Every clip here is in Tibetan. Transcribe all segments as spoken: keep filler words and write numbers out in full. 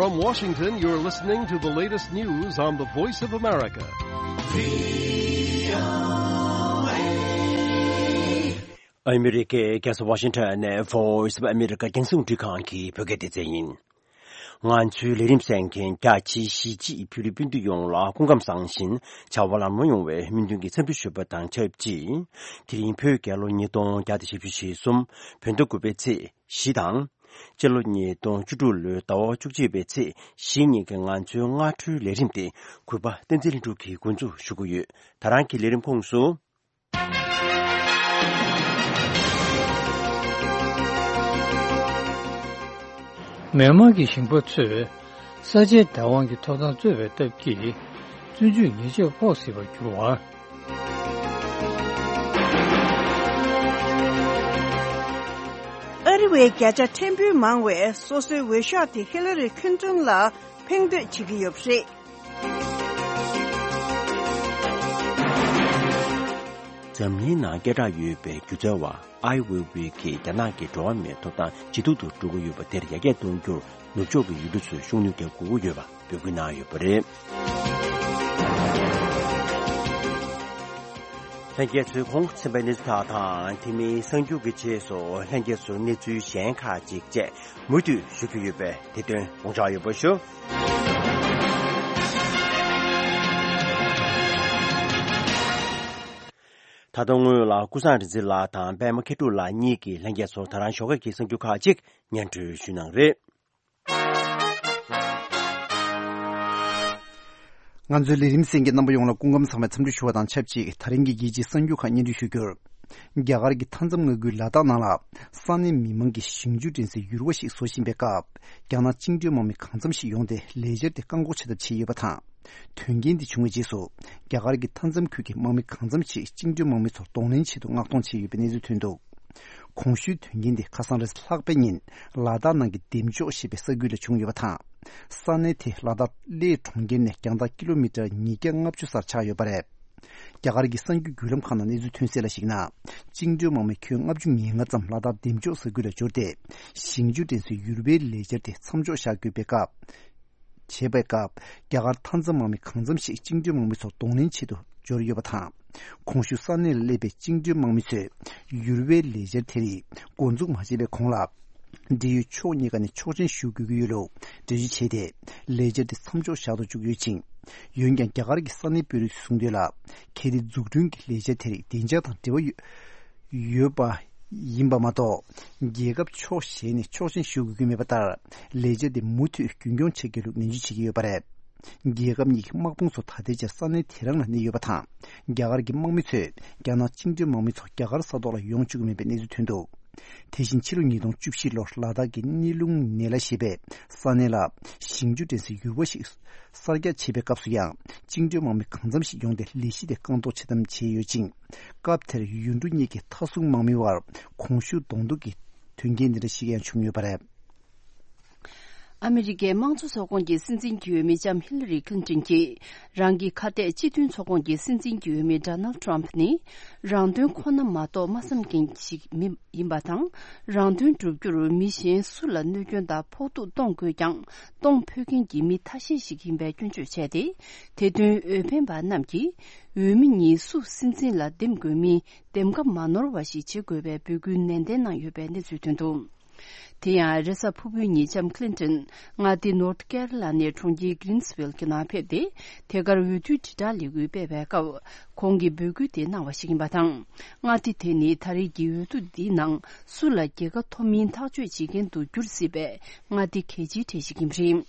From Washington, you're listening to the latest news on the Voice of America. ཨ་མི་རི་ཀའི་རྒྱལ་ས་ཝ་ཤིང་ཊོན་ནས་Voice of America རྒྱང་སྲིང་རླུང་འཕྲིན་ཁང་གི་བོད་སྐད་སྡེ་ཚན་ཡིན། ང་ཚོའི་ལས་རིམ་གསན་མཁན་རྒྱ་ཆེའི་གཞིས་བྱེས་ཕྱི་རོལ་སྤུན་ཟླ་ཡོངས་ལ་སྐུ་ཁམས་བཟང་ཞིང་བྱ་བ་ལམ་འགྲོ་ཡོང་བའི་སྨོན་འདུན་གྱི་འཚམས་འདྲི་ཞུ་བ་དང་ཆབས་ཅིག་དེ་རིང་བོད་རྒྱལ་ལོ་ཉིས་སྟོང་བརྒྱ་དང་བཞི་བཅུ་ཞེ་གསུམ། བོད་ཟླ་དགུ་པའི་ཚེས་བཞི་དང་། སྤྱི་ལོ་ཉིས་སྟོང་བཅུ་དྲུག་ལོའི་ཟླ་བ་བཅུ་གཅིག་པའི་ཚེས་བཞི་ཉིན་གྱི་ང་ཚོའི་སྔ་དྲོའི་ལས་རིམ་དེ་གུས་པ་བསྟན་འཛིན་ལྷུན་གྲུབ་ཀྱིས་འགོ་འཛུགས་ཞུ་གི་ཡོད། ད་རང་གི་ལས་རིམ་ཁོངས་སུ། མི་དམངས་ཀྱི་ཞིང་པ་ཚོས་ས་ཆའི་བདག་དབང་གི་ཐོབ་ཐང་རྩོད་པའི་སྟབས་ཀྱིས་བཙོན་འཇུག་ཉེས་ཆད་ཕོག་སྲིད་པར་གྱུར་བ། ཨ་རི་བའི་བརྒྱ་ཆ་ཕྲན་བུ་མང་བས་སོ་སོའི་འོས་ཤོག་དེ་ཧི་ལ་རི་ཁིན་ཏོན་ལ་འཕེན་འདོད་བྱེད་ཀྱི་ཡོད་པ་རེད། འཛམ་གླིང་ནང་སྐད་གྲགས་ཡོད་པའི་སྒྱུ་རྩལ་བ་ཨའི་ཝེ་ཝེ་གིས་རྒྱ་ནག་གི་འགྲོ་བ་མིའི་ཐོབ་ཐང་ཇེ་སྡུག་ཏུ་འགྲོ་གི་ཡོད་པ་དེར་ཡར་རྒྱས་གཏོང་རྒྱུར་ནུབ་ཕྱོགས་ཀྱི་ཡུལ་གྲུ་ཚོས་ཤུགས་སྣོན་རྒྱག་དགོས་ཀྱི་ཡོད་པ་འབོད་སྐུལ་གནང་ཡོད་པ་རེད། ལྷན་རྒྱས་ཚོས་གོང་གསན་པའི་གནས་ཚུལ་དག་དང་དེ་མིན་གསར་འགྱུར་གྱི་རྗེས་སུ་ལྷན་རྒྱས་ཚོར་གནས་ཚུལ་གཞན་ཁག་ཅིག་བཅས་མུ་མཐུད་ཞུ་རྒྱུ་ཡོད་པས་དེ་དོན་དགོངས་འཇགས་ཡོད་པ་ཞུ། ད་ལྟ་སྔོན་ལ་ཀུན་བཟང་རིག་འཛིན་ལགས་དང་པད་མ་མཁས་གྲུབ་ལགས་གཉིས་ཀྱིས་ལྷན་རྒྱས་ཚོར་ད་རང་ཞོགས་ཀས་ཀྱི་གསར་འགྱུར་ཁག་ཅིག་སྙན་སྒྲོན་ཞུས་གནང་རེད། ང་ཚོའི་ལས་རིམ་གསན་མཁན་རྣམ་པ་ཡོངས་ལ་སྐུ་ཁམས་བཟང་བའི་འཚམས་འདྲི་ཞུ་བ་དང་ཆབས་ཅིག་དེ་རིང་གི་རྒྱལ་སྤྱིའི་གསར་འགྱུར་ཁག་སྙན་སྒྲོན་ཞུ་རྒྱུར། རྒྱ་གར་གྱི་མཐའ་མཚམས་མངའ་ཁུལ་ལ་དྭགས་ནང་ལ་ས་གནས་མི་མང་གིས་ཞིང་ཆུ་འདྲེན་སའི་ཡུར་བ་ཞིག་བཟོ་བཞིན་པའི་སྐབས། རྒྱ་ནག་བཅིངས་འགྲོལ་དམག་མི་གང་འཚམ་ཞིག་ཡོང་སྟེ་ལས་འཆར་དེ་བཀག་འགོག་བྱེད་ཐབས་བྱས་ཡོད་པ་དང་། དོན་རྐྱེན་འདི་བྱུང་བའི་རྗེས་སུ། རྒྱ་གར་གྱི་མཐའ་མཚམས་ཁུལ་གྱི་དམག་མི་གང་འཚམ་ཞིག་བཅིངས་འགྲོལ་དམག་མི་ཚོར་གདོང་ལེན་ཆེད་དུ་མངགས་གཏོང་བྱས་ཡོད་པའི་གནས་ཚུལ་ཐོན་འདུག་གོང་ཞུས་དོན་རྐྱེན་འདི་ཁ་སང་རེས་ལྷག་པའི་ཉིན་ལ་དྭགས་ནང་གི་འདེམ་ལྕོག་ཞེས་པའི་ས་ཁུལ་ལ་བྱུང་ཡོད་པ་དང་། ས་གནས་དེ་ལ་དྭགས་གླེ་གྲོང་ཁྱེར་ནས་རྒྱང་ཐག་ཀི་ལོ་མི་ཊར་ཉིས་བརྒྱ་ལྔ་བཅུ་སར་ཆགས་ཡོད་པ་རེད། རྒྱ་གར་གྱི་གསར་འགྱུར་བརྒྱུད་ལམ་ཁག་ནང་གནས་ཚུལ་ཐོན་གསལ་ལ་གཞིགས་ན། བཅིངས་འགྲོལ་དམག་མི་ཁྱོན་ལྔ་བཅུ་ང་ལྔ་ཙམ་ལ་དྭགས་འདེམ་ལྕོག་ས་ཁུལ་ལ་འབྱོར་ཏེ། ཞིང་ཆུ་འདྲེན་སའི་ཡུར་བའི་ལས་འཆར་དེ་མཚམས་འཇོག་བཞག་དགོས་པའི་སྐབས། བྱས་པའི་སྐབས། རྒྱ་གར་མཐའ་མཚམས་དམག་མི་གང་འཚམ་ཞིག་བཅིངས་འགྲོལ་དམག་མི་ཚོར་གདོང་ལེན་ཆེད་དུ་འབྱོར་ཡོད་པ་དང་། གོང་ཞུས་ས་གནས་ལ་སླེབས་པའི་བཅིངས་འགྲོལ་དམག་མི་ཚོས་ཡུར་བའི་ལས་འཆར་དེ་རིགས་འགོ་འཛུགས་མ་བྱས་པའི་གོང་ལ། འབྲེལ་ཡོད་ཕྱོགས་གཉིས་ཀ་ནས་ཆོག་མཆན་ཞུ་དགོས་ཀྱི་ཡོད་ལུགས་འགྲེལ་བརྗོད་བྱས་ཏེ། ལས་འཆར་དེ་མཚམས་འཇོག་བཞག་ཏུ་བཅུག་ཡོད་ཅིང་། འོན་ཀྱང་རྒྱ་གར་གྱི་ས་གནས་དཔོན་རིགས་ཚོས་གསུངས་དོན་ལ། གལ་ཏེ་འཛུགས་སྐྲུན་གྱི་ལས་འཆར་དེ་རིགས་བདེ་འཇགས་དང་འབྲེལ་བ་ཡོད། ཡོད་པ་ཡིན་པ་མ་གཏོགས། རྒྱལ་ཁབ་ཕྱོགས་གཞན་ནས་ཆོག་མཆན་ཞུ་དགོས་ཀྱི་མེད་པ་ལྟར། ལས་འཆར་དེ་མུ་མཐུད་རྒྱུན་སྐྱོང་བྱེད་དགོས་ལུགས་ནན་བརྗོད་བྱེད་ཀྱི་ཡོད་པ་རེད། རྒྱལ་ཁབ་གཉིས་ཀྱི་དམག་དཔུང་ཚོ་ད་ལྟའི་ཆར་ས་གནས་དེ་རང་ལ་གནས་ཡོད་པ་དང་། རྒྱ་གར་གྱི་དམག་མི་ཚོས་རྒྱ་ནག་བཅིངས་འགྲོལ་དམག་མི་ཚོ་རྒྱ་གར་ས་ཐོག་ལ་ཡོང་བཅུག་གི་མེད་པའི་གནས་ཚུལ་ཐོན་འདུག་དེ་བཞིན་ཕྱི་ལོ་ཉིས་སྟོང་བཅུ་བཞི་ལོར་ལ་དྭགས་ཀྱི་ནི་ལུང་ནེ་ལ་ཞེས་པའི་ས་གནས་ལ་ཞིང་ཆུ་འདྲེན་སའི་ཡུར་བ་ཞིག་གསར་རྒྱག་བྱེད་པའི་སྐབས་སུ་ཡང་བཅིངས་འགྲོལ་དམག་མི་གང་འཚམ་ཞིག་ཡོང་སྟེ་ལས་གཞི་དེ་བཀག་འགོག་བྱེད་ཐབས་བྱས་ཡོད་ཅིང་། སྐབས་དེར་ཡུལ་གྲུ་གཉིས་ཀྱི་མཐའ་སྲུང་དམག་མི་བར་གོང་ཞུས་གདོང་ཐུག་གི་དོན་རྐྱེན་འདི་འདྲ་ཞིག་ཡང་བྱུང་ཡོད་པ་རེད། ཨ་མི་རི་ཀའི་དམངས་གཙོ་ཚོགས་ཁོངས་ཀྱི་སྲིད་འཛིན་གྱི་འོས་མི་ལྕམ་ཧི་ལ་རི་ཁི་ལིན་ཏོན་གྱིས་རང་གི་ཁ་གཏད་སྤྱི་མཐུན་ཚོགས་ཁོངས་ཀྱི་སྲིད་འཛིན་གྱི་འོས་མི་ཌོ་ནལ་ཌི་ཊརམ་ཕི་ནི་རང་དོན་ཁོ་ན་མ་གཏོགས་མ་བསམ་མཁན་ཞིག་མི་ཡིན་པ་དང་། རང་དོན་བསྒྲུབ་རྒྱུར་མི་གཞན་སུ་ལ་གནོད་སྐྱོན་དང་ཕོག་ཐུག་གཏོང་དགོས་ཀྱང་གཏོང་ཕོད་མཁན་གྱི་མི་ཐ་ཤལ་ཞིག་ཡིན་པའི་སྐྱོན་བརྗོད་བྱས་ཏེ། དེ་དོན་འོས་འཕེན་པ་རྣམས་ཀྱིས་འོས་མི་གཉིས་སུ་སྲིད་འཛིན་ལ་འདེམས་དགོས་མིན་འདེམས་ཀ་མ་ནོར་བ་ཞིག་བྱེད་དགོས་པའི་འབོད་སྐུལ་ནན་ཏན་གནང་ཡོད་པའི་གནས་ཚུལ་ཐོན་འདུག་དེ་ཡང་རེས་གཟའ་ཕུར་བུའི་ཉིན་ལྕམ་ཁི་ལིན་ཏོན་མངའ་སྡེ་ནོར་ཐི་ཀེ་རོ་ལ་ནའི་གྲོང་ཁྱེར་གྷི་རིན་སི་ཝིལ་གྱི་ནང་ཕེབས་ཏེ། དེ་གར་འོས་བསྡུའི་དྲིལ་བསྒྲགས་ལས་འགུལ་སྤེལ་བའི་སྐབས། ཁོང་གིས་འབོད་སྐུལ་དེ་གནང་བ་ཞིག་ཡིན་པ་དང་། མངའ་སྡེ་དེ་ནི་ད་རེས་ཀྱི་འོས་བསྡུ་འདིའི་ནང་སུ་ལ་རྒྱལ་ཁ་ཐོབ་མིན་ཐག་གཅོད་བྱེད་མཁན་དུ་འགྱུར་སྲིད་པའི་མངའ་སྡེ་གལ་ཆེའི་གྲས་ཤིག་ཡིན་པ་རེད།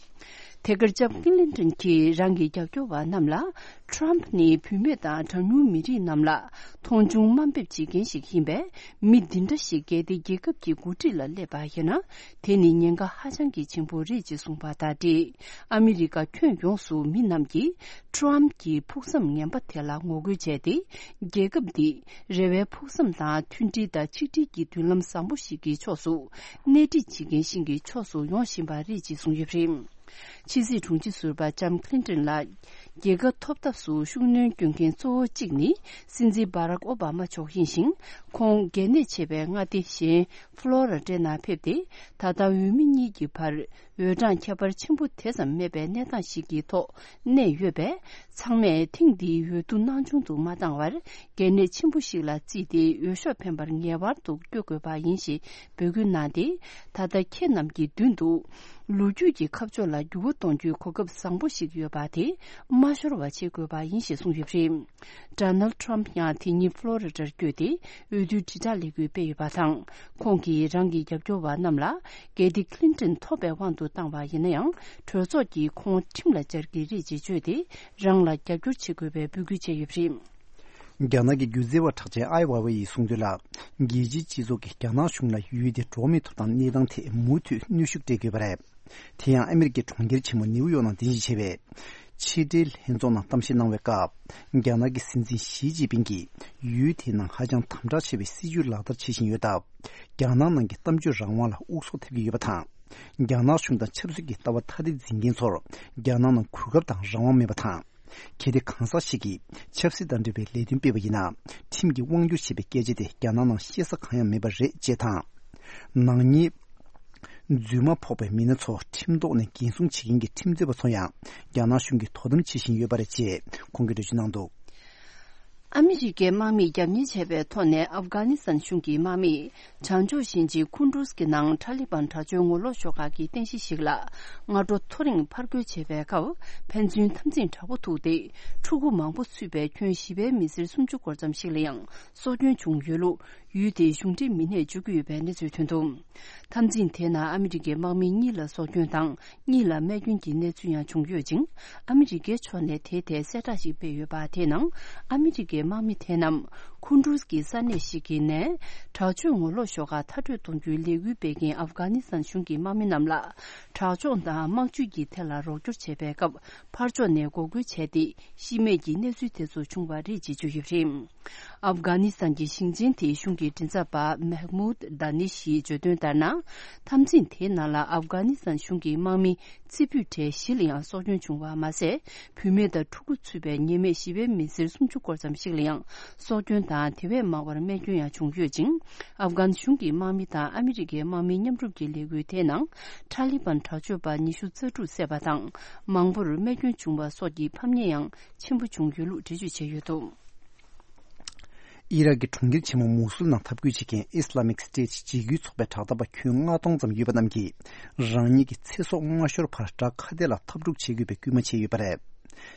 དེ་གར་ལྕམ་ཁི་ལིན་ཏོན་གྱིས་རང་གི་རྒྱབ་སྐྱོར་བ་རྣམས་ལ། ཊརམ་ཕི་ནི་བུད་མེད་དང་གྲངས་ཉུང་མི་རིགས་རྣམས་ལ་མཐོང་ཆུང་དམའ་འབེབས་བྱེད་མཁན་ཞིག་ཡིན་པས། མི་འདི་འདྲ་ཞིག་གལ་ཏེ་རྒྱལ་ཁབ་ཀྱི་འགོ་ཁྲིད་ལ་སླེབས་པ་ཡིན་ན། དེ་ནི་ཉེན་ཁ་ཧ་ཅང་གི་ཆེན་པོ་རེད་ཅེས་གསུངས་པ་དང་འབྲེལ། ཨ་མི་རི་ཀ་ཁྱོན་ཡོངས་སུ་མི་རྣམས་ཀྱིས་ཊརམ་ཕི་གྱི་ཕུགས་བསམ་ངན་པ་དེ་ལ་ངོ་རྒོལ་བྱས་ཏེ། རྒྱལ་ཁབ་འདི་རེ་བའི་ཕུགས་བསམ་དང་མཐུན་སྒྲིལ་དང་ཆིག་སྒྲིལ་གྱི་མདུན་ལམ་བཟང་པོ་ཞིག་གི་ཕྱོགས་སུ་སྣེ་ཁྲིད་བྱེད་མཁན་ཞིག་གི་ཕྱོགས་སུ་ཡོང་བཞིན་པ་རེད་ཅེས་གསུངས་ཡོད་པ་རེད། ཕྱི་སྲིད་དྲུང་ཆེ་ཟུར་པ་ལྕམ་ཁི་ལིན་ཏོན་ལགས། རྒྱལ་ཁ་ཐོབ་ཐབས་སུ་ཤུགས་སྣོན་སྐྱོན་མཁན་གཙོ་བོ་གཅིག་ནི་སྲིད་འཛིན་བྷ་རག་ཨོ་བྷ་མ་མཆོག་ཡིན་ཞིང་། ཁོང་གལ་གནད་ཆེ་བའི་མངའ་སྡེ་གཞན་ཕློ་ར་ཌའི་ནང་ཕེབས་ཏེ། ད་ལྟ་འོས་མི་གཉིས་ཀྱི་བར་འོས་གྲངས་ཁྱད་པར་ཆེན་པོ་དེ་ཙམ་མེད་པའི་གནས་སྟངས་ཤིག་གི་ཐོག་གནས་ཡོད་པས། ཚང་མས་ཐེངས་འདིའི་འོས་བསྡུ་སྣང་ཆུང་དུ་མ་བཏང་བར། གལ་གནད་ཆེན་པོ་ཞིག་ལ་བརྩིས་ཏེ། འོས་ཤོག་འཕེན་པར་ངེས་པར་དུ་བསྐྱོད་དགོས་པ་ཡིན་ཞེས་འབོད་སྐུལ་གནང་སྟེ། ད་ལྟ་ཁྱེད་རྣམས་ཀྱི་མདུན་དུ་ལོ་རྒྱུས་ཀྱི་ཁ་ཕྱོགས་ལ་འགྱུར་བ་གཏོང་རྒྱུའི་གོ་སྐབས་བཟང་པོ་ཞིག་ཡོད་པ་དེ་མ་ཤོར་བ་བྱེད་དགོས་པ་ཡིན་ཞེས་གསུངས་ཡོད་པ་རེད། ཌོ་ནལ་ཌི་ཊརམ་ཕི་ཡང་དེ་ཉིན་ཕློ་རི་ཌར་བསྐྱོད་དེ། འོས་བསྡུའི་དྲིལ་བསྒྲགས་ལས་འགུལ་སྤེལ་ཡོད་པ་དང་། ཁོང་གིས་རང་གི་རྒྱབ་སྐྱོར་བ་རྣམས་ལ། གལ་ཏེ་ཁི་ལིན་ཏོན་ཐོབ་པའི་དབང་དུ་བཏང་བ་ཡིན་ན་ཡང་། གྲོས་ཚོགས་ཀྱིས་ཁོང་ཁྲིམས་ལ་སྦྱར་གྱི་རེད་ཅེས་བརྗོད་དེ། རང་ལ་རྒྱབ་སྐྱོར་བྱེད་དགོས་པའི་འབོད་སྐུལ་བྱས་ཡོད་པ་རེད། རྒྱ་ནག་གི་སྒྱུ་རྩལ་བ་གྲགས་ཅན་ཨའེ་ཝེ་ཝེ་ཡིས་གསུངས་དོན་ལ། རྒྱལ་སྤྱིའི་སྤྱི་ཚོགས་ཀྱིས་རྒྱ་ནག་གཞུང་ལ་ཡུལ་དེའི་འགྲོ་བ་མིའི་ཐོབ་ཐང་གནས་སྟངས་ཐད་མུ་མཐུད་གནོན་ཤུགས་སྤྲད་དགོས་པ་རེད། དེ་ཡང་ཨ་མེ་རི་ཀའི་གྲོང་ཁྱེར་ཆེན་མོ་ནེའུ་ཡོག་ནང་རྟེན་གཞི་བྱས་པའི་ཕྱི་འབྲེལ་ལྷན་ཚོགས་ནང་གཏམ་བཤད་གནང་བའི་སྐབས། རྒྱ་ནག་གི་སྲིད་འཛིན་ཞི་ཅིན་ཕིང་གིས་ཡུལ་དེའི་ནང་ཧ་ཅང་དམ་དྲག་ཆེ་བའི་སྲིད་ཇུས་ལག་བསྟར་བྱེད་བཞིན་ཡོད་སྟབས། རྒྱ་ནག་ནང་གི་གཏམ་བརྗོད་རང་དབང་ལ་དབུགས་སོགས་ཐེབས་ཀྱི་ཡོད་པ་དང་། རྒྱ་ནག་གཞུང་དང་ཆབ་སྲིད་ཀྱི་ལྟ་བ་ཐ་དད་འཛིན་མཁན་ཚོར་རྒྱ་ནག་ནང་གོ་སྐབས་དང་རང་དབང་མེད་པ་དང་། གལ་ཏེ་གང་ཟག་ཞིག་གིས་ཆབ་སྲིད་དང་འབྲེལ་བའི་ལས་དོན་སྤེལ་བ་ཡིན་ན། ཁྲིམས་ཀྱིས་དབང་སྒྱུར་བྱེད་པའི་སྐད་ཆ་དེ་རྒྱ་ནག་ནང་བཤད་ས་གང་ཡང་མེད་པ་རེད་ཅེས་དང་། ནག་ཉེས་རྫུན་མ་ཕོག་པའི་མི་སྣ་ཚོ་ཁྲིམས་ཐོག་ནས་འགན་སྲུང་བྱེད་མཁན་གྱི་ཁྲིམས་རྩོད་པ་ཚོ་ཡང་རྒྱ་ནག་གཞུང་གིས་དོ་དམ་བྱེད་བཞིན་ཡོད་པ་རེད་ཅེས་ཁོང་གིས་འགྲེལ་བརྗོད་གནང་འདུག། ཨ་མི་རི་ཀའི་དམག་མིས་རྒྱབ་གཉེར་བྱས་པའི་ཐོག་ནས་ཨབ་གྷ་ནི་སི་ཐན་གཞུང་གི་དམག་མིས་བྱང་ཕྱོགས་ཞིང་ཆེན་ཁུན་ཌུ་སི་ནང་ཁྲ་ལི་པན་དྲག་སྤྱོད་ངོ་ལོག་ཤོག་ཁག་གི་རྟེན་གཞི་ཞིག་ལ་སྔ་དྲོ་ཐོ་རེངས་ཕར་རྒོལ་བྱས་པའི་སྐབས། ཕན་ཚུན་འཐབ་འཛིང་དྲག་པོ་ཐུག་སྟེ། ཕྲུ་གུ་མང་པོ་ཚུད་པའི་ཁྱོན་བཞི་པའི་མི་སེར་སུམ་ཅུ་སྐོར་ཙམ་ཞིག་ལ་ཡང་སྲོག་སྐྱོན་བྱུང་ཡོད་ལུགས། ཡུལ་དེའི་གཞུང་འབྲེལ་མི་སྣས་བརྗོད་ཀྱི་ཡོད་པའི་གནས་ཚུལ་ཐོན་འདུག། འཐབ་འཛིང་དེའི་ནང་ཨ་མི་རི་ཀའི་དམག་མི་གཉིས་ལ་སྲོག་སྐྱོན་དང་། གཉིས་ལ་རྨས་སྐྱོན་གྱི་གནས་ཚུལ་ཡང་བྱུང་ཡོད་ཅིང་། ཨ་མི་རི་ཀའི་ཕྱོགས་ནས་དེའི་ཐད་གསལ་བསྒྲགས་ཤིག་སྤེལ་ཡོད་པ་དེའི་ནང་། ཨ་མི་རི་ཀའི་དམག་མི་དེ་རྣམས་ཁུན་ཌུ་སི་ཀྱི་ས་གནས་ཤིག་གི་ནས་དྲག་སྤྱོད་ངོ་ལོག་ཤོག་ཁག་མཐར་སྐྲོད་གཏོང་རྒྱུའི་ལས་འགུལ་སྤེལ་མཁན་ཨབ་གྷ་ནི་སི་ཐན་གཞུང་གི་དམག་མི་རྣམས་ལ་དྲག་སྦྱོང་དང་དམག་ཇུས་ཀྱི་ཐད་ལ་རོགས་སྐྱོར་བྱས་པའི་སྐབས། ཕར་ཕྱོགས་ནས་འགོག་རྒོལ་བྱས་ཏེ། ཤི་རྨས་ཀྱི་གནས་ཚུལ་དེ་ཚོ་བྱུང་བ་རེད་ཅེས་བརྗོད་ཡོད་པ་རེད། ཨབ་གྷ་ནི་སི་ཐན་གྱི་ཞིང་ཆེན་དེའི་གཞུང་གི་མགྲིན་ཚབ་པ་མེག་མུད་ད་ནི་ཤིས་བརྗོད་དོན་ལྟར་ན། འཐབ་འཛིང་དེའི་ནང་ལ་ཨབ་གྷ་ནི་སི་ཐན་གཞུང་གི་དམག་མི་རྩེ་ཕུད་གྲས་བཞི་ལ་ཡང་སྲོག་སྐྱོན་བྱུང་བ་མ་ཟད། བུད་མེད་དང་ཕྲུ་གུ་ཚུད་པའི་ཉེས་མེད་བཞི་པའི་མི་སེར་སུམ་ཅུ་སྐོར་ཙམ་ཞིག་ལ་ཡང་སྲོག་སྐྱོན་དང་དེ་བས་མང་བར་རྨས་སྐྱོན་ཡང་བྱུང་ཡོད་ཅིང་། ཨབ་གྷན་གཞུང་གི་དམག་མི་དང་ཨ་མི་རི་ཀའི་དམག་མི་མཉམ་རུབ་ཀྱི་ལས་འགུལ་དེའི་ནང་ཁྲ་ལི་པན་དྲག་སྤྱོད་པ་ཉི་ཤུ་རྩ་དྲུག་བསད་པ་དང་། མང་པོར་རྨས་སྐྱོན་བྱུང་བ་སོགས་ཀྱི་ཕམ་ཉེས་ཡང་ཆེན་པོ་བྱུང་ཡོད་ལུགས་འགྲེལ་བརྗོད་བྱས་ཡོད་འདུག། ཨི་རག་གི་གྲོང་ཁྱེར་ཆེན་མོ་མུ་སུལ་ནང་འཐབ་རྒོལ་བྱེད་མཁན་Islamic State་འཇིགས་སྐུལ་ཚོགས་པའི་དྲག་འཐབ་པ་ཁྱོན་ལྔ་སྟོང་ཙམ་ཡོད་པ་རྣམས་ཀྱིས་རང་ཉིད་ཀྱི་ཚེ་སྲོག་མ་ཤོར་བར་བྲག་ཁ་གཏད་ལ་འཐབ་འཁྲུག་བྱེད་དགོས་པའི་སྐུལ་མ་བྱས་ཡོད་པ་རེད།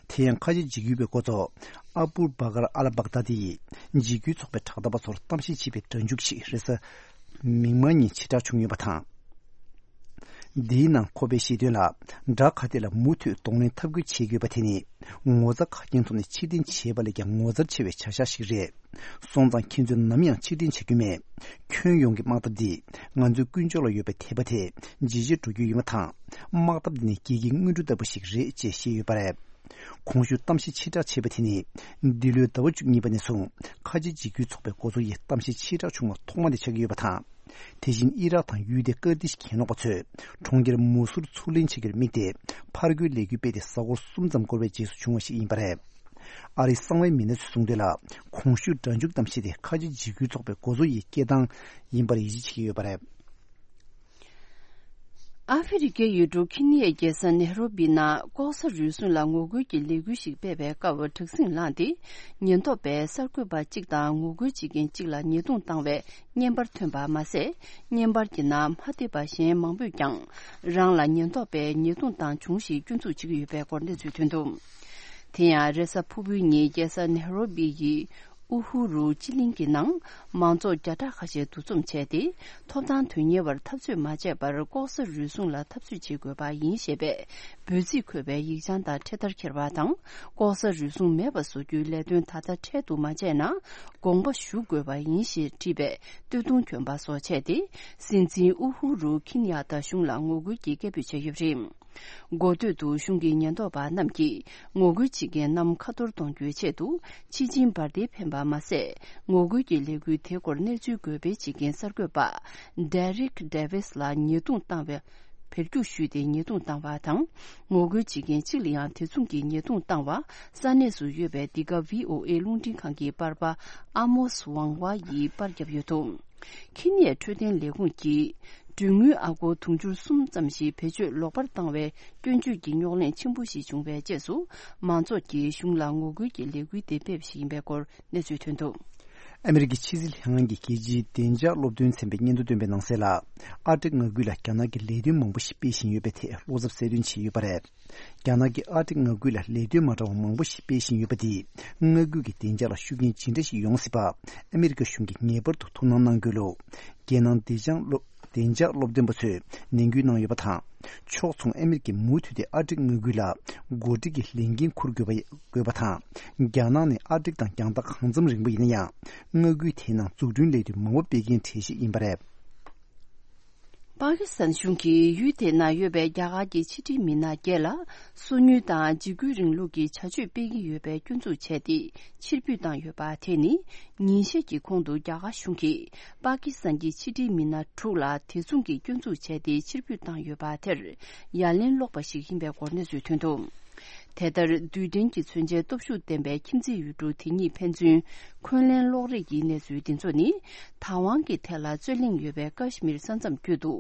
དེ་ཡང་ཁ་ཆེ་འཇིགས་སྐུལ་བའི་འགོ་གཙོ་ཨ་བུ་བྷ་ཀར་ཨལ་བྷག་དཱ་དི་ཡིས་འཇིགས་སྐུལ་ཚོགས་པའི་དྲག་འཐབ་པ་ཚོར་གཏམ་བཤད་བྱས་པའི་སྒྲ་འཇུག་ཅིག་རེས་གཟའ་མིག་དམར་ཉིན་ཕྱིར་བསྒྲགས་བྱུང་ཡོད་པ་དང་། འདིའི་ནང་ཁོ་པས་བཤད་དོན་ལ། བྲག་ཁ་གཏད་ལ་མུ་མཐུད་གདོང་ལེན་འཐབ་རྒོལ་བྱེད་དགོས་པ་དེ་ནི། ངོ་ཚ་ཁ་རྒྱུན་ཐོག་ནས་ཕྱིར་འཐེན་བྱས་པ་ལས་ཀྱང་ངོ་མཚར་ཆེ་བའི་བྱ་གཞག་ཞིག་རེད། སོང་ཙང་ཁྱེད་ཚོས་ནམ་ཡང་ཕྱིར་འཐེན་བྱ་རྒྱུ་མེད། ཁྱོན་ཡོངས་ཀྱི་དམག་འཐབ་འདིས་ང་ཚོའི་ཀུན་སྤྱོད་ལ་ཡོད་པའི་དད་པ་དེ་ཇེ་ཆེར་འགྲོ་རྒྱུ་ཡིན་པ་དང་། དམག་འཐབ་འདི་ནི་སྐྱིད་ཀྱི་དངོས་གྲུབ་ལྟ་བུ་ཞིག་རེད་ཅེས་བཤད་ཡོད་པ་རེད། གོང་ཞུས་གཏམ་བཤད་ཕྱིར་བསྒྲགས་བྱས་པ་དེ་ནི། འདི་ལོའི་ཟླ་བ་བཅུ་གཉིས་པ་ནས་བཟུང་ཁ་ཆེ་འཇིགས་སྐུལ་ཚོགས་པའི་འགོ་གཙོ་ཡི་གཏམ་བཤད་ཕྱིར་བསྒྲགས་བྱུང་བ་ཐོག་མ་དེ་ཆགས་ཀྱི་ཡོད་པ་དང་། དེ་བཞིན་ཨི་རག་དང་ཡུལ་དེའི་ཀར་ཏིཤ་གྱེན་ལོག་པ་ཚོས་གྲོང་ཁྱེར་མུ་སུར་ཚུར་ལེན་བྱེད་རྒྱུར་དམིགས་ཏེ། ཕར་རྒོལ་ལས་འགུལ་སྤེལ་ཏེ་གཟའ་འཁོར་གསུམ་ཙམ་འགོར་བའི་རྗེས་སུ་བྱུང་བ་ཞིག་ཡིན་པ་རེད། ཨ་རིའི་གསང་བའི་མི་སྣ་ཚོས་གསུངས་དོན་ལ། གོང་ཞུས་སྒྲ་འཇུག་གཏམ་བཤད་དེ་ཁ་ཆེ་འཇིགས་སྐུལ་ཚོགས་པའི་འགོ་གཙོ་ཡི་སྐད་གདངས་ཡིན་པར་ཡིད་ཆེས་བྱེད་ཀྱི་ཡོད་པ་རེད། ཨ་ཧྥེ་རི་ཁའི་ཡུལ་གྲུ་ཁེ་ནི་ཡའི་རྒྱལ་ས་ནེ་རོ་བི་ནང་ལྐོག་ཟ་རུལ་སུངས་ལ་ངོ་རྒོལ་གྱི་ལས་འགུལ་ཞིག་སྤེལ་བའི་སྐབས། དྲག་ཟིང་ལངས་ཏེ། ཉེན་རྟོག་པས་གསར་འགོད་པ་གཅིག་དང་ངོ་རྒོལ་བྱེད་མཁན་གཅིག་ལ་ཉེས་རྡུང་བཏང་བའི་བརྙན་པར་ཐོན་པ་མ་ཟད། བརྙན་པར་གྱི་ནང་མ་བསྡད་པ་གཞན་མང་པོས་ཀྱང་རང་ལ་ཉེན་རྟོག་པས་ཉེས་རྡུང་བཏང་བྱུང་ཞེས་སྐྱོན་འཛུགས་བྱེད་ཀྱི་ཡོད་པའི་སྐོར་གནས་ཚུལ་ཐོན་འདུག། དེ་ཡང་རེས་གཟའ་ཕུར་བུའི་ཉིན་རྒྱལ་ས་ནེ་རོ་བི་ཡི་ཨུ་ཧུ་རུ་སྤྱི་གླིང་གི་ནང་མང་ཚོགས་བརྒྱ་ཕྲག་ཁ་ཤས་འདུ་འཛོམས་བྱས་ཏེ། ཐོབ་ཐང་དོན་གཉེར་བར་འཐབ་རྩོད་མ་བྱས་པར་ལྐོག་ཟ་རུལ་སུངས་ལ་འཐབ་རྩོད་བྱེད་དགོས་པ་ཡིན་ཞེས་པའི་འབོད་ཚིག་འཁོད་པའི་ཡིག་བྱང་དང་འཕྲེད་དར་འཁྱེར་བ་དང་། ལྐོག་ཟ་རུལ་སུངས་མེད་པ་བཟོ་རྒྱུའི་ལས་དོན་ད་ལྟ་འཕྲལ་དུ་མ་བྱས་ན་དགོངས་པ་ཞུ་དགོས་པ་ཡིན་ཞེས་བྲིས་པའི་སྟོད་ཐུང་གྱོན་པ་སོགས་བྱས་ཏེ། སྲིད་འཛིན་ཨུ་ཧུ་རུ་ཁིན་ཡ་ད་གཞུང་ལ་ངོ་རྒོལ་གྱི་སྐད་འབོད་བྱས་ཡོད་པ་རེད། འགོ་སྟོད་དུ་གཞུང་གི་ཉེན་རྟོག་པ་རྣམས་ཀྱིས་ངོ་རྒོལ་བྱེད་མཁན་རྣམས་ཁ་ཐོར་གཏོང་རྒྱུའི་ཆེད་དུ། ཕྱི་ཆིངས་འབར་མདེལ་འཕེན་པ་མ་ཟད། ངོ་རྒོལ་གྱི་ལས་འགུལ་དེའི་སྐོར་གནས་ཚུལ་འགོད་སྤེལ་བྱེད་མཁན་གསར་འགོད་པ་Derek Davis་ལ་ཉེས་རྡུང་བཏང་བའི་ བེད་སྤྱོད་ཞུས་ཏེ་ཉེས་རྡུང་བཏང་བ་དང་། ངོ་རྒོལ་བྱེད་མཁན་གཅིག་ལ་ཡང་དེ་མཚུངས་ཀྱི་ཉེས་རྡུང་བཏང་བ་ས་གནས་སུ་ཡོད་པའི་འདི་ག་བྷི་ཨོ་ཨེ་རླུང་འཕྲིན་ཁང་གི་པར་པ་ཨ་མོ་སི་ཝང་ཝ་ཡིས་པར་བརྒྱབ་ཡོད་འདུག་ཁེ་ནི་ཡའི་འཕྲོད་བསྟེན་ལས་ཁུངས་ཀྱིས་གྲོན་དངུལ་ཨ་སྒོར་དུང་ཕྱུར་གསུམ་ཙམ་ཞིག་བེད་སྤྱོད་ལོག་པར་བཏང་བའི་སྐྱོན་བརྗོད་ཀྱི་རྙོག་གླེང་ཆེན་པོ་ཞིག་བྱུང་བའི་རྗེས་སུ། མང་ཚོགས་ཀྱིས་གཞུང་ལ་ངོ་རྒོལ་གྱི་ལས་འགུལ་དེ་སྤེལ་བ་ཞིག་ཡིན་པའི་སྐོར་གནས་ཚུལ་ཐོན་འདུག་ཨ་མི་རི་ཀའི་ཕྱི་སྲིད་ལྷན་ཁང་གི་རྒྱལ་སྤྱིའི་བདེ་འཇགས་སློབ་སྟོན་ཚན་པས་སྙན་ཐོ་བཏོན་པའི་ནང་གསལ་ལ། ཨར་ཀྲིག་མངའ་ཁུལ་ལ་རྒྱ་ནག་གི་ལས་དོན་མང་པོ་ཞིག་སྤེལ་བཞིན་ཡོད་པའི་ཐད་བློ་འཚབ་གསལ་སྟོན་བྱས་ཡོད་པ་རེད། རྒྱ་ནག་གིས་ཨར་ཀྲིག་མངའ་ཁུལ་ལ་ལས་དོན་མ་འདྲ་བ་མང་པོ་ཞིག་སྤེལ་བཞིན་ཡོད་པ་དེས་མངའ་ཁུལ་གྱི་བདེ་འཇགས་ལ་ཤུགས་རྐྱེན་ཇི་འདྲ་ཞིག་ཡོང་སྲིད་པ། ཨ་མི་རི་ཀ་གཞུང་གིས་ངེས་པར་དུ་ཐུགས་སྣང་གནང་རྒྱུ་ལ། རྒྱལ་ནང་བདེ་འཇགས་སློབ་བདེ་འཇགས་སློབ་སྟོན་པ་ཚོས་ནན་སྐུལ་གནང་ཡོད་པ་དང་། ཕྱོགས་མཚུངས་ཨ་མི་རི་ཀས་མུ་མཐུད་དེ་ཨར་ཀྲིག་མངའ་ཁུལ་ལ་འགོ་ཁྲིད་ཀྱི་ལས་འགན་འཁུར་དགོས་པ་དགོས་པ་དང་། རྒྱ་ནག་ནི་ཨར་ཀྲིག་དང་རྒྱང་ཐག་གང་འཚམ་རིང་པོ་ཡིན་ན་ཡང་། མངའ་ཁུལ་དེའི་ནང་འཛུགས་སྐྲུན་ལས་དོན་མང་པོ་སྤེལ་མཁན་གྲས་ཤིག་ཡིན་པ་རེད། པ་ཀི་སི་ཐན་གཞུང་གིས་ཡུལ་དེ་ན་ཡོད་པའི་རྒྱ་གར་གྱི་ཕྱི་འབྲེལ་མི་སྣ་བརྒྱད་ལ་སོ་ཉུལ་དང་འཇིགས་སྐུལ་རིང་ལུགས་ཀྱི་བྱ་སྤྱོད་སྤེལ་གྱི་ཡོད་པའི་སྐྱོན་འཛུགས་བྱས་ཏེ་ཕྱིར་འབུད་བཏང་ཡོད་པ་དེ་ནི། ཉིན་ཤས་ཀྱི་གོང་དུ་རྒྱ་གར་གཞུང་གིས་པ་ཀི་སི་ཐན་གྱི་ཕྱི་འབྲེལ་མི་སྣ་དྲུག་ལ་དེ་མཚུངས་ཀྱི་སྐྱོན་འཛུགས་བྱས་ཏེ་ཕྱིར་འབུད་བཏང་ཡོད་པ་དེར་ཡ་ལན་སློག་པ་ཞིག་ཡིན་པའི་སྐོར་གནས་ཚུལ་ཐོན་འདུག་དེ་ལྟར་རྡུལ་ཕྲན་གྱི་མཚོན་ཆའི་སྟོབས་ཤུགས་ལྡན་པའི་ཁྱིམ་མཚེས་ཡུལ་གྲུ་དེ་གཉིས་ཕན་ཚུན་འཁོན་ལན་སློག་རེས་ཀྱི་གནས་ཚུལ་འདི་ཚོ་ནི། དང་ཝང་གི་ཐད་ལ་རྩོད་གླེང་ཡོད་པའི་ཀ་ཤི་མིར་ས་མཚམས་བརྒྱུད་དུ།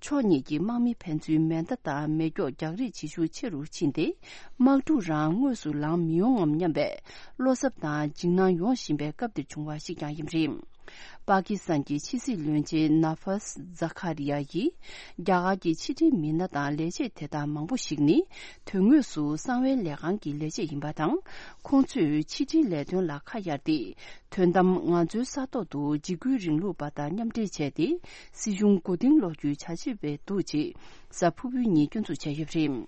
ཕྱོགས་གཉིས་ཀྱི་དམག་མི་ཕན་ཚུན་མེ་མདའ་དང་མེ་སྒྱོགས་རྒྱག་རེས་བྱེད་ཤུགས་ཆེ་རུ་ཕྱིན་ཏེ། དམག་འཁྲུག་རང་དངོས་སུ་ལངས་མི་ཡོང་ངམ་སྙམ་པའི་བློ་འཚབ་དང་འཇིགས་སྣང་ཡོང་བཞིན་པའི་སྐབས་འདིར་བྱུང་བ་ཞིག་ཀྱང་ཡིན་པ་རེད། པ་ཀི་སི་ཐན་གྱི་ཕྱི་སྲིད་བློན་ཆེན་ནཱ་ཕཱས་ཛ་ཁ་རི་ཡ་ཡིས། རྒྱ་གར་གྱི་ཕྱི་འབྲེལ་མི་སྣ་དང་ལས་བྱེད་དེ་དག་མང་པོ་ཞིག་ནི། དོན་དངོས་སུ་གསང་བའི་ལས་ཁང་གི་ལས་བྱེད་ཡིན་པ་དང་། ཁོང་ཚོས་ཕྱི་འབྲེལ་ལས་དོན་ལ་ཁ་གཡར་ཏེ། དོན་དམ་ང་ཚོའི་ས་ཐོག་ཏུ་འཇིགས་སྐུལ་རིང་ལུགས་པ་དང་མཉམ་འབྲེལ་བྱས་ཏེ། སྲིད་གཞུང་མགོ་རྟིང་སློག་རྒྱུའི་བྱ་བྱེད་པའི་འདུག་ཅེས་གཟའ་ཕུར་བུའི་ཉིན་སྐྱོན་འཛུགས་བྱས་ཡོད་པ་རེད།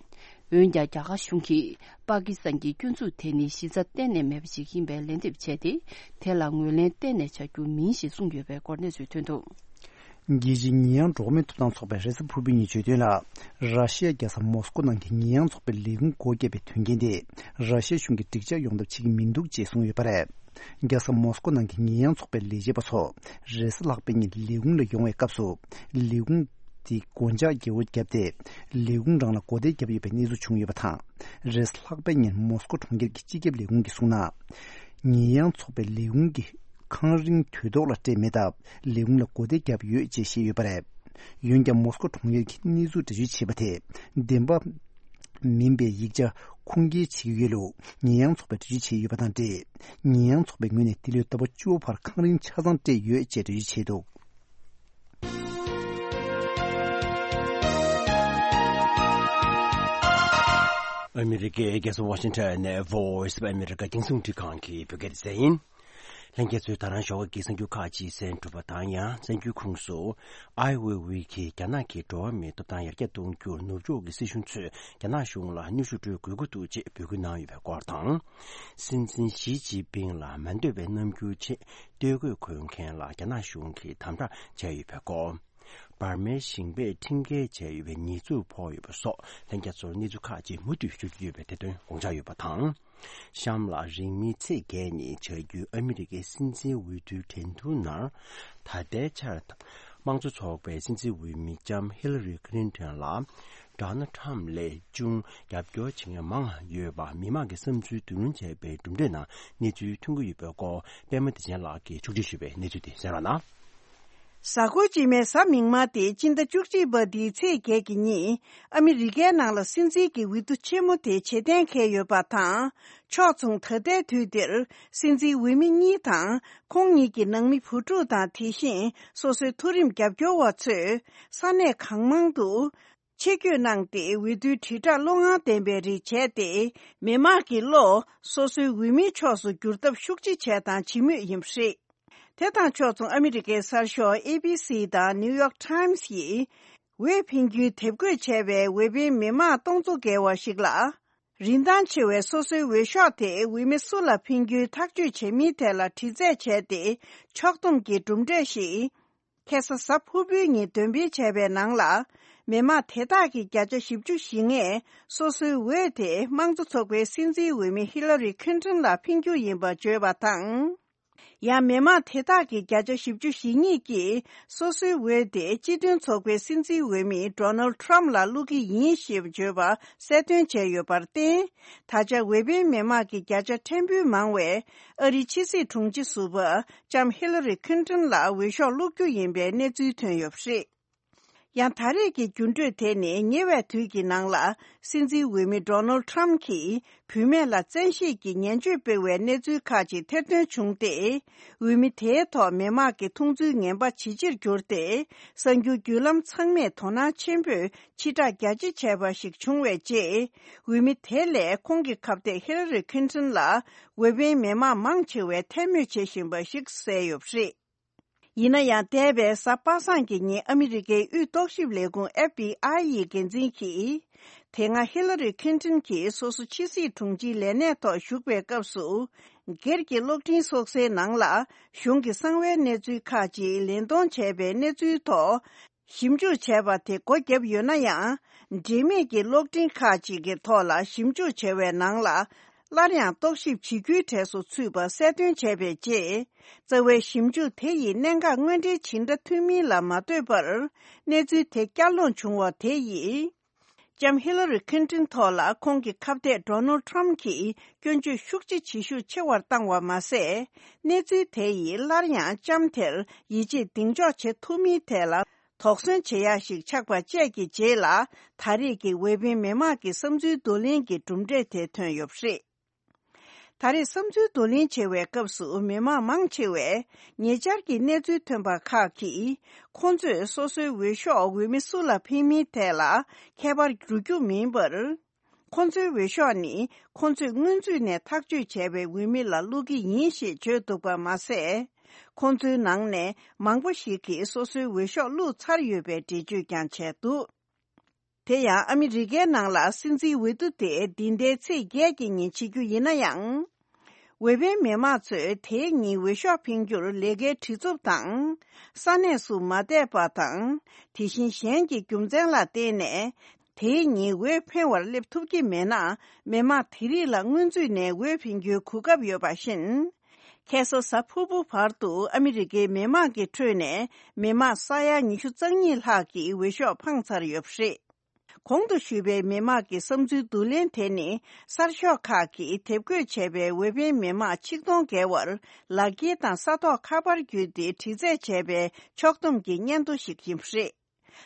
འོན་ཀྱང་། རྒྱ་གར་གཞུང་གིས་པ་ཀི་སི་ཐན་གྱི་སྐྱོན་འཛུགས་དེ་ནི་གཞི་རྩ་གཏན་ནས་མེད་པ་ཞིག་ཡིན་པའི་ལན་འདེབས་བྱས་ཏེ། དེ་ལ་ངོས་ལེན་གཏན་ནས་བྱ་རྒྱུ་མིན་ཞེས་གསུངས་ཡོད་པའི་སྐོར་གནས་ཚུལ་ཐོན་འདུག་རྒྱལ་སྤྱིའི་ཉེས་ཡངས་འགྲོ་སྒོ་མིའི་ཐོབ་ཐང་ཚོགས་པས་རེས་གཟའ་ཕུར་བུའི་ཉིན་བརྗོད་དོན་ལ། ར་ཤི་ཡ་རྒྱལ་ས་མོ་སི་ཀོ་ནང་གི་ཉེས་ཡངས་ཚོགས་པའི་ལས་ཁུངས་སྒོ་བརྒྱབ་པའི་དོན་རྐྱེན་དེ། ར་ཤི་ཡ་གཞུང་གིས་འགྲིག་འཇགས་ཡོང་ཐབས་བྱེད་ཀྱི་མི་འདུག་ཅེས་གསུངས་ཡོད་པ་རེད། རྒྱལ་ས་མོ་སི་ཀོ་ནང་གི་ཉེས་ཡངས་ཚོགས་པའི་ལས་བྱེད་པ་ཚོ། རེས་གཟའ་ལྷག་པའི་ཉིན་ལས་ཁུངས་ལ་ཡོང་བའི་སྐབས་སུ། ལས་ཁུངས་དེའི་སྒོ་འཇགས་བརྒྱབ་པ་བརྒྱབ་སྟེ། ལས་ཁུངས་རང་ལ་སྒོ་བདེ་བརྒྱབ་ཡོད་པའི་གནས་ཚུལ་བྱུང་ཡོད་པ་དང་། རེས་གཟའ་ལྷག་པའི་ཉིན་མོ་སི་ཀོ་གྲོང་ཁྱེར་གྱི་སྤྱི་ཁྱབ་ལས་ཁུངས་ཀྱིས་གསུངས་ན། ཉེས་ཡངས་ཚོགས་པའི་ལས་ཁུངས་ཀྱི་ཁང་རིན་དུས་ཐོག་ལ་སྤྲད་མེད་སྟབས། ལས་ཁུངས་ལ་སྒོ་བདེ་བརྒྱབ་ཡོད་ཅེས་བཤད་ཡོད་པ་རེད། འོན་ཀྱང་། མོ་སི་ཀོ་གྲོང་ཁྱེར་གྱིས་གནས་ཚུལ་འགྲེལ་བརྗོད་བྱས་པ་དེ། བདེན་པ་མིན་པའི་ཡིག་ཆ་ཁུངས་སྐྱེལ་བྱེད་ཀྱི་ཡོད་ལུགས། ཉེས་ཡངས་ཚོགས་པས་འགྲེལ་བརྗོད་བྱས་ཡོད་པ་དང་འབྲེལ། ཉེས་ཡངས་ཚོགས་པའི་ངོས་ནས་འདི་ལོའི་ཟླ་བ་བཅུ་པ་བར་ཁང་རིན་ཆ་ཚང་སྤྲད་ཡོད་ཅེས་འགྲེལ་བརྗོད་བྱས་འདུག་ཨ་མི་རི་ཀའི་རྒྱལ་ས་ཝ་ཤིང་ཊོན་ནས་Voice of America རྒྱང་སྲིང་རླུང་འཕྲིན་ཁང་གི་བོད་སྐད་སྡེ་ཚན་ཡིན། ལྷན་རྒྱས་ཚོས་ད་རང་ཞོགས་ཀྱི་གསར་འགྱུར་ཁག་ཅིག་གསན་གྲུབ་པ་དང་། ཡང་གསར་འགྱུར་ཁུངས་སུ། Ai Weiwei གིས་རྒྱ་ནག་གིས་འགྲོ་བ་མིའི་ཐོབ་ཐང་ཡར་རྒྱས་གཏོང་རྒྱུར་ནུབ་ཕྱོགས་ཀྱི་སྲིད་གཞུང་ཚོས་རྒྱ་ནག་གཞུང་ལ་གནོན་ཤུགས་སྤྲོད་དགོས་ཀྱི་འདུག་ཅེས་འབོད་སྐུལ་གནང་ཡོད་པའི་སྐོར་དང་། སྲིད་འཛིན་ཞི་ཅིན་ཕིང་ལ་མ་འདོད་པའི་རྣམ་འགྱུར་ཆེད་ལྟོ་གོས་གོན་མཁན་ལ་རྒྱ་ནག་གཞུང་གིས་དམ་དྲག་བྱས་ཡོད་པའི་སྐོར། འབར་མའི་ཞིང་པས་ཁྲིམས་འགལ་བྱས་ཡོད་པའི་ཉེས་འཛུགས་ཕོག་ཡོད་པ་སོགས། ལྷན་རྒྱས་ཚོར་གནས་ཚུལ་ཁག་ཅིག་མུ་མཐུད་ཞུ་རྒྱུ་ཡོད་པའི་དེ་དོན་དགོངས་འཇགས་ཡོད་པ་དང་། གཤམ་ལ་རིང་མིན་ཚེས་བརྒྱད་ཉིན་བྱ་རྒྱུའི་ཨ་མི་རི་ཀའི་སྲིད་འཛིན་འོས་བསྡུའི་འགྲན་བསྡུར་ནང་། ད་ལྟའི་ཆར་དམངས་གཙོ་ཚོགས་པའི་སྲིད་འཛིན་འོས་མི་ལྕམ་ཧི་ལ་རི་ཁི་ལིན་ཏོན་ལ། ཌོ་ནལ་ཁྲམ་ལས་ཅུང་རྒྱབ་སྐྱོར་བྱེད་མཁན་མང་ཡོད་པ་མི་མང་གི་བསམ་ཚུལ་བསྡུ་སློང་བྱས་པའི་གྲུབ་འབྲས་ནང་གནས་ཚུལ་ཐོན་གྱི་ཡོད་པའི་སྐོར། པད་མ་བདེ་ཆེན་ལགས་ཀྱིས་ཕྱོགས་སྒྲིག་ཞུས་པའི་གནས་ཚུལ་དེ་གསན་རོགས་གནང་། གཟའ་འཁོར་རྗེས་མའི་གཟའ་མིག་དམར་སྟེ་སྤྱི་ཟླ་བཅུ་གཅིག་པ་འདིའི་ཚེས་བརྒྱད་ཀྱི་ཉིན། ཨ་མི་རི་ཀའི་ནང་ལ་སྲིད་འཛིན་གྱི་འོས་བསྡུ་ཆེན་མོ་དེ་བྱེད་གཏན་འཁེལ་ཡོད་པ་དང་། ཕྱོགས་མཚུངས་ད་ལྟའི་དུས་འདིར་སྲིད་འཛིན་འོས་མི་གཉིས་དང་། ཁོང་གཉིས་ཀྱི་ནང་མི་བུ་ཕྲུག་དང་། དེ་བཞིན་སོ་སོའི་མཐོ་རིམ་རྒྱབ་སྐྱོར་བ་ཚོས་ས་གནས་གང་མང་དུ་ཆེད་བསྐྱོད་གནང་སྟེ། འོས་བསྡུའི་དྲིལ་བསྒྲགས་བློ་ངར་ལྡན་པའི་རིགས་བྱས་ཏེ། མི་དམངས་ཀྱི་བློ་སོ་སོའི་འོས་མིའི་ཕྱོགས་སུ་བསྒྱུར་ཐབས་ཤུགས་ཆེ་བྱས་དང་བྱེད་མུས་ཡིན་པ་རེད། དེ་དང་ཕྱོགས་མཚུངས། ཨ་མི་རི་ཀའི་གསར་ཤོག་ཨེ་བི་སི་དང་ནིའུ་ཡོག་ཊའིམ་སི་ཡིས་འོས་འཕེན་རྒྱུའི་དེབ་འགོད་བྱས་པའི་འོས་འཕེན་མི་མང་སྟོང་ཚོ་བརྒལ་བ་ཞིག་ལ། རིན་ཐང་ཆེ་བའི་སོ་སོའི་འོས་ཤོག་དེ་འོས་མི་སུ་ལ་འཕེན་རྒྱུའི་ཐག་གཅོད་བྱེད་མིན་ཐད་ལ་དྲི་རྩད་བྱས་ཏེ། ཕྱོགས་བསྡོམས་ཀྱི་གྲུབ་འབྲས་ཤིག་ཁ་སང་གཟའ་ཕུར་བུའི་ཉིན་འདོན་སྤེལ་བྱས་པའི་ནང་ལ། མི་མང་དེ་དག་གི་བརྒྱ་ཆ་བཞི་བཅུ་ཞེ་ལྔས་སོ་སོའི་འོས་དེ་དམངས་གཙོ་ཚོགས་པའི་སྲིད་འཛིན་འོས་མི་ཧི་ལ་རི་ཁིན་ཏོན་ལ་འཕེན་རྒྱུ་ཡིན་པ་བརྗོད་པ་དང་། ཡང་མི་མང་དེ་དག་གི་བརྒྱ་ཆ་བཞི་བཅུ་ཞེ་གཉིས་ཀྱིས་སོ་སོའི་འོས་དེ་སྤྱི་མཐུན་ཚོགས་པའི་སྲིད་འཛིན་འོས་མི་Donald Trump ལ་བླུག་གི་ཡིན་ཞེས་བརྗོད་པ་གསལ་སྟོན་བྱས་ཡོད་པར་བརྟེན། ད་ཆ་འོས་འཕེན་མི་མང་གི་བརྒྱ་ཆ་ཕྲན་བུ་མང་བས་ཨ་རིའི་ཕྱི་སྲིད་དྲུང་ཆེ་ཟུར་པ་ལྕམ་ཧི་ལ་རི་ཁིན་ཏོན་ལ་འོས་ཤོག་བླུག་རྒྱུ་ཡིན་པའི་གནས་ཚུལ་ཐོན་ཡོད་པ་རེད། ཡང་ད་རེས་ཀྱི་འགྱུར་འགྲོས་དེ་ནི་ཉེ་བའི་དུས་ཀྱི་ནང་ལ་སྲིད་འཛིན་འོས་མི་Donald Trump གྱིས་བུད་མེད་ལ་བཙན་ཤེད་ཀྱིས་ཉེས་སྤྱོད་སྤེལ་བའི་གནས་ཚུལ་ཁག་ཅིག་ཐེར་འདོན་བྱུང་སྟེ། འོས་མི་དེའི་ཐོག་མི་དམངས་ཀྱི་མཐོང་ཚུལ་ངན་པ་ཇེ་ཆེར་གྱུར་ཏེ། གསར་འགྱུར་བརྒྱུད་ལམ་ཚང་མས་དོ་སྣང་ཆེན་པོས་ཕྱིར་བསྒྲགས་རྒྱ་ཆེ་བྱས་པ་ཞིག་བྱུང་བའི་རྗེས། འོས་མི་དེ་ལས་ཁོང་གི་ཁ་གཏད་ཧི་ལ་རི་ཁིན་ཏོན་ལ་འོས་འཕེན་མི་མང་མང་ཆེ་བས་ཐལ་མོད་བྱེད་བཞིན་པ་ཞིག་གསལ་ཡོད་པ་རེད། ཡིན་ན་ཡང་། འདས་པའི་གཟའ་པ་སངས་ཀྱི་ཉིན་ཨ་མི་རི་ཀའི་དབུས་རྟོག་ཞིབ་ལས་ཁུངས་FBI ཡི་འགན་འཛིན་གྱིས། དེ་སྔ་ཧི་ལ་རི་ཁིན་ཏོན་གྱིས་སོ་སོ་ཕྱི་སྲིད་དྲུང་ཆེའི་ལས་གནས་ཐོག་བཞུགས་པའི་སྐབས་སུ། སྒེར་གྱི་གློག་འཕྲིན་སྲོག་རྩའི་ནང་ལ་གཞུང་གི་གསང་བའི་གནས་ཚུལ་ཁག་ཅིག་ལེན་གཏོང་བྱས་པའི་གནས་ཚུལ་ཐོག་ཞིབ་འཇུག་བྱས་པ་དེ་སྒོ་བརྒྱབ་ཡོད་ན་ཡང་། འབྲེལ་མེད་ཀྱི་གློག་འཕྲིན་ཁག་ཅིག་གི་ཐོག་ལ་ཞིབ་འཇུག་བྱས་པའི་ནང་ལ། སླར་ཡང་རྟོག་ཞིབ་བྱེད་རྒྱུའི་གྲས་སུ་ཚུད་པ་གསལ་སྟོན་བྱས་པའི་རྗེས། རྩ་བའི་ཞིབ་འཇུག་དེ་ཡི་གནད་འགག་དངོས་འབྲེལ་ཇི་འདྲ་ཐོན་མིན་ལ་མ་ལྟོས་པར། གནས་ཚུལ་དེ་བསྐྱར་སློང་བྱུང་བ་དེ་ཡིས། ལྕམ་ཧི་ལ་རི་ཁིན་ཏོན་ཐོག་ལ་ཁོང་གི་ཁ་གཏད་Donald Trump གྱིས་སྐྱོན་བརྗོད་ཤུགས་ཆེ་ཇེ་ཤུགས་ཆེ་བར་བཏང་བ་མ་ཟད། གནས་ཚུལ་དེ་ཡིས་སླར་ཡང་ལྕམ་དེར་ཡིད་ཆེས་གདེང་འཇོག་བྱེད་ཐུབ་མིན་ཐད་ལ། དོགས་ཟོན་བྱེད་ཡག་ཞིག་ཆགས་པ་བཅས་ཀྱི་རྗེས་ལ། ད་རེས་ཀྱི་འོས་འཕེན་མི་མང་གི་བསམ་ཚུལ་བསྡུ་ལེན་གྱི་གྲུབ་འབྲས་དེ་ཐོན་ཡོད་པ་རེད། ད་རེས་བསམ་ཚུལ་བསྡུ་ལེན་བྱེད་པའི་སྐབས་སུ་མི་མང་མང་ཆེ་བས་ཉེ་ཆར་གྱི་གནས་ཚུལ་ཐོན་པ་ཁག་གིས། ཁོང་ཚོས་སོ་སོའི་འོས་ཤོག་འོས་མི་སུ་ལ་འཕེན་མིན་ཐད་ལ་ཁྱད་པར་འགྲོ་རྒྱུ་མིན་པར། ཁོང་ཚོའི་འོས་ཤོག་ནི་ཁོང་ཚོས་སྔོན་ཚུད་ནས་ཐག་གཅོད་བྱས་པའི་འོས་མི་ལ་བླུག་གི་ཡིན་ཞེས་བརྗོད་འདུག་པ་མ་ཟད། ཁོང་ཚོའི་ནང་ནས་མང་པོ་ཞིག་གིས་སོ་སོའི་འོས་ཤོག་བླུགས་ཚར་ཡོད་པའི་འགྲེལ་བརྗོད་ཀྱང་བྱས་འདུག་དེ་ཡང་ཨ་མི་རི་ཀའི་ནང་ལ་སྲིད་འཛིན་འོས་བསྡུ་དེ་འདི་ཟླའི་ཚེས་བརྒྱད་ཀྱི་ཉིན་བྱེད་རྒྱུ་ཡིན་ན་ཡང་། འོས་འཕེན་མི་མང་ཚོས་དེའི་ཉིན་འོས་ཤོག་འཕེན་རྒྱུར་ལས་ཀའི་བྲེལ་འཚུབ་དང་། ས་གནས་སུ་མ་བསྡད་པ་དང་། དེ་བཞིན་གཞན་གྱི་རྒྱུ་མཚན་ལ་བརྟེན་ནས། དེའི་ཉིན་འོས་འཕེན་བར་སླེབས་ཐུབ་ཀྱི་མེད་ན། མི་མང་དེ་རིགས་ལ་སྔོན་ཚུད་ནས་འོས་འཕེན་རྒྱུའི་གོ་སྐབས་ཡོད་པ་བཞིན། ཁ་སང་གཟའ་ཕུར་བུ་བར་དུ་ཨ་མི་རི་ཀའི་མི་མང་གི་ཁྲོད་ནས་མི་མང་ས་ཡ་ཉི་ཤུ་རྩ་གཉིས་ལྷག་གིས་འོས་ཤོག་འཕངས་ཚར་ཡོད་པ་རེད། གོང་དུ་ཞུས་པའི་མི་མང་གི་བསམ་ཚུལ་བསྡུ་ལེན་དེ་ནི་གསར་ཤོག་ཁག་གིས་དེབ་འགོད་བྱས་པའི་འོས་འཕེན་མི་མང་ཆིག་སྟོང་བརྒལ་བར་ལག་འཁྱེར་དང་ས་ཐོག་ཁ་པར་བརྒྱུད་དེ་དྲི་རྩད་བྱས་པའི་ཕྱོགས་བསྡོམས་ཀྱི་སྙན་ཐོ་ཞིག་ཡིན་པ་རེད།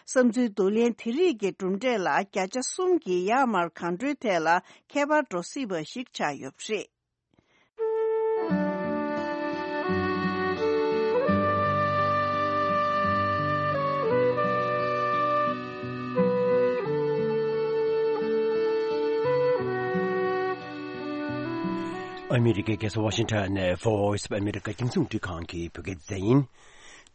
བསམ་ཚུལ་བསྡུ་ལེན་དེ་རིགས་ཀྱི་གྲུབ་འབྲས་ལ་བརྒྱ་ཆ་གསུམ་གྱི་ཡར་མར་གང་འདྲའི་ཐད་ལ་ཁྱད་པར་འགྲོ་སྲིད་པ་ཞིག་ཆགས་ཡོད་པ་རེད། ཨ་མི་རི་ཀའི་རྒྱལ་ས་ཝ་ཤིང་ཊོན་ནས་Voice of America རྒྱང་སྲིང་རླུང་འཕྲིན་ཁང་གི་བོད་སྐད་སྡེ་ཚན་ཡིན།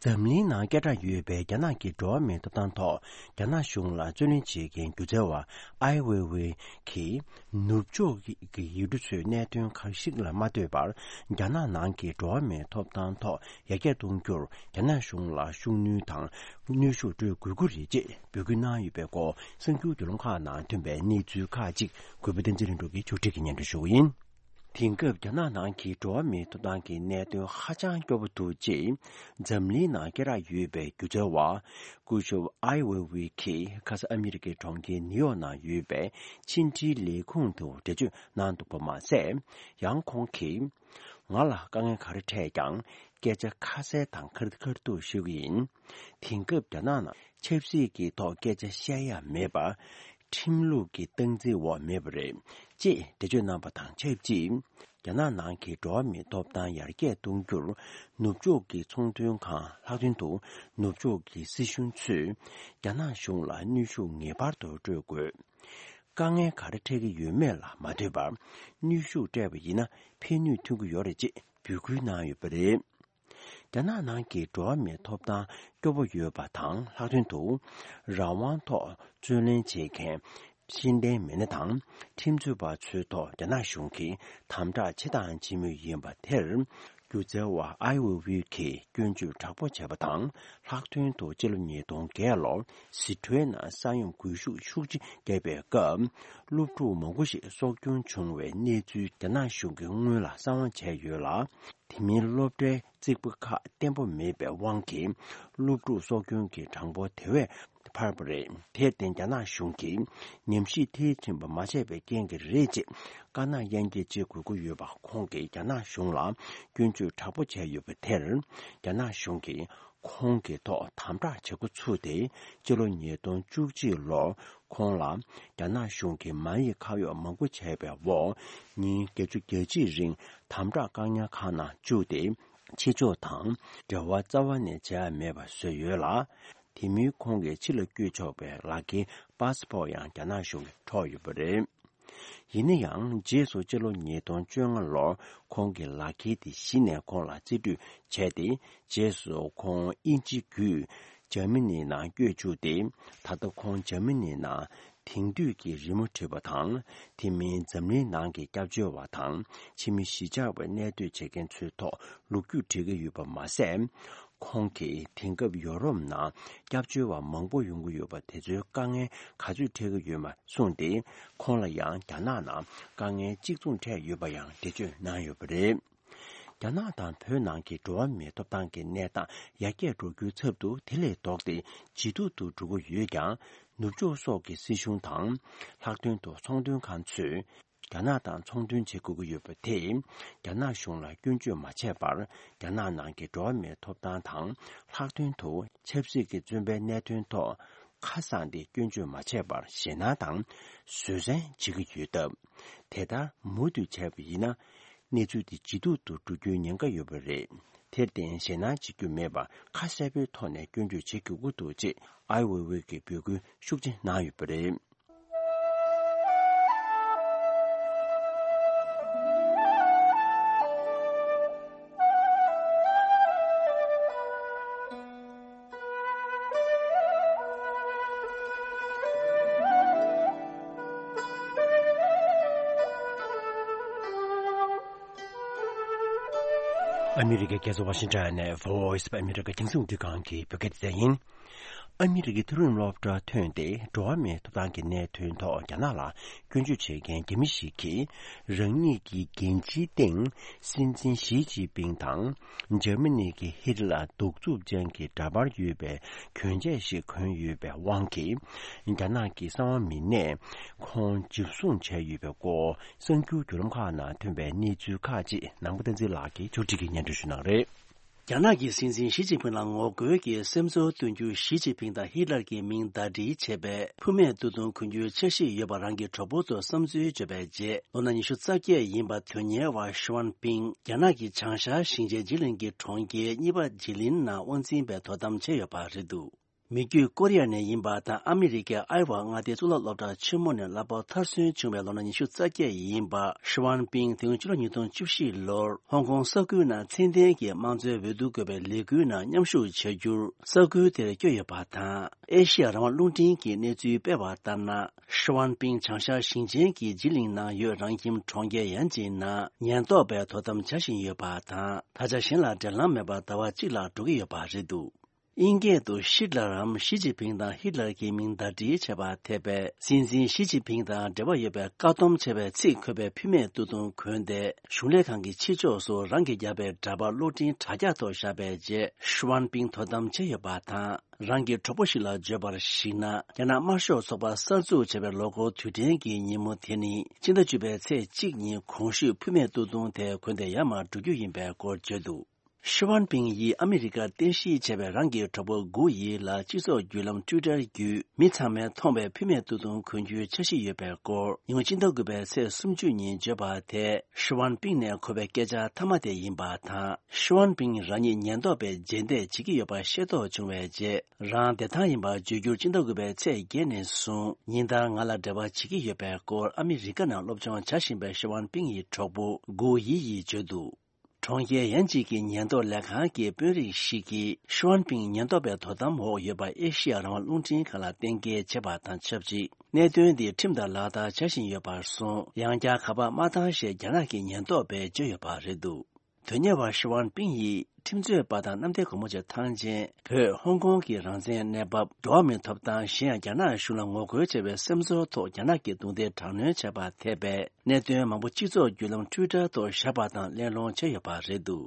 འཛམ་གླིང་ནང་སྐད་གྲགས་ཡོད་པའི་རྒྱ་ནག་གི་འགྲོ་བ་མིའི་ཐོབ་ཐང་ཐོག་རྒྱ་ནག་གཞུང་ལ་རྩོད་ལེན་བྱེད་མཁན་སྒྱུ་རྩལ་བ་ཨའི་ཝེ་ཝེ་གིས། ནུབ་ཕྱོགས་ཀྱི་ཡུལ་གྲུ་ཚོའི་གནད་དོན་ཁག་ཞིག་ལ་མ་ལྟོས་པར། རྒྱ་ནག་ནང་གི་འགྲོ་བ་མིའི་ཐོབ་ཐང་ཐོག་ཡར་རྒྱས་གཏོང་རྒྱུར་རྒྱ་ནག་གཞུང་ལ་ཤུགས་སྣོན་དང་། གནོན་ཤུགས་སྤྲོད་དགོས་ཀྱི་རེད་ཅེས་འབོད་སྐུལ་གནང་ཡོད་པའི་སྐོར། གསར་འགྱུར་བརྒྱུད་ལམ་ཁག་ནང་ཐོན་པའི་གནས་ཚུལ་ཁག་ཅིག་གུས་པ་བསྟན་འཛིན་ལྷུན་གྲུབ་ཀྱིས་ཕྱོགས་སྒྲིག་གིས་སྙན་སྒྲོན་ཞུ་གི་ཡིན། དེང་སྐབས་རྒྱ་ནག་ནང་གི་འགྲོ་བ་མིའི་ཐོབ་ཐང་གི་གནད་དོན་ཧ་ཅང་སྐྱོ་པོ་འདུག་ཅེས་འཛམ་གླིང་ནང་སྐད་གྲགས་ཡོད་པའི་སྒྱུ་རྩལ་བ་སྐུ་ཞབས་ཨའི་ཝེ་ཝེ་གིས་ཁ་སང་ཨ་མི་རི་ཀའི་གྲོང་ཁྱེར་ནིའུ་ཡོག་ནང་ཡོད་པའི་ཕྱི་འབྲེལ་ལས་ཁུངས་དུ་འགྲེལ་བརྗོད་གནང་འདུག་པ་མ་ཟད། ཡང་ཁོང་གིས། ང་ལ་དཀའ་ངལ་ག་རེ་འཕྲད་ཀྱང་སྐད་ཆ་ཁ་གསལ་དང་ཁ་ཁ་ཐུག་ཤོད་ཀྱི་ཡིན། དེང་སྐབས་རྒྱ་ནག་ནང་ཆབ་སྲིད་ཀྱི་ཐོག་སྐད་ཆ་བཤད་ཡ་མེད་པ། ཁྲིམས་ལུགས་ཀྱི་སྟངས་འཛིན་འོག་མེད་པ་རེད། ཅེས་འགྲེལ་བརྗོད་གནང་པ་དང་ཆབས་ཅིག་རྒྱ་ནག་ནང་གི་འགྲོ་བ་མིའི་ཐོབ་ཐང་ཡར་རྒྱས་གཏོང་རྒྱུར་ནུབ་ཕྱོགས་ཀྱི་ཚོང་དོན་ཁང་ལྷག་དོན་དུ་ནུབ་ཕྱོགས་ཀྱི་སྲིད་གཞུང་ཚོས་རྒྱ་ནག་གཞུང་ལ་གནོན་ཤུགས་ངེས་པར་དུ་སྤྲོད་དགོས། དཀའ་ངལ་ག་རེ་འཕྲད་ཀྱི་ཡོད་མེད་ལ་མ་ལྟོས་པར་གནོན་ཤུགས་སྤྲད་པ་ཡིན་ན་ཕན་ནུས་ཐོན་གྱི་ཡོད་རེད་ཅེས་འབོད་སྐུལ་གནང་ཡོད་པ་རེད། རྒྱ་ནག་ནང་གི་འགྲོ་བ་མིའི་ཐོབ་ཐང་སྐྱོ་པོ་ཡོད་པ་དང་ལྷག་དོན་དུ་རང་དབང་ཐོག་རྩོད་ལེན་བྱེད་མཁན་ཤེས་ལྡན་མི་སྣ་དང་ཁྲིམས་རྩོད་པ་ཚོའི་ཐོག་རྒྱ་ནག་གཞུང་གིས་དམ་དྲག་ཆེ་དང་ཆེ་མུས་ཡིན་པ་དེར། སྒྱུ་རྩལ་བ་ཨའི་ཝེ་ཝེ་གིས་སྐྱོན་བརྗོད་དྲག་པོ་བྱས་པ་དང་། ལྷག་དོན་དུ་སྤྱི་ལོ་ཉིས་སྟོང་བརྒྱད་ལོར་སི་ཁྲོན་ནང་ས་ཡོམ་འགུལ་ཤུགས་ཤུགས་ཆེ་བརྒྱབ་པའི་སྐབས། སློབ་ཕྲུག་མང་པོ་ཞིག་སྲོག་སྐྱོན་བྱུང་བའི་གནས་ཚུལ་རྒྱ་ནག་གཞུང་གིས་སྔོན་ལ་གསང་བ་བྱས་ཡོད་ལ། དེ་མིན་སློབ་གྲྭའི་རྩིག་པ་ཁག་བརྟན་པོ་མེད་པའི་དབང་གིས་སློབ་ཕྲུག་སྲོག་སྐྱོན་གྱི་གྲངས་འབོར་དེ་བས་འཕར་བ་རེད། དེར་བརྟེན་རྒྱ་ནག་གཞུང་གིས་ཉམས་ཞིབ་མཐིལ་ཕྱིན་པ་མ་བྱས་པའི་རྐྱེན་གྱིས་རེད་ཅེས་དཀར་ནག་གཡང་འགྱེད་བྱེད་དགོས་ཀྱི་ཡོད་པ་ཁོང་གིས་རྒྱ་ནག་གཞུང་ལ་སྐྱོན་བརྗོད་དྲག་པོ་བྱས་ཡོད་པ་དེར། རྒྱ་ནག་གཞུང་གིས་ཁོང་གི་ཐོག་དམ་དྲག་བྱེད་འགོ་ཚུགས་ཏེ། སྤྱི་ལོ་ཉིས་སྟོང་བཅུ་གཅིག་ལོར་ཁོང་ལ་རྒྱ་ནག་གཞུང་གིས་མ་ཡིག་ཁ་གཡོག་མང་པོ་བྱས་པའི་འོག་ཉིན་བརྒྱད་ཅུ་གྱ་གཅིག་རིང་དམ་དྲག་བཀག་ཉར་ཁང་ནང་བཅུག་སྟེ། ཕྱི་ཕྱོགས་དང་འབྲེལ་བ་རྩ་བ་ནས་བྱས་མེད་པ་བཟོས་ཡོད་ལ། དེ་མིན་ཁོང་གིས་ཕྱི་ལ་བསྐྱོད་ཆོག་པའི་ལག་འཁྱེར་པཱ་སི་པོར་ཡང་རྒྱ་ནག་གཞུང་གིས་འཕྲོག་ཡོད་པ་རེད། ཡིན་ན་ཡང་རྗེས་སུ་སྤྱི་ལོ་ཉིས་སྟོང་བཅོ་ལྔ་ལོར་ཁོང་གི་ལག་འཁྱེར་དེ་གཞི་ནས་ཁོང་ལ་རྩིས་སྤྲོད་བྱས་ཏེ། རྗེས་སུ་ཁོང་དབྱིན་ཇི་བརྒྱུད་འཇར་མ་ནིའི་ནང་བསྐྱོད་བཅུག་སྟེ། ད་ལྟ་ཁོང་འཇར་མ་ནིའི་ནང་དེང་དུས་ཀྱི་རི་མོ་བྲིས་པ་དང་། དེ་མིན་འཛམ་གླིང་ནང་གི་སྐྱབས་བཅོལ་བ་དང་ཕྱི་མི་གཞིས་ཆགས་པའི་གནས་སྡོད་བྱེད་མཁན་ཚོའི་ཐོག་ལོ་རྒྱུས་འབྲི་གི་ཡོད་པ་མ་ཟད། ཁོང་གིས་དེང་སྐབས་ཡོ་རོབ་ནང་སྐྱབས་བཅོལ་བ་མང་པོ་ཡོང་གི་ཡོད་པ་དེ་ཚོའི་དཀའ་ངལ་ག་ཚོད་འཕྲད་ཀྱི་ཡོད་མེད་གསུངས་ཏེ། ཁོང་ལ་ཡང་རྒྱ་ནག་ནང་དཀའ་ངལ་གཅིག་མཚུངས་འཕྲད་ཡོད་པ་ཡང་འགྲེལ་བརྗོད་གནང་ཡོད་པ་རེད། རྒྱ་ནག་དང་བོད་ནང་གི་འགྲོ་བ་མིའི་ཐོབ་ཐང་གི་གནས་སྟངས་ཡར་རྒྱས་འགྲོ་རྒྱུའི་ཚབ་ཏུ། དེ་ལས་ལྡོག་སྟེ་ཇེ་སྡུག་ཏུ་འགྲོ་གི་ཡོད་ཀྱང་། ནུབ་ཕྱོགས་སོགས་ཀྱི་སྲིད་གཞུང་དང་། ལྷག་དོན་དུ་ཚོང་དོན་ཁང་ཚོས་རྒྱ་ནག་དང་ཚོང་དོན་བྱེད་དགོས་ཀྱི་ཡོད་པ་དེས། རྒྱ་ནག་གཞུང་ལ་སྐྱོན་བརྗོད་མ་བྱས་པར། རྒྱ་ནག་ནང་གི་འགྲོ་བ་མིའི་ཐོབ་ཐང་དང་། ལྷག་དོན་དུ་ཆབ་སྲིད་ཀྱི་བཙོན་པའི་གནད་དོན་ཐོག་ཁ་གསང་སྟེ་སྐྱོན་བརྗོད་མ་བྱས་པར་ཞེད་སྣང་དང་བཟོད་བསྲན་བྱེད་ཀྱི་ཡོད་སྟབས། དེ་ལྟར་མུ་མཐུད་བྱས་པ་ཡིན་ན། གནས་ཚུལ་དེ་ཇེ་སྡུག་ཏུ་འགྲོ་རྒྱུའི་ཉེན་ཁ་ཡོད་པ་རེད། དེར་བརྟེན་ཞེད་སྣང་བྱེད་རྒྱུ་མེད་པར་ཁ་གསལ་པོའི་ཐོག་ནས་སྐྱོན་བརྗོད་བྱེད་དགོས་ཀྱི་འདུག་ཅེས་ཨའི་ཝེ་ཝེ་གིས་འབོད་སྐུལ་ཤུགས་ཆེ་གནང་ཡོད་པ་རེད། ཨ་མི་རི་ཀའི་རྒྱལ་ས་ཝ་ཤིང་ཊོན་ནས་Voice of America རྒྱང་སྲིང་རླུང་འཕྲིན་ཁང་གི་བོད་སྐད་སྡེ་ཚན་ཡིན། ཨ་མི་རི་ཀའི་མཐོ་རིམ་སློབ་གྲྭར་ཐོན་ཏེ་འགྲོ་བ་མིའི་ཐོབ་ཐང་གི་གནད་དོན་ཐོག་རྒྱ་ནག་ལ་སྐྱོན་བརྗོད་བྱེད་མཁན་རྒྱ་མི་ཞིག་གིས། རང་ཉིད་ཀྱི་འགན་འཁྲིའི་སྟེང་སྲིད་འཛིན་ཞི་ཅིན་ཕིང་དང་འཇར་མ་ནི་གི་ཧིད་ལར་གདུག་རྩུབ་ཅན་གྱི་འདྲ་པར་ཡོད་པའི་གྱོན་ཆས་ཤིག་གོན་ཡོད་པའི་དབང་གིས། རྒྱ་ནག་གི་གསང་བ་མི་སྣས་ཁོང་འཇུ་བཟུང་བྱས་ཡོད་པའི་སྐོར། གསར་འགྱུར་བརྒྱུད་ལམ་ཁག་ནང་ཐོན་པའི་གནས་ཚུལ་ཁག་ཅིག་ནང་པ་བསྟན་འཛིན་ལགས་ཀྱིས་ཕྱོགས་སྒྲིག་གིས་སྙན་སྒྲོན་ཞུ་གནང་རེད། རྒྱ་ནག་གི་སྲིད་འཛིན་ཞི་ཅིན་ཕིང་ལ་ངོ་རྒོལ་གྱི་སེམས་ཚོར་སྟོན་རྒྱུར་ཞི་ཅིན་ཕིང་དང་ཧི་ལར་གྱི་མིང་ཟླ་སྒྲིལ་བྱས་པའི་ཕུ་མེད་སྟོད་ཐུང་གོན་རྒྱུའི་འཆར་གཞི་ཡོད་པ་རང་གི་གྲོགས་པོ་ཚོར་བསམ་ཚུལ་བརྗོད་པའི་རྗེས། ལོ་ན་ཉི་ཤུ་རྩ་བརྒྱད་ཡིན་པ་དོན་གཉེར་བ་ཤི་ཝན་ཕིང་རྒྱ་ནག་གི་བྱང་ཤར་ཞིང་ཆེན་ཇི་ལིང་གི་གྲོང་ཁྱེར་གཉིས་པ་ཇི་ལིན་ནང་དབང་འཛིན་པའི་དོ་དམ་བྱས་ཡོད་པ་རེད་འདུག་མི་རྒྱུད་ཀོ་རི་ཡ་ནས་ཡིན་པ་དང་ཨ་མི་རི་ཀའི་ཨའི་ཝ་མངའ་སྡེའི་གཙུག་ལག་སློབ་གྲྭ་ཆེན་མོ་ནས་གླ་ཕོགས་མཐར་སོན་བྱུང་བའི་ལོ་ན་ཉི་ཤུ་རྩ་བརྒྱད་ཡིན་པ་ཤི་ཝན་ཕིང་དེ་སྔོན་ཕྱི་ལོ་ཉིས་སྟོང་བཅུ་བཞི་ལོར་ཧོང་ཀོང་ས་ཁུལ་ནང་ཚད་ལྡན་གྱི་དམངས་གཙོའི་འོས་བསྡུ་དགོས་པའི་ལས་འགུལ་ནང་མཉམ་ཞུགས་བྱ་རྒྱུར་ས་ཁུལ་དེར་བསྐྱོད་ཡོད་པ་དང་། ཨེ་ཤི་ཡ་རང་དབང་རླུང་འཕྲིན་གྱིས་གནས་ཚུལ་སྤེལ་བ་ལྟར་ན། ཤི་ཝན་ཕིང་བྱང་ཤར་ཞིང་ཆེན་གྱི་ཇི་ལིང་ནང་ཡོད་རང་ཁྱིམ་གྲོང་ཁྱེར་ཡན་ཅིན་ནང་ཉེན་རྟོག་པས་དོ་དམ་བྱ་བཞིན་ཡོད་པ་དང་། ད་ཆ་གཞན་ལ་འབྲེལ་ལམ་མེད་པར་ཟླ་བ་གཅིག་ལྷག་འགྲོ་གི་ཡོད་པ་རེད་འདུག་དབྱིན་སྐད་དུ་ཤིད་ལ་རམ་ཞི་ཅིན་ཕིང་དང་ཧི་ལར་གྱི་མིང་ཟླ་སྒྲིལ་བྱས་པ་ཐེབས་པའི་སྲིད་འཛིན་ཞི་ཅིན་ཕིང་དང་འབྲེལ་བ་ཡོད་པའི་བཀག་སྡོམ་བྱས་པའི་ཚིག་འཁོད་པའི་ཕུ་མེད་སྟོད་ཐུང་གོན་ཏེ། གཞུང་ལས་ཁང་གི་ཕྱི་ཕྱོགས་སུ་རང་གིས་བརྒྱབ་པའི་འདྲ་པར་གློག་འཕྲིན་དྲ་རྒྱ་ཐོག་བཞག་པའི་རྗེས། ཤི་ཝན་ཕིང་དོ་དམ་བྱས་ཡོད་པ་དང་། རང་གི་གྲོགས་པོ་ཞིག་ལ་བརྗོད་པར་གཞིགས་ན། རྒྱ་ནག་དམར་ཤོག་ཚོགས་པ་གསར་འཛུགས་བྱས་པའི་ལོ་འཁོར་དུས་དྲན་གྱི་ཉིན་མོ་དེ་ནི། ཕྱི་ཟླ་བཅུ་པའི་ཚེས་གཅིག་ཉིན་གོང་ཞུས་ཕུ་མེད་སྟོད་ཐུང་དེ་གོན་ཏེ་ཡར་མར་འགྲོ་རྒྱུ་ཡིན་པའི་སྐོར་བརྗོད་འདུག་ཤི་ཝན་ཕིང་ཡིས་ཨ་མི་རི་ཀར་རྟེན་གཞི་བྱས་པའི་རང་གི་གྲོགས་པོ་གུ་ཡི་ལ་སྤྱི་ཚོགས་བརྒྱུད་ལམ་ཊུའི་ཊར་བརྒྱུད། མི་ཚང་མས་མཐོང་བའི་ཕུ་མེད་སྟོད་ཐུང་གོན་རྒྱུའི་འཆར་གཞི་ཡོད་པའི་སྐོར། ཉེ་སྔོན་ཕྱི་ཟླ་དགུ་པའི་ཚེས་སུམ་ཅུ་ཉིན་བརྗོད་པ་དེ་ཤི་ཝན་ཕིང་ནས་གོ་བའི་སྐད་ཆ་མཐའ་མ་དེ་ཡིན་པ་དང་། ཤི་ཝན་ཕིང་རང་ཉིད་ཉེན་རྟོག་པས་རྗེས་འདེད་བྱེད་ཀྱི་ཡོད་པ་ཤེས་རྟོགས་བྱུང་བའི་རྗེས། རང་བདེ་ཐང་ཡིན་པ་བརྗོད་རྒྱུར་ཕྱི་ཟླ་དགུ་པའི་ཚེས་བརྒྱད་ནས་བཟུང་ཉིན་ལྟར་ང་ལ་འབྲེལ་བ་བྱེད་ཀྱི་ཡོད་པའི་སྐོར་ཨ་མི་རི་ཀ་ནང་སློབ་སྦྱོང་བྱ་བཞིན་པའི་ཤི་ཝན་ཕིང་ཡི་གྲོགས་པོ་གུ་ཡི་ཡིས་བརྗོད་འདུག་གྲོང་ཁྱེར་ཡན་ཅིག་གི་ཉེན་རྟོག་ལས་ཁང་གི་དཔོན་རིགས་ཤིག་གིས་ཤི་ཝན་ཕིང་ཉེན་རྟོག་པའི་དོ་དམ་འོག་ཡོད་པ་ཨེ་ཤི་ཡ་རང་དབང་རླུང་འཕྲིན་ཁང་ལ་གཏན་འཁེལ་བྱས་པ་དང་ཆབས་ཅིག་གནད་དོན་འདི་ཁྲིམས་ལྟར་ལག་བསྟར་བྱ་བཞིན་ཡོད་པར་སོང་། ཡང་བསྐྱར་ཁ་པར་མ་བཏང་ཞེས་རྒྱ་ནག་གི་ཉེན་རྟོག་པས་བརྗོད་ཡོད་པ་རེད་འདུག་དོན་གཉེར་བ་ཤི་ཝན་ཕིང་ཡིས་ ཁྲིམས་རྩོད་པ་དང་གནམ་བདེ་སྒོ་མོ་ཆེ་ཐང་ཆེན། བོད་ཧོང་ཀོང་གི་རང་བཙན་གནས་བབ། འགྲོ་བ་མིའི་ཐོབ་ཐང་གཞན་ཡང་རྒྱ་ནག་གཞུང་ལ་ངོ་རྒོལ་བྱས་པའི་སེམས་ཚོར་ཐོག་རྒྱ་ནག་གི་རྡུང་རྡེག་དྲག་གནོན་བྱས་པ་ཐེ་བའི་གནད་དོན་མང་པོ་སྤྱི་ཚོགས་བརྒྱུད་ལམ་ཊུའི་ཊར་ཐོག་བཞག་པ་དང་གླེང་སློང་བྱས་ཡོད་པ་རེད་འདུག་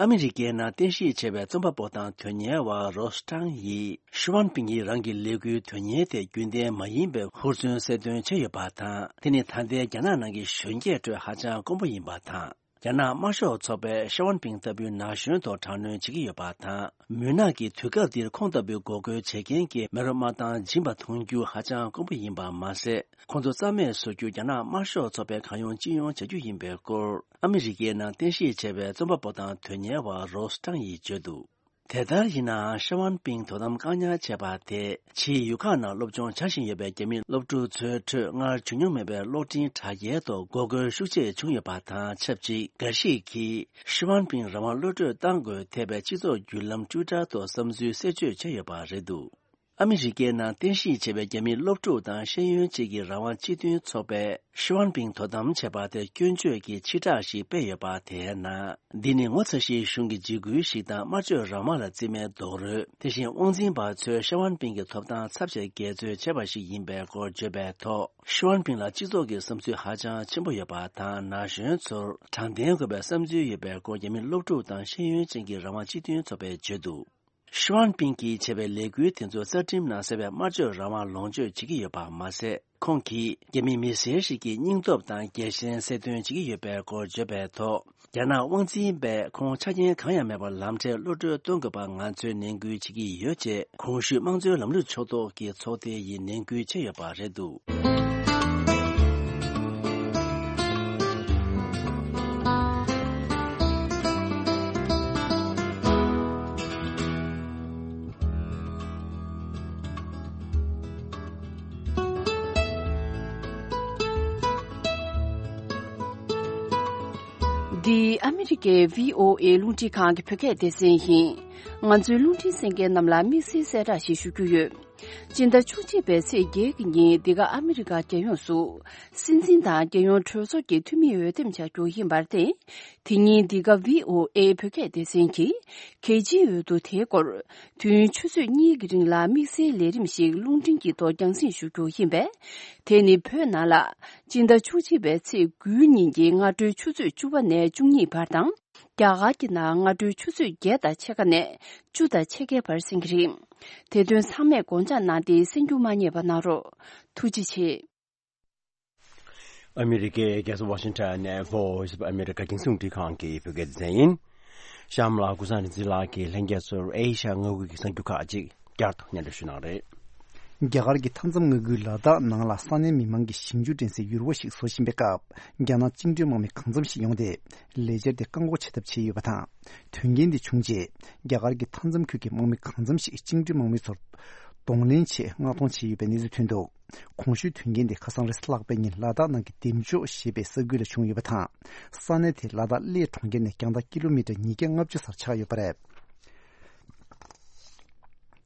ཨ་མི་རི་ཀའི་ནང་རྟེན་གཞི་བྱས་པའི་རྩོམ་པ་པོ་དང་དོན་གཉེར་བ་རོ་སི་ཀྲང་ཡིས་ཞི་ཝན་ཕིང་ཡིས་རང་གི་ལས་འགུལ་དོན་གཉེར་དེ་རྒྱུན་ལྡན་མ་ཡིན་པའི་ཧུར་བརྩོན་གསལ་སྟོན་བྱས་ཡོད་པ་དང་། དེ་ནི་ད་ལྟའི་རྒྱ་ནག་ནང་གི་གཞོན་སྐྱེས་ཁྲོད་ཧ་ཅང་དཀོན་པོ་ཡིན་པ་དང་། རྒྱ་ནག་དམར་ཤོག་ཚོགས་པས་ཞི་ཝན་ཕིང་ལྟ་བུའི་ན་གཞོན་ཐོག་དྲག་གནོན་བྱེད་ཀྱི་ཡོད་པ་དང་། མུན་ནག་གི་དུས་སྐབས་འདིར་ཁོང་ལྟ་བུའི་འགོག་རྒོལ་བྱེད་མཁན་གྱི་མེ་རོ་དམར་མདངས་འབྱིན་པ་མཐོང་རྒྱུ་ཧ་ཅང་དཀོན་པོ་ཡིན་པ་མ་ཟད། ཁོང་ཚོ་རྩ་མེད་བཟོ་རྒྱུ་རྒྱ་ནག་དམར་ཤོག་ཚོགས་པས་གང་ཡོང་ཅི་ཡོང་བྱ་རྒྱུ་ཡིན་པའི་སྐོར། ཨ་མི་རི་ཀའི་ནང་རྟེན་གཞི་བྱས་པའི་རྩོམ་པ་པོ་དང་དོན་གཉེར་བ་རོ་སི་ཀྲང་ཡིས་བརྗོད་འདུག་དེ་ལྟར་ཡིན་ནའང་ཞི་ཝན་ཕིང་དོ་དམ་བཀག་ཉར་བྱས་པ་དེས་ཕྱིའི་ཡུལ་ཁག་ནང་སློབ་སྦྱོང་བྱ་བཞིན་ཡོད་པའི་རྒྱ་མི་སློབ་ཕྲུག་ཚོའི་ཁྲོད་སྔར་བྱུང་མྱོང་མེད་པའི་གློག་འཕྲིན་དྲ་རྒྱའི་ཐོག་འགོག་རྒོལ་ཤུགས་ཆེ་བྱུང་ཡོད་པ་དང་ཆབས་ཅིག་འགའ་ཞིག་གིས་ཞི་ཝན་ཕིང་རང་དབང་གློད་གྲོལ་གཏང་དགོས་ཐེ་བའི་སྤྱི་ཚོགས་བརྒྱུད་ལམ་ཊུའི་ཊར་ཐོག་བསམ་ཚུལ་གསལ་བརྗོད་བྱས་ཡོད་པ་རེད་འདུག་ཨ་མི་རི་ཀའི་ནང་རྟེན་གཞི་བྱས་པའི་རྒྱ་མིའི་སློབ་ཕྲུག་དང་ཤེས་ཡོན་ཅན་གྱི་རང་དབང་སྤྱི་མཐུན་ཚོགས་པས་ཞི་ཝན་ཕིང་དོ་དམ་བྱས་པ་དེར་སྐྱོན་བརྗོད་ཀྱི་ཕྱིར་བསྒྲགས་ཤིག་སྤེལ་ཡོད་པ་དེའི་ནང་། འདི་ནི་ངོ་ཚ་ཤེས་གཞུང་གི་འཇིགས་སྐུལ་ཞིག་དང་སྨྲ་བརྗོད་རང་དབང་ལ་བརྩི་མེད་རྡོག་རོལ། དེ་བཞིན་དབང་འཛིན་པ་ཚོས་ཞི་ཝན་ཕིང་གི་ཐོབ་ཐང་ཚབས་ཆེར་འགལ་འཛོལ་བྱས་པ་ཞིག་ཡིན་པའི་སྐོར་བརྗོད་པའི་ཐོག་ཞི་ཝན་ཕིང་ལ་སྤྱི་ཚོགས་ཀྱི་བསམ་ཚུལ་ཧ་ཅང་ཆེན་པོ་ཡོད་པ་དང་། ན་གཞོན་ཚོར་དྲང་བདེན་དགོས་པའི་བསམ་ཚུལ་ཡོད་པའི་སྐོར་རྒྱ་མི་སློབ་ཕྲུག་དང་ཤེས་ཡོན་ཅན་གྱི་རང་དབང་སྤྱི་མཐུན་ཚོགས་པས་བརྗོད་འདུག་ཞི་ཝན་ཕིང་གིས་བྱས་པའི་ལས་འགུལ་དེ་ཚོ་རྩ་ཁྲིམས་ནང་གསལ་བའི་སྨྲ་བརྗོད་རང་དབང་ལོངས་སྤྱོད་བྱེད་ཀྱི་ཡོད་པ་མ་ཟད། ཁོང་གིས་རྒྱ་མི་མི་སེར་ཞིག་གི་སྙིང་སྟོབས་དང་རྒྱལ་ཞེན་གསལ་སྟོན་བྱེད་ཀྱི་ཡོད་པའི་སྐོར་བརྗོད་པའི་ཐོག་རྒྱ་ནག་དབང་འཛིན་པས་ཁོང་ཆ་རྐྱེན་གང་ཡང་མེད་པར་ལམ་འཕྲལ་གློད་གྲོལ་གཏོང་དགོས་པར་ང་ཚོས་ནན་སྐུལ་བྱེད་ཀྱི་ཡོད་ཅེས་གོང་ཞུས་དམངས་གཙོའི་ལམ་ལུགས་ཕྱོགས་གཏོགས་ཀྱི་ཚོགས་སྡེ་ཡིས་ནན་སྐུལ་བྱས་ཡོད་པ་རེད་འདུག་འདི་ཨ་མི་རི་ཀའི་བྷི་ཨོ་ཨེ་རླུང་འཕྲིན་ཁང་གི་བོད་སྐད་སྡེ་ཚན་ཡིན། ང་ཚོའི་རླུང་འཕྲིན་གསན་མཁན་རྣམས་ལ་དམིགས་བསལ་གསལ་བསྒྲགས་ཤིག་ཞུ་རྒྱུ་ཡོད། སྤྱི་ཟླ་བཅུ་གཅིག་པའི་ཚེས་བརྒྱད་ཀྱི་ཉིན་འདི་ག་ཨ་མི་རི་ཀ་རྒྱལ་ཡོངས་སུ་སྲིད་འཛིན་དང་རྒྱལ་ཡོངས་གྲོས་ཚོགས་ཀྱི་འཐུས་མི་འོས་འདེམས་བྱ་རྒྱུ་ཡིན་པར་བརྟེན། དེ་ཉིན་འདི་ག་བྷི་ཨོ་ཨེ་བོད་སྐད་སྡེ་ཚན་གྱིས་གལ་ཆེའི་འོས་བསྡུ་དེའི་སྐོར་དུས་ཡུན་ཆུ་ཚོད་གཉིས་ཀྱི་རིང་ལ་དམིགས་བསལ་ལས་རིམ་ཞིག་རླུང་འཕྲིན་གྱི་ཐོག་རྒྱང་སྲིང་ཞུ་རྒྱུ་ཡིན་པས། དེ་ནི་བོད་ནང་ལ་སྤྱི་ཟླ་བཅུ་གཅིག་པའི་ཚེས་དགུའི་ཉིན་གྱི་སྔ་དྲོའི་ཆུ་ཚོད་བཅུ་པ་ནས་བཅུ་གཉིས་བར་དང་། རྒྱ་གར་གྱི་ནང་སྔ་དྲོའི་ཆུ་ཚོད་བརྒྱད་དང་ཕྱེད་ཀ་ནས་བཅུ་དང་ཕྱེད་ཀའི་བར་གསན་གྱི་རེད། དེ་དོན་ཚང་མས་དགོངས་འཇགས་གནང་སྟེ་གསན་རྒྱུ་མ་བསྙེལ་བ་གནང་རོགས། ཐུགས་རྗེ་ཆེ། ཨ་མི་རི་ཀའི་རྒྱལ་ས་ཝ་ཤིང་ཊོན་ནས་Voice of America་རྒྱང་སྲིང་རླུང་འཕྲིན་ཁང་གི་བོད་སྐད་སྡེ་ཚན་ཡིན། གཤམ་ལ་ཀུན་བཟང་རིག་འཛིན་ལགས་ཀྱིས་ལྷན་རྒྱས་ཚོར་ཨེ་ཤ་ཡ་མངའ་ཁུལ་གྱི་གསར་འགྱུར་ཁག་ཅིག་བསྐྱར་དུ་སྙན་སྒྲོན་ཞུ་གནང་རེད། རྒྱ་གར་གྱི་མཐའ་མཚམས་མངའ་ཁུལ་ལ་དྭགས་ནང་ལ་ས་གནས་མི་མང་གི་ཞིང་ཆུ་འདྲེན་སའི་ཡུར་བ་ཞིག་བཟོ་བཞིན་པའི་སྐབས། རྒྱ་ནག་བཅིངས་འགྲོལ་དམག་མི་གང་འཚམ་ཞིག་ཡོང་སྟེ། ལས་འཆར་དེ་བཀག་འགོག་བྱེད་ཐབས་བྱས་ཡོད་པ་དང་། དོན་རྐྱེན་འདི་བྱུང་རྗེས། རྒྱ་གར་གྱི་མཐའ་མཚམས་ཁུལ་གྱི་དམག་མི་གང་འཚམ་ཞིག་བཅིངས་འགྲོལ་དམག་མི་ཚོར་གདོང་ལེན་ཆེད་མངགས་གཏོང་བྱས་ཡོད་པའི་གནས་ཚུལ་ཐོན་འདུག་གོང་ཞུས་དོན་རྐྱེན་དེ་ཁ་སང་རེས་གཟའ་ལྷག་པའི་ཉིན་ལ་དྭགས་ནང་གི་འདེམས་ལྕོག་ཞེས་པའི་ས་ཁུལ་ལ་བྱུང་ཡོད་པ་དང་། ས་གནས་དེ་ལ་དྭགས་གླེ་གྲོང་ཁྱེར་ནས་རྒྱང་ཐག་ཀི་ལོ་མི་ཊར་ཉིས་བརྒྱ་ལྔ་བཅུ་སར་ཆགས་ཡོད་པ་རེད།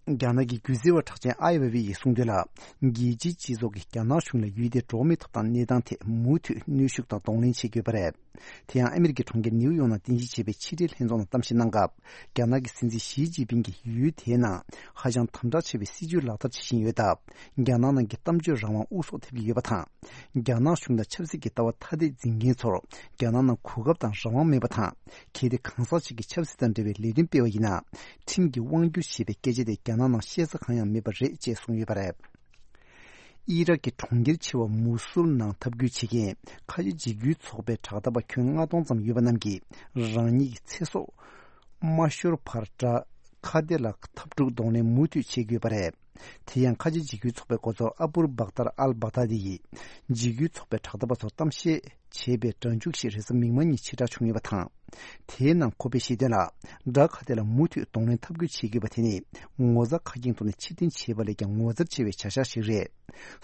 རྒྱ་ནག་གི་སྒྱུ་རྩལ་བ་གྲགས་ཅན་ཨའི་ཝེ་ཝེ་ཡིས་གསུངས་དོན་ལ། རྒྱལ་སྤྱིའི་སྤྱི་ཚོགས་ཀྱིས་རྒྱ་ནག་གཞུང་ལ་ཡུལ་དེའི་འགྲོ་བ་མིའི་ཐོབ་ཐང་གནས་སྟངས་ཐད་མུ་མཐུད་གནོན་ཤུགས་དང་གདོང་ལེན་བྱེད་དགོས་པ་རེད། དེ་ཡང་ཨ་མི་རི་ཀའི་གྲོང་ཁྱེར་ནིའུ་ཡོག་ནང་རྟེན་གཞི་བྱས་པའི་ཕྱི་འབྲེལ་ལྷན་ཚོགས་ནང་གཏམ་བཤད་གནང་སྐབས། རྒྱ་ནག་གི་སྲིད་འཛིན་ཞི་ཅིན་ཕིང་གིས་ཡུལ་དེའི་ནང་ཧ་ཅང་དམ་དྲག་ཆེ་བའི་སྲིད་ཇུས་ལག་བསྟར་བྱེད་བཞིན་ཡོད་སྟབས། རྒྱ་ནག་ནང་གི་གཏམ་བརྗོད་རང་དབང་དབུ་སོགས་ཐེབས་ཀྱི་ཡོད་པ་དང་། རྒྱ་ནག་གཞུང་དང་ཆབ་སྲིད་ཀྱི་ལྟ་བ་ཐ་དད་འཛིན་མཁན་ཚོར་རྒྱ་ནག་ནང་གོ་སྐབས་དང་རང་དབང་མེད་པ་དང་། གལ་ཏེ་གང་ཟག་ཅིག་གིས་ཆབ་སྲིད་དང་འབྲེལ་བའི་ལས་དོན་སྤེལ་བ་ཡིན་ན། ཁྲིམས་ཀྱིས་དབང་བསྒྱུར་ཞེས་པའི་སྐད་ཆ་དེ་རྒྱ་ནག་ནང་བཤད་ས་གང་ཡང་མེད་པ་རེད་ཅེས་གསུངས་ཡོད་པ་རེད། ཨི་རག་གི་གྲོང་ཁྱེར་ཆེ་བ་མུ་སུལ་ནང་འཐབ་རྒོལ་བྱེད་མཁན་ཁ་ཆེ་འཇིགས་སྐུལ་ཚོགས་པའི་དྲག་འཐབ་པ་ཁྱོན་ལྔ་སྟོང་ཙམ་ཡོད་པ་རྣམས་ཀྱིས་རང་ཉིད་ཀྱི་ཚེ་སྲོག་མ་ཤོར་བར་དགྲ་ཁ་གཏད་ལ་འཐབ་འཁྲུག་གདོང་ལེན་མུ་མཐུད་བྱེད་དགོས་པ་རེད། དེ་ཡང་ཁ་ཆེ་འཇིགས་སྐུལ་ཚོགས་པའི་འགོ་གཙོ་ཨ་པུར་བག་ཏར་ཨལ་བག་ཏ་དི་ཡིས་འཇིགས་སྐུལ་ཚོགས་པའི་དྲག་འཐབ་པ་ཚོར་གཏམ་བཤད་བྱས་པའི་སྒྲ་འཇུག་ཞིག་རེས་གཟའ་མིག་དམར་ཉིན་ཕྱིར་བསྒྲགས་བྱུང་ཡོད་པ་དང་། དེའི་ནང་ཁོ་པས་བཤད་དོན་ལ། དགྲ་ཁ་གཏད་ལ་མུ་མཐུད་གདོང་ལེན་འཐབ་རྒོལ་བྱེད་དགོས་པ་དེ་ནི། ངོ་ཚ་ཁ་སྐྱེངས་ཐོག་ནས་ཕྱིར་འཐེན་བྱས་པ་ལས་ཀྱང་ངོ་མཚར་ཆེ་བའི་བྱ་གཞག་ཞིག་རེད།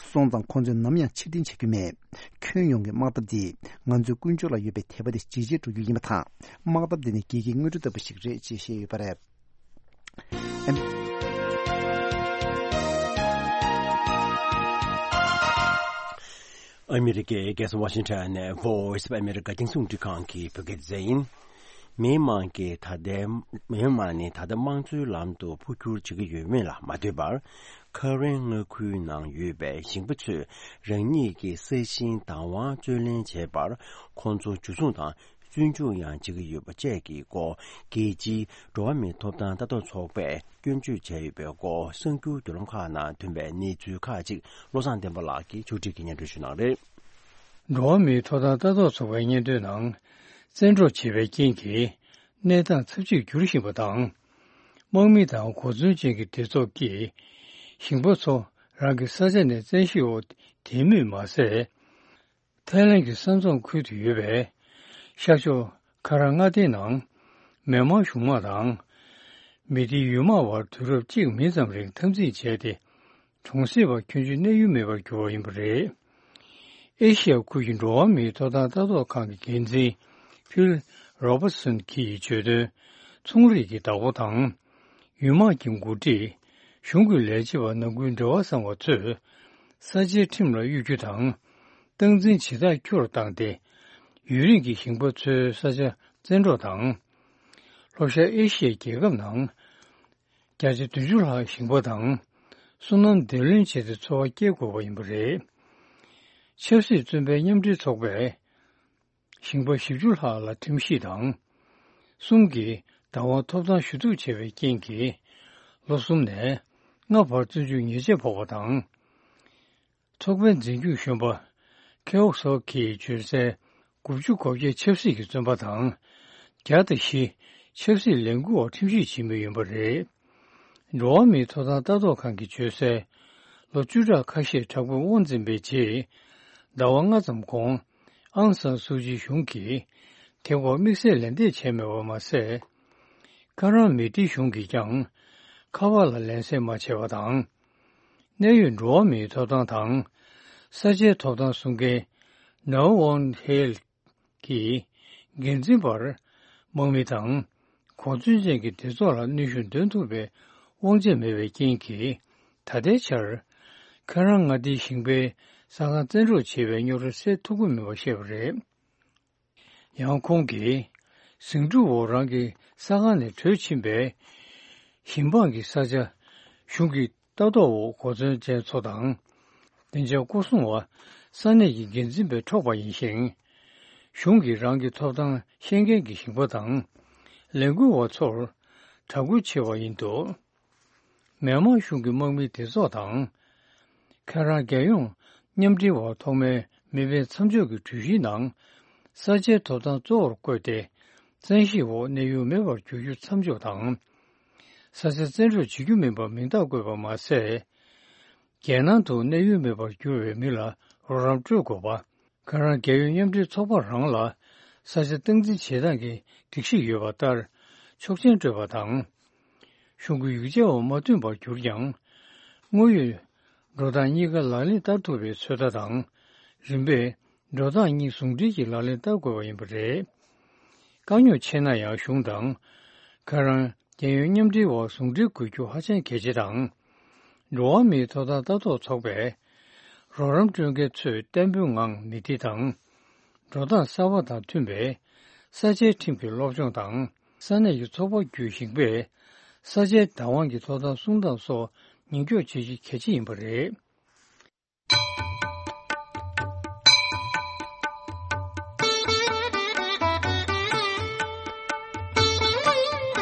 སོང་ཙང་ཁོ་ཚོས་ནམ་ཡང་ཕྱིར་འཐེན་བྱ་རྒྱུ་མེད། ཁྱོན་ཡོངས་ཀྱི་དམག་འཐབ་འདིས་ང་ཚོའི་ཀུན་སྤྱོད་ལ་ཡོད་པའི་དད་པ་དེ་ཇེ་ཆེར་འགྲོ་རྒྱུ་ཡིན་པ་དང་། དམག་འཐབ་འདི་ནི་རྒྱལ་ཁའི་དངོས་གྲུབ་ལྟ་བུ་ཞིག་རེད་ཅེས་བཤད་ཡོད་པ་རེད། ཨ་མི་རི་ཀའི་རྒྱལ་ས་ཝ་ཤིང་ཊོན་ནས་Voice of America རྒྱང་སྲིང་རླུང་འཕྲིན་ཁང་གི་བོད་སྐད་སྡེ་ཚན་ཡིན། མི་དམངས་ཀྱིས་ད་ལྟའི་མི་དམངས་ནི་ད་ལྟ་དམངས་གཙོའི་ལམ་དུ་འཕོ་འགྱུར་བྱེད་ཀྱི་ཡོད་མེད་ལ་མ་ལྟོས་པར། ཁ་རན་མངའ་ཁུལ་ནང་ཡོད་པའི་ཞིང་པ་ཚོས་རང་ཉིད་ཀྱི་ས་ཞིང་བདག་དབང་རྩོད་ལེན་བྱས་པར། ཁོང་ཚོ་འཇུ་བཟུང་དང་བཙོན་འཇུག་ཡང་བྱེད་ཀྱི་ཡོད་པ་བཅས་ཀྱི་སྐོར། རྒྱལ་སྤྱིའི་འགྲོ་བ་མིའི་ཐོབ་ཐང་ལྟ་རྟོག་ཚོགས་པས་སྐྱོན་བརྗོད་བྱས་ཡོད་པའི་སྐོར། གསར་འགྱུར་བརྒྱུད་ལམ་ཁག་ནང་ཐོན་པའི་གནས་ཚུལ་ཁག་ཅིག་བློ་བཟང་བསྟན་པ་ལགས་ཀྱིས་ཕྱོགས་སྒྲིག་གིས་སྙན་སྒྲོན་ཞུ་གནང་རེད། འགྲོ་བ་མིའི་ཐོབ་ཐང་ལྟ་རྟོག་ཚོགས་པའི་སྙན་ཐོའི་ནང་། བཙན་འཕྲོག་བྱས་པའི་རྐྱེན་གྱིས་གནས་སྟངས་ཚབས་ཆེར་འགྱུར་བཞིན་པ་དང་། དམག་མི་དང་གོ་མཚོན་ཅན་གྱི་སྡེ་ཚོགས་ཀྱིས་ཞིང་པ་ཚོ་རང་གི་ས་ཆ་ནས་བཙན་ཤེད་འོག་འདེད་མུས་མ་ཟད། ཐའི་ལན་གྱི་ས་མཚམས་ཁུལ་དུ་ཡོད་པའི་ཤར་ཕྱོགས་ཁ་ར་མངའ་སྡེའི་ནང་མེན་མར་གཞུང་དམག་དང་མེ་ཏི་ཡུལ་དམག་དབར་དུས་རབས་གཅིག་མིན་ཙམ་རིང་འཐབ་འཛིང་བྱས་ཏེ། གྲོང་གསེབ་པ་ཁྱོན་ཆུད་གནས་ཡུལ་མེད་པར་གྱུར་བ་ཡིན་པ་རེད། ཨེ་ཤི་ཡ་ཁུལ་གྱི་འགྲོ་བ་མིའི་ཐོབ་ཐང་ལྟ་རྟོག་ཁང་གི་འགན་འཛིན་ཕིལ་རོ་བར་སོན་གྱིས་བརྗོད་དོན། ཚོང་རིགས་ཀྱི་བདག་པོ་དང་། ཡུལ་དམག་གི་འགོ་ཁྲིད། གཞུང་གི་ལས་བྱེད་པ་ནང་ཁུལ་འབྲེལ་བ་བཟང་བ་ཚོས། ས་ཆའི་ཁྲིམས་ལ་གཡོ་སྒྱུ་དང་། སྟངས་འཛིན་བྱེད་སྟངས་སྐྱོ་རུ་བཏང་སྟེ། ཡུན་རིང་གི་ཞིང་པ་ཚོའི་ས་ཆ་བཙན་འཕྲོག་དང་། ལྷོ་ཤར་ཨེ་ཤི་ཡའི་རྒྱལ་ཁབ་ནང་། བརྒྱ་ཆ་བདུན་ཅུ་ལྷག་ཞིང་པ་དང་། སོ་ནམ་འདེད་ལེན་བྱས་ཏེ་འཚོ་བ་སྐྱེལ་དགོས་པ་ཡིན་པ་རེད། ཆབ་སྲིད་བཙོན་པའི་མཉམ་འབྲེལ་ཚོགས་པས། ཞིང་པ་བཞི་བཅུ་ལྷག་ལ་ཁྲིམས་ཞིབ་དང་། གསུམ་གྱིས་བདག་དབང་ཐོབ་ཐང་ཞུ་གཏུག་བྱས་པའི་རྐྱེན་གྱིས། ལོ་གསུམ་ནས་ལྔ་བར་བཙོན་འཇུག་ཉེས་ཆད་ཕོག་པ་དང་། ཚོགས་པའི་འཛིན་སྐྱོང་གཞོན་པ་ཁེའོ་སོ་གིས་བརྗོད་གསལ། དགུ་བཅུ་གོ་བརྒྱད་ཆབ་སྲིད་ཀྱི་བཙོན་པ་དང་། བརྒྱ་དང་བཞི་ཆབ་སྲིད་ལས་འགུལ་བ་ཁྲིམས་ཞིབ་བྱེད་མུས་ཡིན་པ་རེད། འགྲོ་བ་མིའི་ཐོབ་ཐང་ལྟ་རྟོག་ཁང་གིས་བརྗོད་གསལ། ལོ་བཅུ་ཕྲག་ཁ་ཤས་དྲག་པོའི་དབང་འཛིན་པའི་རྗེས། ཟླ་བ་ལྔ་ཙམ་གོང་། ཨང་སན་སུའུ་ཅི་གཞུང་གིས་དེ་སྐོར་དམིགས་བསལ་ལན་འདེབས་བྱས་མེད་པ་མ་ཟད། ཁ་རང་མི་ཏི་གཞུང་གིས་ཀྱང་ཁ་པར་ལ་ལན་གསལ་མ་བྱས་པ་དང་། གནད་ཡོད་འགྲོ་བ་མིའི་ཐོབ་ཐང་དང་། ས་ཆའི་ཐོབ་ཐང་སྲུང་མཁན་ནའོ་ཝོན་ཧེལ་གྱིས་འགན་འཛིན་པར་དམག་མི་དང་གོ་མཚོན་ཅན་གྱི་སྡེ་ཚོགས་ལ་གནོན་ཤུགས་འདོན་ཐུབ་པའི་དབང་ཆ་མེད་པའི་རྐྱེན་གྱིས། ད་ལྟའི་ཆར་ཁ་རང་མངའ་སྡེའི་ཞིང་པའི་ས་ཁང་བཙན་འཕྲོག་བྱས་པའི་རྙོག་དྲ་སེལ་ཐུབ་ཀྱི་མེད་པ་བཤད་པ་རེད། ཡང་ཁོང་གིས་ཟིང་འཁྲུག་འོག་རང་གི་ས་ཁང་ནས་བྲོས་ཕྱིན་པའི་ཞིང་འབངས་ཀྱི་ས་ཆ་གཞུང་གི་ལྟ་རྟོག་འོག་གོ་མཚོན་ཅན་ཚོ་དང་། བདེ་འཇགས་སྐོར་སྲུང་བ་ས་གནས་ཀྱི་འགན་འཛིན་པས་འཕྲོག་པ་ཡིན་ཞིང་། གཞུང་གིས་རང་གི་ཐོབ་ཐང་ཤེས་མཁན་གྱི་ཞིང་པ་དང་ལས་འགུལ་བ་ཚོར་དྲག་རྒོལ་བྱས་པ་ཡིན་འདུག་མེན་མར་གཞུང་གི་དམག་མིའི་སྡེ་ཚོགས་དང་། ཁ་རང་རྒྱལ་ཡོངས་མཉམ་འབྲེལ་བར་ཐོག་མའི་མི་སྤེལ་མཚམས་འཇོག་གི་གྲོས་གཞིའི་ནང་། ས་ཆའི་ཐོབ་ཐང་གཙོ་བོར་བཀོད་དེ། བཙན་ཤེད་འོག་གནས་ཡུལ་མེད་པར་འགྱུར་རྒྱུ་མཚམས་འཇོག་དང་། ས་ཆ་བཙན་འཕྲོག་བྱེད་རྒྱུ་མིན་པར་མིང་རྟགས་བཀོད་པ་མ་ཟད། རྒྱལ་ནང་དུ་གནས་ཡུལ་མེད་པར་གྱུར་བའི་མི་ལ་རོགས་རམ་སྤྲོད་དགོས་པ། ཁ་རང་རྒྱལ་ཡོངས་མཉམ་འབྲེལ་ཚོགས་པ་རང་ལ་ས་ཆ་སྟངས་འཛིན་བྱེད་སྟངས་ཀྱི་སྒྲིག་གཞི་ཡོད་པ་ལྟར་ཆོག་མཆན་སྤྲོད་པ་དང་། གཞུང་གི་ཡིག་ཆ་འོག་མ་མཐུན་པར་གྱུར་ཀྱང་། དངོས་ཡོད་འགྲོ་སྟངས་གཉིས་ཀ་ལག་ལེན་བསྟར་ཐུབ་པའི་ཚོད་ལྟ་དང་། རིམ་པས་འགྲོ་སྟངས་གཉིས་ཟུང་འབྲེལ་གྱིས་ལག་ལེན་བསྟར་དགོས་པ་ཡིན་པ་རེད། དཀའ་རྙོག་ཆེ་ན་ཡང་གཞུང་དང་། ཁ་རང་རྒྱལ་ཡོངས་མཉམ་འབྲེལ་འོག་ཟུང་འབྲེལ་དགོས་རྒྱུ་ཧ་ཅང་གལ་ཆེ་དང་། འགྲོ་བ་མིའི་ཐོབ་ཐང་ལྟ་རྟོག་ཚོགས་པས་རོགས་རམ་སྤྲོད་མཁན་ཚོས་བརྟན་པོའི་ངང་མི་སྡེ་དང་། འགྲོ་སྟངས་གསར་པ་དང་མཐུན་པའི་ས་ཆའི་ཁྲིམས་ཀྱི་སློབ་སྦྱོང་དང་། ས་གནས་ཀྱི་ཚོགས་པ་བརྒྱུད་ཞིང་པས་ས་ཆའི་བདག་དབང་གི་ཐོབ་ཐང་སྲུང་སྟངས་སོགས་ཉེན་སྐྱོབ་བྱེད་རྒྱུ་གལ་ཆེ་ཡིན་པ་རེད།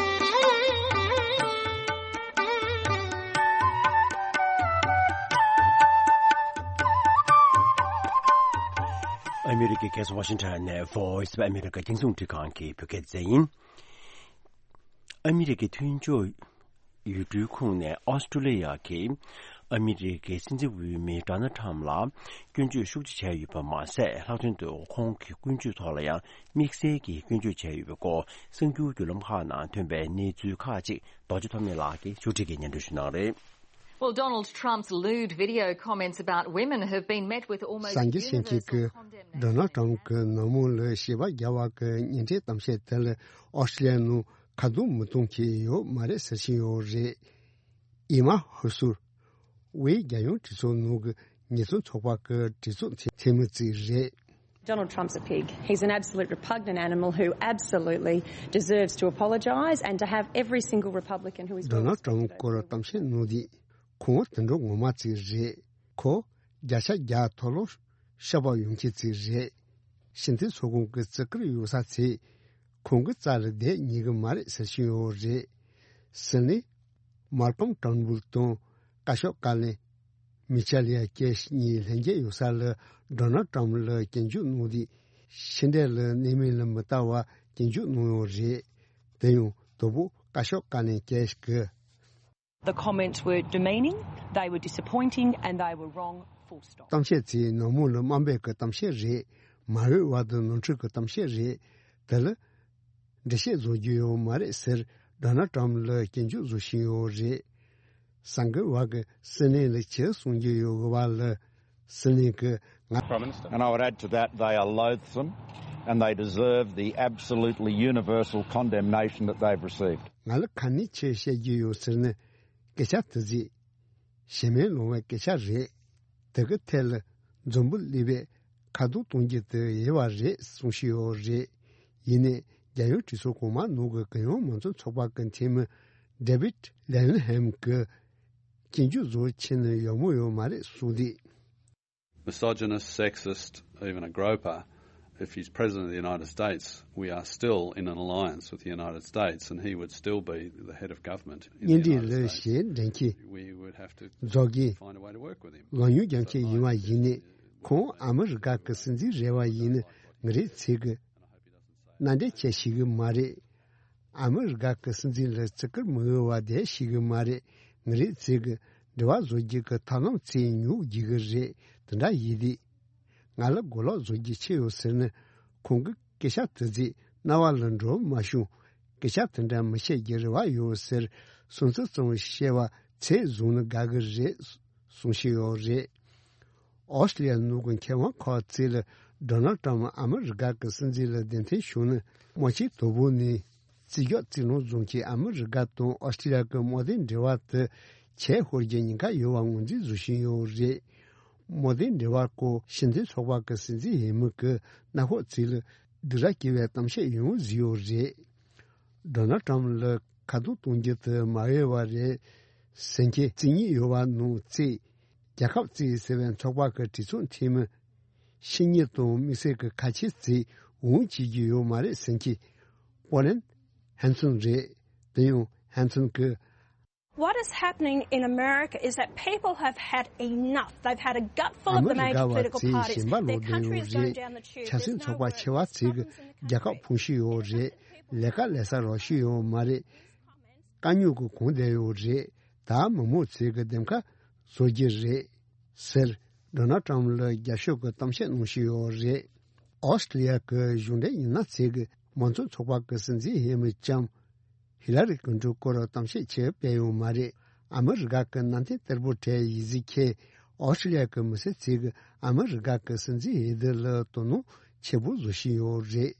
ཨ་མི་རི་ཀའི་རྒྱལ་ས་ཝ་ཤིང་ཊོན་ནས་Voice of America རྒྱང་སྲིང་རླུང་འཕྲིན་ཁང་གི་བོད་སྐད་སྡེ་ཚན་ཡིན། ཨ་མི་རི་ཀའི་མཐུན་ཕྱོགས་ཡུལ་གྲུའི་ཁོངས་ནས་ཨོ་སི་ཀྲོ་ལི་ཡ་གིས་ཨ་མི་རི་ཀའི་སྲིད་འཛིན་འོས་མི་ཌོ་ནལ་ཁྲམ་ལ་སྐྱོན་བརྗོད་ཤུགས་ཆེ་བྱས་ཡོད་པ་མ་ཟད། ལྷག་དོན་དུ་ཁོང་གི་ཀུན་སྤྱོད་ཐོག་ལ་ཡང་དམིགས་བསལ་གྱིས་སྐྱོན་བརྗོད་བྱས་ཡོད་པའི་སྐོར། གསར་འགྱུར་བརྒྱུད་ལམ་ཁག་ནང་ཐོན་པའི་གནས་ཚུལ་ཁག་ཅིག་རྡོ་རྗེ་ཐོགས་མེད་ལགས་ཀྱིས་ཕྱོགས་སྒྲིག་གིས་སྙན་སྒྲོན་ཞུ་གནང་རེད། Well, Donald Trump's lewd video comments about women have been met with almost གསར་འགྱུར་ཤེས་མཁན་གྱིས་universal condemnation. ཌོ་ནལ་ཊམ་གྱིས་ནག་མོ་ལ་ཞེ་བ་རྒྱག་པ་གི་ཉེས་ཁྲིམས་གཏམ་བཤད་དེ་ལ་ཨོ་སི་ཀྲི་ལི་ཡའི་ནང་ཁ་རྡུང་མི་གཏོང་མཁན་ཡོད་མ་རེད་ཟེར་བཞིན་ཡོད་རེད། ཨི་མ་ཧུ་སུར་ཝེ་རྒྱལ་ཡོངས་གྲོས་ཚོགས་ནང་གི་ཉེས་དོན་ཚོགས་པ་གི་གྲོས་ཚོགས་འཐུས་མི་ཅིག་རེད། Donald Trump's a pig. He's an absolute repugnant animal who absolutely deserves to apologise and to have every single Republican who is well Donald Trump scored སྐོར་གཏམ་བཤད་གནང་དུས་ཁོང་དུད་འགྲོ་ངོ་མ་ཅིག་རེད། ཁོ་བརྒྱ་ཆ་བརྒྱ་མཐོལ་ལོ་བཤགས་པ་ཡོང་མཁན་ཅིག་རེད། ཕྱི་འཐེན་ཚོགས་ཁང་གི་བརྩི་བཀུར་ཡོད་ས་ཚེ་ཁོང་གི་རྩ་ལ་བསྡད་ཉན་གི་མ་རེད་ཟེར་བཞིན་ཡོད་རེད། ཟེར་ནས་མར་ཁོམ་ཊར་ནི་བུལ་དང་བཀའ་ཤོག་སྐུ་བློན་མི་ཆེལ་ཡ་ཀེ་ཤི་གཉིས་ལྷན་རྒྱས་ཡོད་ས་ལ་ཌོ་ནལ་ཊམ་ལ་སྐྱོན་བརྗོད་གནང་དུས་ཕྱི་འབྲེལ་ལ་གནས་མིང་ལ་མི་ལྟ་བ་སྐྱོན་བརྗོད་གནང་ཡོད་རེད། དེ་ཡང་དོ་པོ་བཀའ་ཤོག་སྐུ་བློན་ཀེ་ཤི་གིས། The comments were demeaning, they were disappointing and they were wrong, full stop. གཏམ་བཤད་ཚེ་ནག་མོ་ལ་དམའ་འབེབས་ཀྱི་གཏམ་བཤད་རེད། མ་འོས་པ་དང་ནོར་འཁྲུལ་གྱི་གཏམ་བཤད་རེད། དེ་ལ་འགྲེལ་བཤད་བཟོ་རྒྱུ་ཡོད་མ་རེད་ཟེར་ཌོ་ནལ་ཊམ་ལ་སྐྱོན་བརྗོད་བཟོ་བཞིན་ཡོད་རེད། སང་གི་བར་གྱི་སྲིད་བློན་ལ་ཆེ་གསུང་རྒྱུ་ཡོད་གི་བ་ལ་སྲིད་བློན་གྱིས་ང་། Prime Minister. And I would add to that, they are loathsome and they deserve the absolutely universal condemnation that they've received. ང་ལ་ཁ་ནས་ཆེ་བཤད་རྒྱུ་ཡོད་ཟེར་ན། སྐད་ཆ་དེ་ཚོས་ཞེ་མེར་ལངས་པའི་སྐད་ཆ་རེད། དེ་གི་ཐད་ལ་འཛམ་བུ་གླིང་པས་ཁ་རྡུང་གཏོང་རྒྱུ་དེ་ཡོད་པ་རེད་གསུང་བཞིན་ཡོད་རེད། ཡིན་ནའི་རྒྱལ་ཡོངས་གྲོས་ཚོགས་གོང་མ་ནང་གི་གུ་ཡངས་མང་གཙོ་ཚོགས་པ་གི་འཐུས་མི་ཌེ་བིད་ལེ་ལན་ཧེམ་གྱིས་སྐྱོན་བརྗོད་བཟོ་ཕྱིན་ན་ཡག་མོ་ཡོད་མ་རེད་གསུངས་དུས། Misogynist, sexist, even a groper, if he's President of the United States, we are still in an alliance with the United States, and he would still be the head of government in the United States. གཉེན་སྒྲིག་ལ་ཞེ་འགྲན་གྱི། We would have to རྫོགས་ཀྱི། Find a way to work with him. ལོ་ཉུང་རྒྱང་ཁྱེད་ཡིན་པ་ཡིན་ནི། ཁོང་ཨ་མི་རི་ཀ་གི་སྲིད་འཛིན་རེ་བ་ཡིན་ནི་ང་རེ་ཚིག་གི། མནའ་འབྲེལ་བྱེད་ཤེས་གི་མ་རེད། ཨ་མི་རི་ཀ་གི་སྲིད་འཛིན་ལ་བརྩི་བཀུར་མི་འོས་པ་བསྡད་ཤེས་གི་མ་རེད། ང་རེ་ཚིག་གི་འབྲེལ་བ་བཟོ་རྒྱུ་གི་ཐབས་ལམ་ཚིག་ཉུག་རྒྱུ་གི་རེད། དེ་འདྲ་ཡིན་དུས། ང་ལ་མགོ་ལོག་བཟོ་རྒྱུ་ཆེ་ཡོད་ཟེར་ནས་ཁོང་གི་སྐད་ཆ་དེ་ཚོས་རྣ་བ་ལ་འགྲོ་མ་བྱུང་། སྐད་ཆ་དེ་འདྲ་མི་བཤད་རྒྱུ་རེ་བ་ཡོད་ཟེར་སུན་གཙེར་ཙམ་བཤད་པ་ཚད་བཟུང་ནས་དགའ་གི་རེད་གསུང་བཞིན་ཡོད་རེད། ཨོ་སི་ཀྲི་ལི་ཡ་ནང་གི་མཁས་དབང་ཁག་ཅིག་ལ་ཌོ་ནལ་ཊམ་ཨ་མི་རི་ཀ་གི་སྲིད་འཛིན་ལ་གདན་འདྲེན་ཞུས་ནས་མ་ཕྱི་དོ་བོ་ནས་རྩིས་རྒྱག་རྩིས་ལོངས་བཟུང་གིས་ཨ་མི་རི་ཀ་དང་ཨོ་སི་ཀྲི་ལི་ཡ་གི་དམག་དོན་འབྲེལ་བ་དེ་ཆེས་ཤོར་རྒྱུ་ཉེན་ཁ་ཡོད་པ་ངོས་འཛིན་བཟོ་བཞིན་ཡོད་རེད། དམག་དོན་འབྲེལ་བ་སྐོར་ཕྱི་འཐེན་ཚོགས་པ་གི་སྲིད་འཛིན་འོས་མི་གིས་གནམ་འོག་ཅིག་ལ་སྡུག་ར་སྐྱེ་བའི་གཏམ་བཤད་ཡོང་གི་ཡོད་རེད། ཌོ་ནལ་ཊམ་ལ་ཁ་རྡུང་གཏོང་རྒྱུ་དེ་མ་འོས་པ་རེད་ཟེར་མཁན་རྩིས་ཉིན་ཡོད་པ་ནང་བརྩིས། རྒྱལ་ཁབ་བརྩིས་ཟེར་བའི་ཚོགས་པ་གི་གྲོས་ཚོགས་འཐུས་མི་ཕྱི་ཉིན་དང་དམིགས་བསལ་གྱི་ཁ་ཆེ་བརྩིས་འོང་བྱེད་རྒྱུ་ཡོད་མ་རེད་ཟེར་མཁན་པོ་ལན་ཧན་སོན་རེད། དེ་ཡང་ཧན་སོན་གྱིས། What is happening in America is that people have had enough. They've had a gutful of the major political parties. Their country is going down the tube. There's nowhere problems in the country. རྒྱལ་ཁབ་ཕུང་ཤི་ཡོད་རེད། ལས་ཀ་ལས་ས་རོགས་ཤི་ཡོད་མ་རེད། དཀའ་རྙོག་གི་གོང་བསྡད་ཡོད་རེད། ད་མི་མང་ཚོས་ཀྱི་འདེམས་ཁ་བཟོ་རྒྱུ་རེད་ཟེར་ཌོ་ནལ་ཊམ་ལ་རྒྱབ་ཤོག་གི་གཏམ་བཤད་གནང་བཞིན་ཡོད་རེད། ཨོ་སི་ཀྲི་ལི་ཡ་གི་གཞུང་འབྲེལ་མི་སྣ་ཚོས་ཀྱི་མང་གཙོ་ཚོགས་པ་གི་སྲིད་འཛིན་འོས་མི་ལྕམ་ཧི་ལ་རི་ཀིན་ཊོན་སྐོར་གཏམ་བཤད་ཆེ་སྤེལ་ཡོད་མ་རེད། ཨ་མི་རི་ཀ་གི་གནའ་དེང་གཏེར་པོ་གྲས་ཡིག་གཟུགས་ཁྱེར་ཨོ་སི་ཀྲི་ལི་ཡ་གི་མི་སེར་ཚོས་ཀྱི་ཨ་མི་རི་ཀ་གི་སྲིད་འཛིན་འོས་བསྡུ་ལ་དོ་སྣང་ཆེ་པོ་བཟོ་བཞིན་ཡོད་རེད།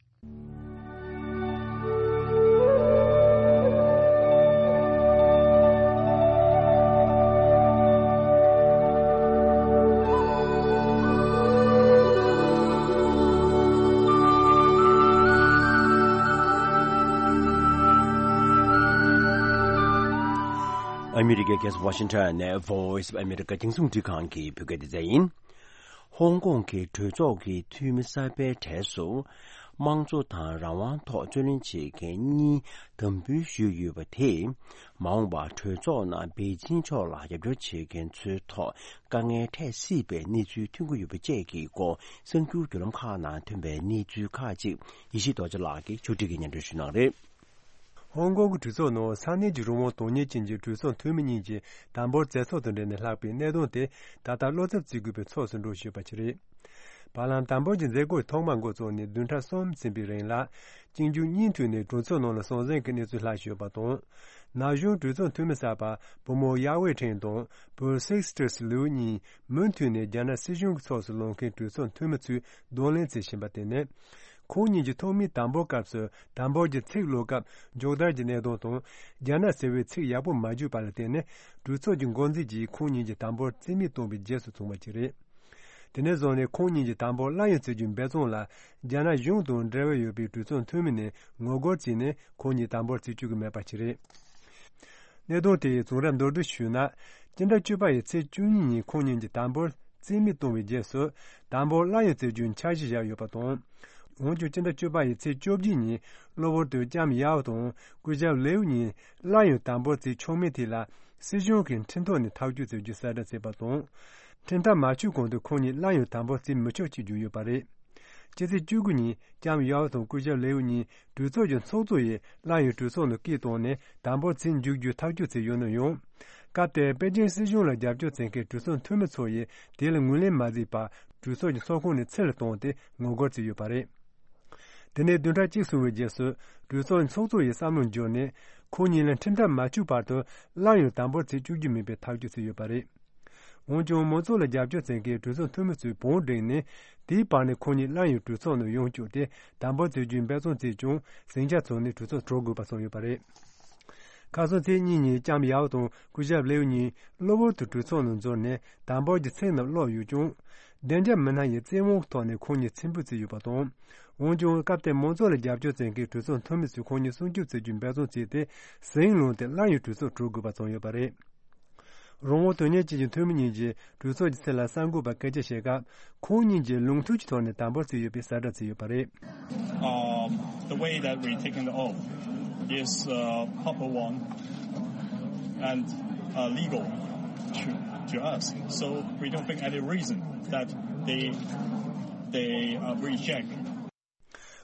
ཨ་མི་རི་ཀའི་རྒྱལ་ས་ཝ་ཤིང་ཊོན་ནས་Voice of America རྒྱང་སྲིང་རླུང་འཕྲིན་ཁང་གི་བོད་སྐད་སྡེ་ཚན་ཡིན། ཧོང་ཀོང་གི་གྲོས་ཚོགས་ཀྱི་འཐུས་མི་གསར་པའི་གྲས་སུ། དམངས་གཙོ་དང་རང་དབང་ཐོག་རྩོད་ལེན་བྱེད་མཁན་གཉིས་འདེམས་འབུལ་ཞུས་ཡོད་པ་དེས། མ་འོངས་པར་གྲོས་ཚོགས་ནང་པེ་ཅིང་ཕྱོགས་ལ་རྒྱབ་སྐྱོར་བྱེད་མཁན་ཚོའི་ཐོག་དཀའ་ངལ་འཕྲད་སྲིད་པའི་གནས་ཚུལ་ཐོན་གྱི་ཡོད་པ་བཅས་ཀྱི་སྐོར་གསར་འགྱུར་བརྒྱུད་ལམ་ཁག་ནང་ཐོན་པའི་གནས་ཚུལ་ཁག་ཅིག་ཡེ་ཤེས་རྡོ་རྗེ་ལགས་ཀྱིས་ཕྱོགས་སྒྲིག་གིས་སྙན་སྒྲོན་ཞུ་གནང་རེད། ཧོང་ཀོང་གི་གྲོས་ཚོགས་ནང་ས་གནས་ཀྱི་རང་དབང་དོན་གཉེར་ཅན་གྱི་གྲོས་ཚོགས་འཐུས་མི་གཉིས་ཀྱིས་དམ་པོར་མཛད་ཚོགས་དང་འབྲེལ་ནས་ལྷག་པའི་གནད་དོན་དེ་ད་ལྟ་བློ་འཚབ་བྱེད་དགོས་པའི་ཕྱོགས་སུ་འགྲོ་བཞིན་ཡོད་པ་ཞིག་རེད། བར་ལམ་དམ་པོར་གྱི་མཛད་སྒོ་ཐོག་མར་འགོ་བཙུགས་ནས་བདུན་ཕྲག་གསུམ་ཟིན་པའི་རིང་ལ། གཅིག་མཇུག་གཉིས་མཐུད་ནས་གྲོས་ཚོགས་ནང་ལ་ཟང་ཟིང་གི་གནས་ཚུལ་ལྷག་བཞིན་ཡོད་པ་དང་། ན་གཞོན་གྲོས་ཚོགས་འཐུས་མི་གསར་པ་བུ་མོ་ཡ་ཝེ་ཁྲེང་དང་བུ་སིག་སི་ཏྲི་སི་ལིའུ་གཉིས་མུ་མཐུད་ནས་རྒྱ་ནག་སྲིད་གཞུང་གི་ཕྱོགས་སུ་ལངས་མཁན་གྲོས་ཚོགས་འཐུས་མི་ཚོས་གདོང་ལེན་བྱེད་བཞིན་པ་དེ་ནི། ཁོང་གཉིས་ཀྱི་ཐོག་མའི་དམ་པོའི་སྐབས་སུ་དམ་པོར་གྱི་ཚིག་ཀློག་སྐབས་མགྱོགས་དར་གྱི་གནད་དོན་དང་རྒྱ་ནག་ཟེར་བའི་ཚིག་ཡག་པོ་མ་བརྗོད་པ་ལ་བརྟེན་ནས་གྲོས་ཚོགས་ཀྱི་འགོ་འཛིན་གྱིས་ཁོང་གཉིས་ཀྱི་དམ་པོར་རྩིས་མེད་བཏང་བའི་རྗེས་སུ་བྱུང་བ་ཞིག་རེད། དེ་ནས་བཟུང་ནས་ཁོང་གཉིས་ཀྱིས་དམ་པོར་གླ་ཡང་བཙལ་རྒྱུའི་འབད་བརྩོན་ལ་རྒྱ་ནག་གཞུང་དང་འབྲེལ་བ་ཡོད་པའི་གྲོས་ཚོགས་འཐུས་མི་ནས་ངོ་རྒོལ་བྱས་ནས་ཁོང་གཉིས་དམ་པོར་བརྩི་བཅུག་གི་མེད་པ་ཞིག་རེད། གནད་དོན་དེའི་བྱུང་རབས་མདོར་བསྡུས་ཞུས་ན། སྤྱི་ཟླ་བཅུ་པ་ཡི་ཚེས་བཅུ་གཉིས་ཉིན་ཁོང་གཉིས་ཀྱིས་དམ་པོར་རྩིས་མེད་བཏང་བའི་རྗེས་སུ། དམ་པོར་གླ་ཡང་བཙལ་རྒྱུའི་འཆར་གཞི་བཞག་ཡོད་པ་དང་། འོན་ཀྱང་སྤྱི་ཟླ་བཅུ་པ་ཡི་ཚེས་བཅོ་བརྒྱད་ཉིན་གློ་བུར་དུ་ལྕམ་ཡའོ་དང་སྐུ་ཞབས་ལེའུ་གཉིས་གླ་ཡང་དམ་པོར་བཙལ་ཆོག་མིན་ཐད་ལ། སྲིད་གཞུང་གིས་ཁྲིམས་ཐོག་ནས་ཐག་གཅོད་བྱེད་རྒྱུའི་གསལ་བསྒྲགས་བྱས་པ་དང་། ཁྲིམས་ཐག་མ་ཆོད་གོང་དུ་ཁོང་གཉིས་གླ་ཡང་དམ་པོར་བཙལ་མི་ཆོག་ཅེས་བརྗོད་ཡོད་པ་རེད། སྤྱི་ཚེས་བཅུ་དགུ་ཉིན་ལྕམ་ཡའོ་དང་སྐུ་ཞབས་ལེའུ་གཉིས་གྲོས་ཚོགས་ཀྱི་ཚོགས་གཙོ་ཡིས་གླ་ཡང་གྲོས་ཚོགས་ནང་སྐད་བཏང་ནས་དམ་པོར་བཙལ་འཇུག་རྒྱུའི་ཐག་གཅོད་བྱས་ཡོད་ན་ཡང་། སྐབས་དེར་པེ་ཅིན་སྲིད་གཞུང་ལ་རྒྱབ་སྐྱོར་བྱེད་མཁན་གྲོས་ཚོགས་འཐུས་མི་ཚོ་ཡིས་དེ་ལ་ངོས་ལེན་མ་བྱས་པར་གྲོས་ཚོགས་ཀྱི་ཚོགས་ཁང་ནས་ཕྱིར་བཏང་སྟེ་ངོ་རྒོལ་བྱས་ཡོད་པ་རེད། དེ་ནས་བདུན་ཕྲག་གཅིག་སོང་བའི་རྗེས་སུ་གྲོས་ཚོགས་ཚོགས་གཙོ་ཡིས་བསམ་བློ་འབྱོར་ནས་ཁོང་གཉིས་ལ་ཁྲིམས་ཐག་མ་ཆོད་བར་དུ་སླར་ཡང་དམ་པོར་བྱེད་བཅུག་རྒྱུ་མིན་པའི་ཐག་གཅོད་བྱས་ཡོད་པ་རེད། འོན་ཀྱང་མང་ཚོགས་ལ་རྒྱབ་སྐྱོར་བྱེད་མཁན་གྲོས་ཚོགས་འཐུས་མི་ཚོས་བང་བསྒྲིགས་ནས་དེའི་བར་ནས་ཁོང་གཉིས་སླར་ཡང་གྲོས་ཚོགས་ནང་ཡོང་བཅུག་སྟེ་དམ་པོར་བྱེད་རྒྱུའི་འབད་བརྩོན་བྱས་ཀྱང་ཟིང་ཆ་བྱུང་ནས་གྲོས་ཚོགས་གྲོལ་དགོས་པ་བྱུང་ཡོད་པ་རེད། ཁ་སང་ཚེས་གཉིས་ཉིན་ལྕམ་ཡའོ་དང་སྐུ་ཞབས་ལེའུ་གཉིས་གློ་བུར་དུ་གྲོས་ཚོགས་ནང་འཛུལ་ནས་དམ་པོར་གྱི་ཚིག་རྣམས་ཀློག་ཡོད་ཀྱང་། བདེ་འཇགས་མི་སྣ་ཡིས་བཙན་དབང་གི་ཐོག་ནས་ཁོང་གཉིས་ཚེམ་བུ་བརྩིས་ཡོད་པ་དང་། འོན་ཀྱང་སྐབས་དེར་མང་ཚོགས་ལ་རྒྱབ་སྐྱོར་བྱེད་མཁན་གྲོས་ཚོགས་འཐུས་མི་ཚོས་ཁོང་གཉིས་སྲུང་སྐྱོབ་བྱེད་རྒྱུའི་འབད་བརྩོན་བྱས་ཏེ་ཟིང་སློང་སྟེ་སླར་ཡང་གྲོས་ཚོགས་གྲོལ་དགོས་པ་བྱུང་ཡོད་པ་རེད། རང་དབང་དོན་གཉེར་ཅན་གྱི་འཐུས་མི་གཉིས་ཀྱིས་གྲོས་ཚོགས་ཀྱི་ཚབ་ལ་གསར་འགོད་པར་སྐད་ཆ་བཤད་སྐབས། ཁོང་གཉིས་ཀྱིས་ལུགས་མཐུན་གྱི་ཐོག་ནས་དམ་པོར་བརྩིས་ཡོད་པའི་གསལ་བསྒྲགས་བྱས་ཡོད་པ་རེད། Um, the way that we taking the oath is a proper one and uh, legal to, to us. So we don't think any reason that they they uh, reject.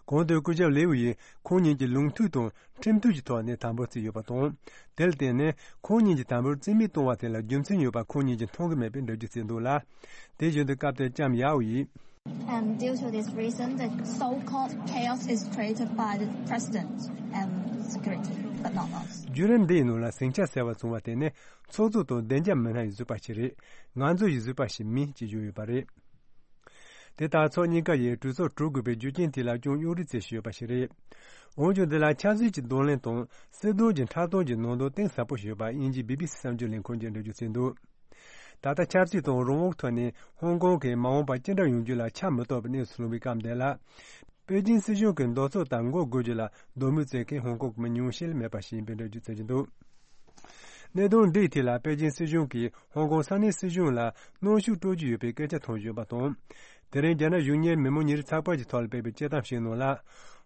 གོང་དུ་སྐུ་ཞབས་ལེའུ་ཡིས་ཁོང་གཉིས་ཀྱིས་ལུགས་མཐུན་དང་ཁྲིམས་མཐུན་གྱི་ཐོག་ནས་དམ་པོར་བརྩིས་ཡོད་པ་དང་། དེར་བརྟེན་ནས་ཁོང་གཉིས་ཀྱིས་དམ་པོར་རྩིས་མེད་བཏང་བ་དེ་ལ་རྒྱུ་མཚན་ཡོད་པ་ཁོང་གཉིས་ཀྱིས་མཐོང་གི་མེད་པའི་འགྲེལ་བརྗོད་བྱས་འདུག་ལ། དེ་བཞིན་དུ་སྐབས་དེར་ལྕམ་ཡའོ་ཡིས། And due to this reason, the so-called chaos is created by the president and security, but not us. བརྒྱུད་རིམ་འདིའི་ནང་ལ་ཟིང་ཆ་ཟེར་བ་བྱུང་བ་དེ་ནི་ཚོགས་གཙོ་དང་བདེ་འཇགས་མི་སྣ་ཡིས་བཟོས་པ་ཞིག་རེད། ང་ཚོ་ཡིས་བཟོས་པ་ཞིག་མིན་ཅེས་བརྗོད་ཡོད་པ་རེད། དེ་ལྟར་ཕྱོགས་གཉིས་ཀ་ཡིས་གྲོས་ཚོགས་གྲོལ་དགོས་པའི་རྒྱུ་རྐྱེན་དེ་ལ་ཀྱང་གཡོ་རེས་བྱེད་བཞིན་ཡོད་པ་ཞིག་རེད། འོན་ཀྱང་འདི་ལ་ཆབ་སྲིད་ཀྱི་གདོང་ལེན་དང་སྲིད་དོན་གྱི་འཁྲབ་སྟོན་གྱི་ནང་དོན་གཏིང་ཟབ་པོ་ཞིག་ཡོད་པ་དབྱིན་ཇིའི་བི་བི་སི་གསར་འགྱུར་ལས་ཁུངས་ཀྱིས་འགྲེལ་བརྗོད་བྱས་འདུག་ད་ལྟ་ཆབ་སྲིད་དང་རང་དབང་ཐོག་ནས་ཧོང་ཀོང་གི་མ་འོངས་པ་ཅི་འདྲ་ཡོང་རྒྱུ་ལ་ཆ་མི་གཏོགས་པའི་གནས་སུ་ལྷུང་བའི་སྐབས་འདི་ལ། པེ་ཅིན་སྲིད་གཞུང་གི་འདོད་ཚུལ་ལྟར་འགྲོ་དགོས་རྒྱུ་ལ་དོ་སྣང་བྱེད་མཁན་ཧོང་ཀོང་གི་མི་ཉུང་ཤས་ལས་མེད་པ་ཞིག་ཡིན་པའི་འགྲེལ་བརྗོད་བྱེད་ཀྱི་འདུག་གནད་དོན་འདིའི་ཐད་ལ་པེ་ཅིན་སྲིད་གཞུང་གིས་ཧོང་ཀོང་ས་གནས་སྲིད་གཞུང་ལ་གནོན་ཤུགས་སྤྲོད་ཀྱི་ཡོད་པའི་སྐད་ཆ་ཐོན་བཞིན་ཡོད་པ་དང་། དེ་རིང་རྒྱ་ནག་གཞུང་གཉེར་མི་མང་ཉིན་རེའི་ཚགས་པར་གྱི་ཐོག་ལ་སྤེལ་བའི་དཔྱད་གཏམ་ཞིག་ནང་ལ།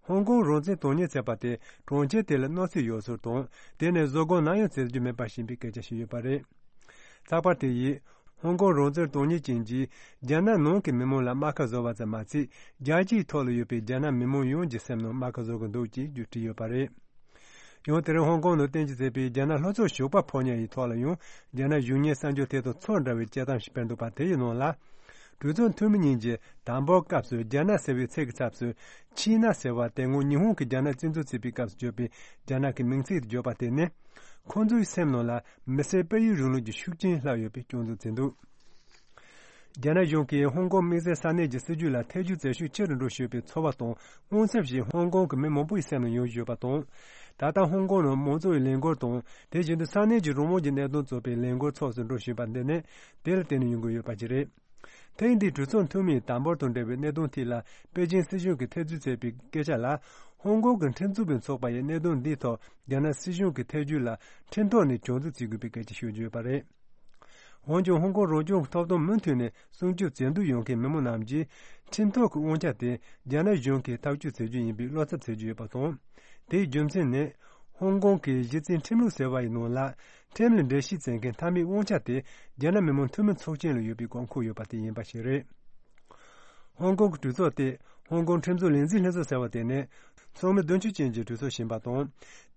ཧོང་ཀོང་རང་བཙན་དོན་གཉེར་བྱས་པ་དེ་གྲོང་ཁྱེར་དེ་ལ་གནོད་འཚེ་ཡོད་ཚུལ་དང་། དེ་ནི་བཟོད་སྒོམ་ནམ་ཡང་བྱེད་རྒྱུ་མེད་པ་ཞིག་ཡིན་པའི་སྐད་ཆ་ཞིག་ཡོད་པ་རེད། ཚགས་པར་དེ་ཡིས། ཧོང་ཀོང་རང་བཙན་དོན་གཉེར་ཅན་གྱིས་རྒྱ་ནག་ནང་གི་མི་མང་ལ་རྨ་ཁ་བཟོ་བ་ཙམ་མ་ཚད། རྒྱལ་སྤྱིའི་ཐོག་ལ་ཡོད་པའི་རྒྱ་ནག་མི་མང་ཡོངས་ཀྱི་སེམས་ནང་རྨ་ཁ་བཟོ་གི་འདུག་ཅེས་བརྗོད་བྲིས་ཡོད་པ་རེད། ཡང་དེ་རིང་ཧོང་ཀོང་ནང་རྟེན་གཞི་བྱས་པའི་རྒྱ་ནག་ལྷོ་ཕྱོགས་ཞོགས་པ་ཕོ་ཉ་ཡི་ཐོག་ལ་ཡང་རྒྱ་ནག་གཞུང་གཉེར་གསར་འགྱུར་དེ་དང་ཚོར་འདྲ་བའི་དཔྱད་གཏམ་ཞིག་སྤེལ་འདུག་པ་དེ་ཡི་ནང་ལ། གྲོས་ཚོགས་འཐུས་མི་གཉིས་ཀྱིས་དང་པོའི་སྐབས་སུ་རྒྱ་ནག་ཟེར་བའི་ཚིག་གི་ཚབ་ཏུ་ཆི་ན་ཟེར་བ་དེ་སྔོན་ཉི་ཧོང་གིས་རྒྱ་ནག་བཙན་འཛུལ་བྱས་པའི་སྐབས་སུ་བརྗོད་པའི་རྒྱ་ནག་གི་མིང་ཚིག་ཏུ་བརྗོད་པ་དེ་ནི། ཁོང་ཚོའི་སེམས་ནང་ལ་མི་སེར་སྤེལ་ཡུལ་རིང་ལུགས་ཀྱི་ཤུགས་རྐྱེན་ལྷག་ཡོད་པའི་སྐྱོན་འཛུགས་བྱས་འདུག་རྒྱ་ནག་གཞུང་གིས་ཧོང་ཀོང་དམིགས་བསལ་ས་གནས་ཀྱི་སྲིད་ཇུས་ལ་ཐེ་བྱུས་བྱེད་ཤུགས་ཆེ་རུ་འགྲོ་བཞིན་པའི་ཚོར་བ་དང་དངངས་འཚབ་ཞིག་ཧོང་ཀོང་གི་མི་མང་པོའི་སེམས་ནང་ཡོང་བཞིན་ཡོད་པ་དང་། ད་ལྟ་ཧོང་ཀོང་ནང་མང་གཙོའི་ལས་འགུལ་དང་དེ་བཞིན་དུ་ས་གནས་ཀྱི་རང་དབང་གི་གནད་དོན་གཙོས་པའི་ལས་འགུལ་ཚོགས་སུ་འགྲོ་བཞིན་པ་འདི་ནི་དེ་ལ་བརྟེན་ནས་ཡོང་གི་ཡོད་པ་ཞིག་རེད། ཐེངས་འདིའི་གྲོས་ཚོགས་འཐུས་མིའི་དམ་པོར་དང་འབྲེལ་བའི་གནད་དོན་ཐད་ལ་པེ་ཅིན་སྲིད་གཞུང་གིས་ཐེ་བྱུས་བྱས་པའི་སྐད་ཆ་ལ། ཧོང་ཀོང་གི་ཁྲིམས་རྩོད་པའི་ཚོགས་པ་ཡིས་གནད་དོན་འདིའི་ཐོག་རྒྱ་ནག་སྲིད་གཞུང་གི་ཐེ་བྱུས་ལ་ཁྲིམས་ཐོག་ནས་གྱོང་རྒུད་བྱེད་དགོས་པའི་སྐད་ཆ་ཤོད་ཀྱི་ཡོད་པ་རེད། འོན་ཀྱང་ཧོང་ཀོང་རང་སྐྱོང་གི་ཐོབ་ཐང་མུ་མཐུད་ནས་སྲུང་སྐྱོབ་བྱེད་འདོད་ཡོད་མཁན་མི་མང་རྣམས་ཀྱིས་ཁྲིམས་ཐོག་གི་དབང་ཆ་དེ་རྒྱ་ནག་གཞུང་གིས་ཐག་གཅོད་བྱེད་རྒྱུ་ཡིན་པའི་བློ་འཚབ་བྱེད་ཀྱི་ཡོད་པ་དང་། དེའི་རྒྱུ་མཚན་ནི། ཧོང་ཀོང་གི་གཞི་རྩའི་ཁྲིམས་ལུགས་ཟེར་བ་ཡི་ནང་ལ། ཁྲིམས་ལ་འགྲེལ་བཤད་བྱེད་མཁན་མཐའ་མའི་དབང་ཆ་དེ་རྒྱ་ནག་མི་དམངས་འཐུས་མི་ཚོགས་ཆེན་ལ་ཡོད་པའི་དགོས་མཁོ་ཡོད་པ་དེ་ཡིན་པ་ཞིག་རེད། ཧོང་ཀོང་གི་གྲོས་ཚོགས་དེ་ཧོང་ཀོང་ཁྲིམས་བཟོ་ལས་འཛིན་ལྷན་ཚོགས་ཟེར་བ་དེ་ནི་ཚོགས་མི་བདུན་ཅུ་ཅན་གྱི་གྲོས་ཚོགས་ཡིན་པ་དང་།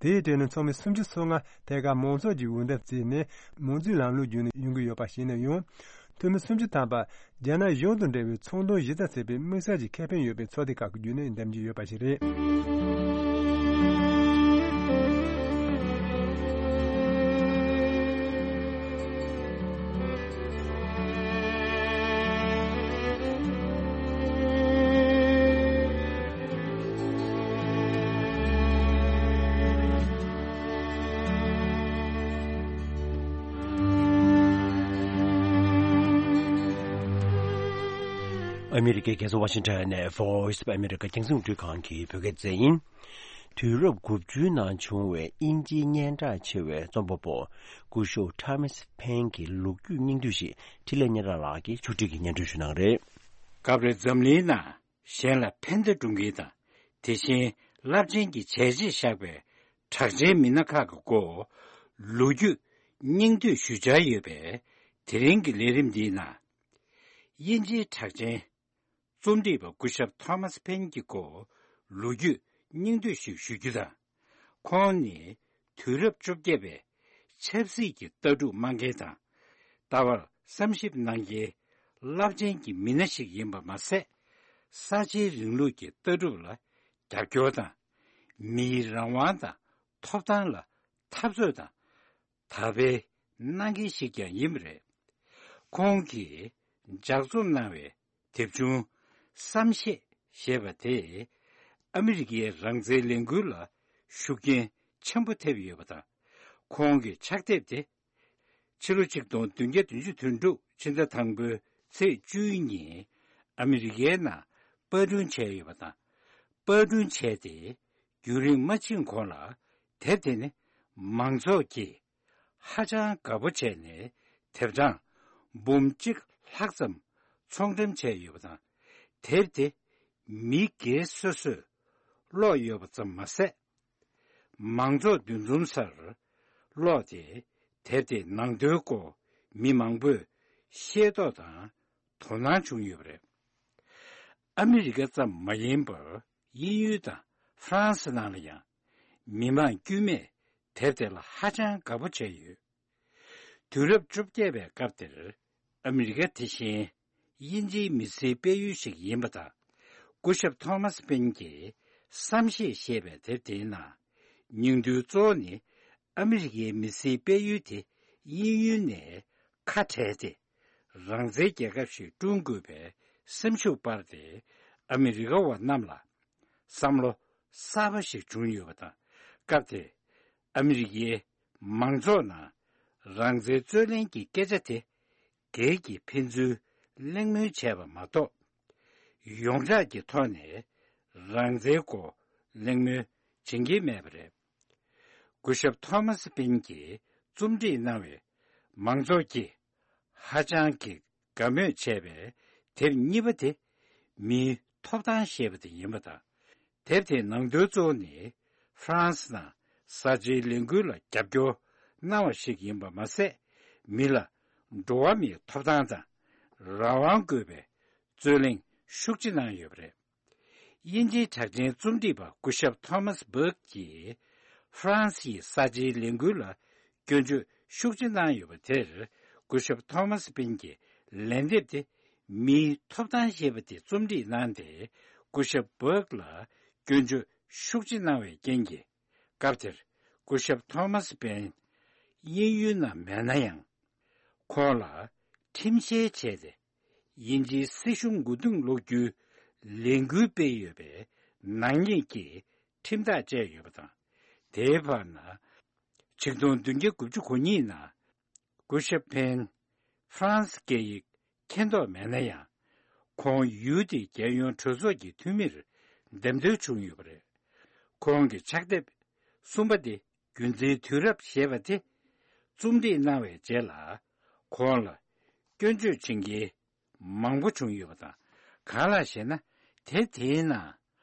དེའི་གྲས་ནས་ཚོགས་མི་སུམ་ཅུ་སོ་ལྔ་ཐད་ཀར་མང་ཚོགས་ཀྱི་འོས་འདེམས་བྱས་ནས་མང་གཙོའི་ལམ་ལུགས་བརྒྱུད་ནས་ཡོང་གི་ཡོད་པ་ཞིག་ཡིན་ན་ཡང་། འཐུས་མི་སུམ་ཅུ་ཐམ་པ་རྒྱ་ནག་གཞུང་དང་འབྲེལ་བའི་ཚོང་དོན་གཞི་རྩ་བྱས་པའི་དམིགས་བསལ་གྱི་ཁེ་ཕན་ཡོད་པའི་ཚོགས་སྡེ་ཁག་གི་བརྒྱུད་ནས་འདེམས་ཀྱི་ཡོད་པ་ཞིག་རེད། ཨ་མི་རི་ཀའི་རྒྱལ་ས་ཝ་ཤིང་ཊོན་ནས་Voice of America རྒྱང་སྲིང་རླུང་འཕྲིན་ཁང་གི་བོད་སྐད་སྡེ་ཚན་ཡིན། དུས་རབས་དགུ་བཅུའི་ནང་བྱུང་བའི་དབྱིན་ཇིའི་སྙན་གྲགས་ཆེ་བའི་རྩོམ་པ་པོ་སྐུ་ཞབས་ཐོ་མཱས་ཕེན་གྱི་ལོ་རྒྱུས་སྙིང་བསྡུས་ཤིག་འཕྲིན་ལས་སྙན་གྲགས་ལགས་ཀྱིས་ཕྱོགས་སྒྲིག་གིས་སྙན་སྒྲོན་ཞུ་གནང་རེད། སྐབས་རེ་འཛམ་གླིང་ནང་གཞན་ལ་ཕན་བདེ་སྒྲུབ་མཁན་དང་། དེ་བཞིན་རླབས་ཆེན་གྱི་བྱས་རྗེས་བཞག་པའི་གྲགས་ཅན་མི་སྣ་ཁག་གི་སྐོར་ལོ་རྒྱུས་སྙིང་བསྡུས་ཞུ་འཆར་ཡོད་པས། དེ་རིང་གི་ལས་རིམ་འདིའི་ནང་། དབྱིན་ཇིའི་གྲགས་ཅན་རྩོམ་སྒྲིག་པ་སྐུ་ཞབས་ཐོ་མཱས་ཕེན་གྱི་སྐོར་ལོ་རྒྱུས་སྙིང་བསྡུས་ཤིག་ཞུ་རྒྱུ་དང་། ཁོང་ནི་དུས་རབས་བཅོ་བརྒྱད་པའི་ཆབ་སྲིད་ཀྱི་ལྟ་གྲུབ་སྨྲ་མཁན་དང་། ལྟ་བར་བསམ་ཞིབ་གནང་མཁན་རླབས་ཆེན་གྱི་མི་སྣ་ཞིག་ཡིན་པ་མ་ཟད། གསར་བརྗེའི་རིང་ལུགས་ཀྱི་ལྟ་གྲུབ་ལ་རྒྱབ་སྐྱོར་དང་། མིའི་རང་དབང་དང་ཐོབ་ཐང་ལ་འཐབ་རྩོད་དང་དར་སྤེལ་གནང་མཁན་ཞིག་ཀྱང་ཡིན་པ་རེད། ཁོང་གིས་ལྗགས་རྩོམ་གནང་བའི་དེབ་ཆུང་བསམ་ཤེས་ཞེས་པ་དེས་ཨ་མི་རི་ཀའི་རང་བཙན་ལས་འགུལ་ལ་ཤུགས་རྐྱེན་ཆེན་པོ་ཐེབས་ཡོད་པ་དང་། ཁོང་གི་ཕྱག་དེབ་དེ་ཕྱི་ལོ་ཆིག་སྟོང་བདུན་བརྒྱ་བདུན་ཅུ་དོན་དྲུག་ཕྱི་ཟླ་དང་པོའི་ཚེས་བཅུའི་ཉིན་ཨ་མི་རི་ཀའི་ནང་པར་སྐྲུན་བྱས་ཡོད་པ་དང་། པར་སྐྲུན་བྱས་ཏེ་རྒྱུན་རིང་མ་ཕྱིན་གོང་ལ་དེབ་དེ་ནི་མང་ཚོགས་ཀྱིས་ཧ་ཅང་དགའ་པོ་བྱས་ནས་དེབ་གྲངས་འབུམ་གཅིག་ལྷག་ཙམ་ཚོང་འགྲེམས་བྱས་ཡོད་པ་དང་། དེབ་དེ་མི་སྒེར་སོ་སོས་ཀློག་ཡོད་པ་ཙམ་མ་ཟད། མང་ཚོགས་འདུ་འཛོམས་སར་ཀློག་སྟེ་དེབ་དེའི་ནང་དོན་སྐོར་མི་མང་པོས་ཤེས་རྟོགས་དང་དོ་སྣང་བྱུང་ཡོད་པ་རེད། ཨ་མི་རི་ཀ་ཙམ་མ་ཡིན་པར་དབྱིན་ཡུལ་དང་ཧྥ་རན་སི་ནང་ལ་ཡང་མི་མང་དཀྱུས་མས་དེབ་དེ་ལ་ཧ་ཅང་དགའ་པོ་བྱས་ཡོད། དུས་རབས་བཅོ་བརྒྱད་པའི་སྐབས་དེར་ཨ་མི་རི་ཀ་དེ་བཞིན་དབྱིན་ཇིའི་མི་སེར་སྤེལ་ཡུལ་ཞིག་ཡིན་པ་དང་། སྐུ་ཞབས་ཐོ་མཱས་ཕེན་གྱིས་བསམ་ཤེས་ཞེས་པའི་དེབ་དེའི་ནང་། སྙིང་དོན་གཙོ་བོ་ནི་ཨ་མི་རི་ཀའི་མི་སེར་སྤེལ་ཡུལ་དེ་དབྱིན་ཡུལ་ནས་ཁ་བྲལ་ཏེ། རང་བཙན་རྒྱལ་ཁབ་ཞིག་བསྐྲུན་དགོས་པའི་སེམས་ཤུགས་སྤར་ཏེ། ཨ་མི་རི་ཀ་བ་རྣམས་ལ་བསམ་བློ་གསར་པ་ཞིག་བྱུང་ཡོད་པ་དང་། སྐབས་དེར་ཨ་མི་རི་ཀའི་མང་ཚོགས་ནང་རང་བཙན་རྩོད་ལེན་གྱི་སྐད་ཆ་དེ་སྒེར་གྱི་ཕན་ཚུན་གླེང་མོལ་བྱས་པ་མ་གཏོགས། ཡོངས་གྲགས་ཀྱི་ཐོག་ནས་རང་བཙན་སྐོར་གླེང་མོལ་བྱེད་ཀྱིན་མེད་པ་རེད། སྐུ་ཞབས་ཐོ་མཱས་ཕེན་གྱིས་རྩོམ་སྒྲིག་གནང་བའི་མང་ཚོགས་ཀྱིས་ཧ་ཅང་གི་དགའ་མོས་བྱས་པའི་དེབ་གཉིས་པ་དེ་མིའི་ཐོབ་ཐང་ཞེས་པ་དེ་ཡིན་པ་དང་། དེབ་དེའི་ནང་དོན་གཙོ་བོ་ནི་ཧྥ་རན་སི་ནང་གསར་བརྗེའི་ལས་འགུལ་ལ་རྒྱབ་སྐྱོར་གནང་བ་ཞིག་ཡིན་པ་མ་ཟད། མི་ལ་འགྲོ་བ་མིའི་ཐོབ་ཐང་དང་རང་དབང་དགོས་པའི་རྩོད་གླེང་ཤུགས་ཆེ་གནང་ཡོད་པ་རེད། དབྱིན་ཇིའི་གྲགས་ཅན་རྩོམ་སྒྲིག་པ་སྐུ་ཞབས་ཐོ་མཱས་བྷག་གིས་ཧྥ་རན་སིའི་གསར་བརྗེའི་ལས་འགུལ་ལ་སྐྱོན་བརྗོད་ཤུགས་ཆེ་གནང་ཡོད་པ་དེར། སྐུ་ཞབས་ཐོ་མཱས་ཕེན་གྱིས་ལན་འདེབས་ཏེ། མིའི་ཐོབ་ཐང་ཞེས་པ་དེ་རྩོམ་སྒྲིག་གནང་སྟེ། སྐུ་ཞབས་བྷག་ལ་སྐྱོན་བརྗོད་ཤུགས་ཆེ་གནང་བའི་རྐྱེན་གྱིས། སྐབས་དེར་སྐུ་ཞབས་ཐོ་མཱས་ཕེན་དབྱིན་ཡུལ་ནང་མེད་ན་ཡང་། ཁོང་ལ་ཁྲིམས་བཤེར་བྱས་ཏེ། དབྱིན་ཇིའི་སྲིད་གཞུང་མགོ་རྟིང་སློག་རྒྱུའི་ལས་འགུལ་སྤེལ་ཡོད་པའི་ནག་ཉེས་ཀྱི་ཁྲིམས་ཐག་བཅད་ཡོད་པ་དང་། དེའི་བར་ན། ཆིག་སྟོང་བདུན་བརྒྱ་དགུ་བཅུ་གོ་གཉིས་ནང་སྐུ་ཞབས་ཕེན་ཧྥ་རན་སི་སྐད་ཡིག་མཁྱེན་རྟོགས་མེད་ན་ཡང་། ཁོང་ཡུལ་དེའི་རྒྱལ་ཡོངས་གྲོས་ཚོགས་ཀྱི་འཐུས་མིར་འདེམས་ཐོན་བྱུང་ཡོད་པ་རེད། ཁོང་གི་ཕྱག་དེབ་གསུམ་པ་དེ། རྒྱུ་མཚན་དུས་རབས་ཞེས་པ་དེ་རྩོམ་སྒྲིག་གནང་བའི་རྗེས་ལ། ཁོང་ལ་སྐྱོན་བརྗོད་བྱེད་མཁན་མང་པོ་བྱུང་ཡོད་པ་དང་། གང་ལགས་ཤེ་ན། དེབ་དེའི་ནང་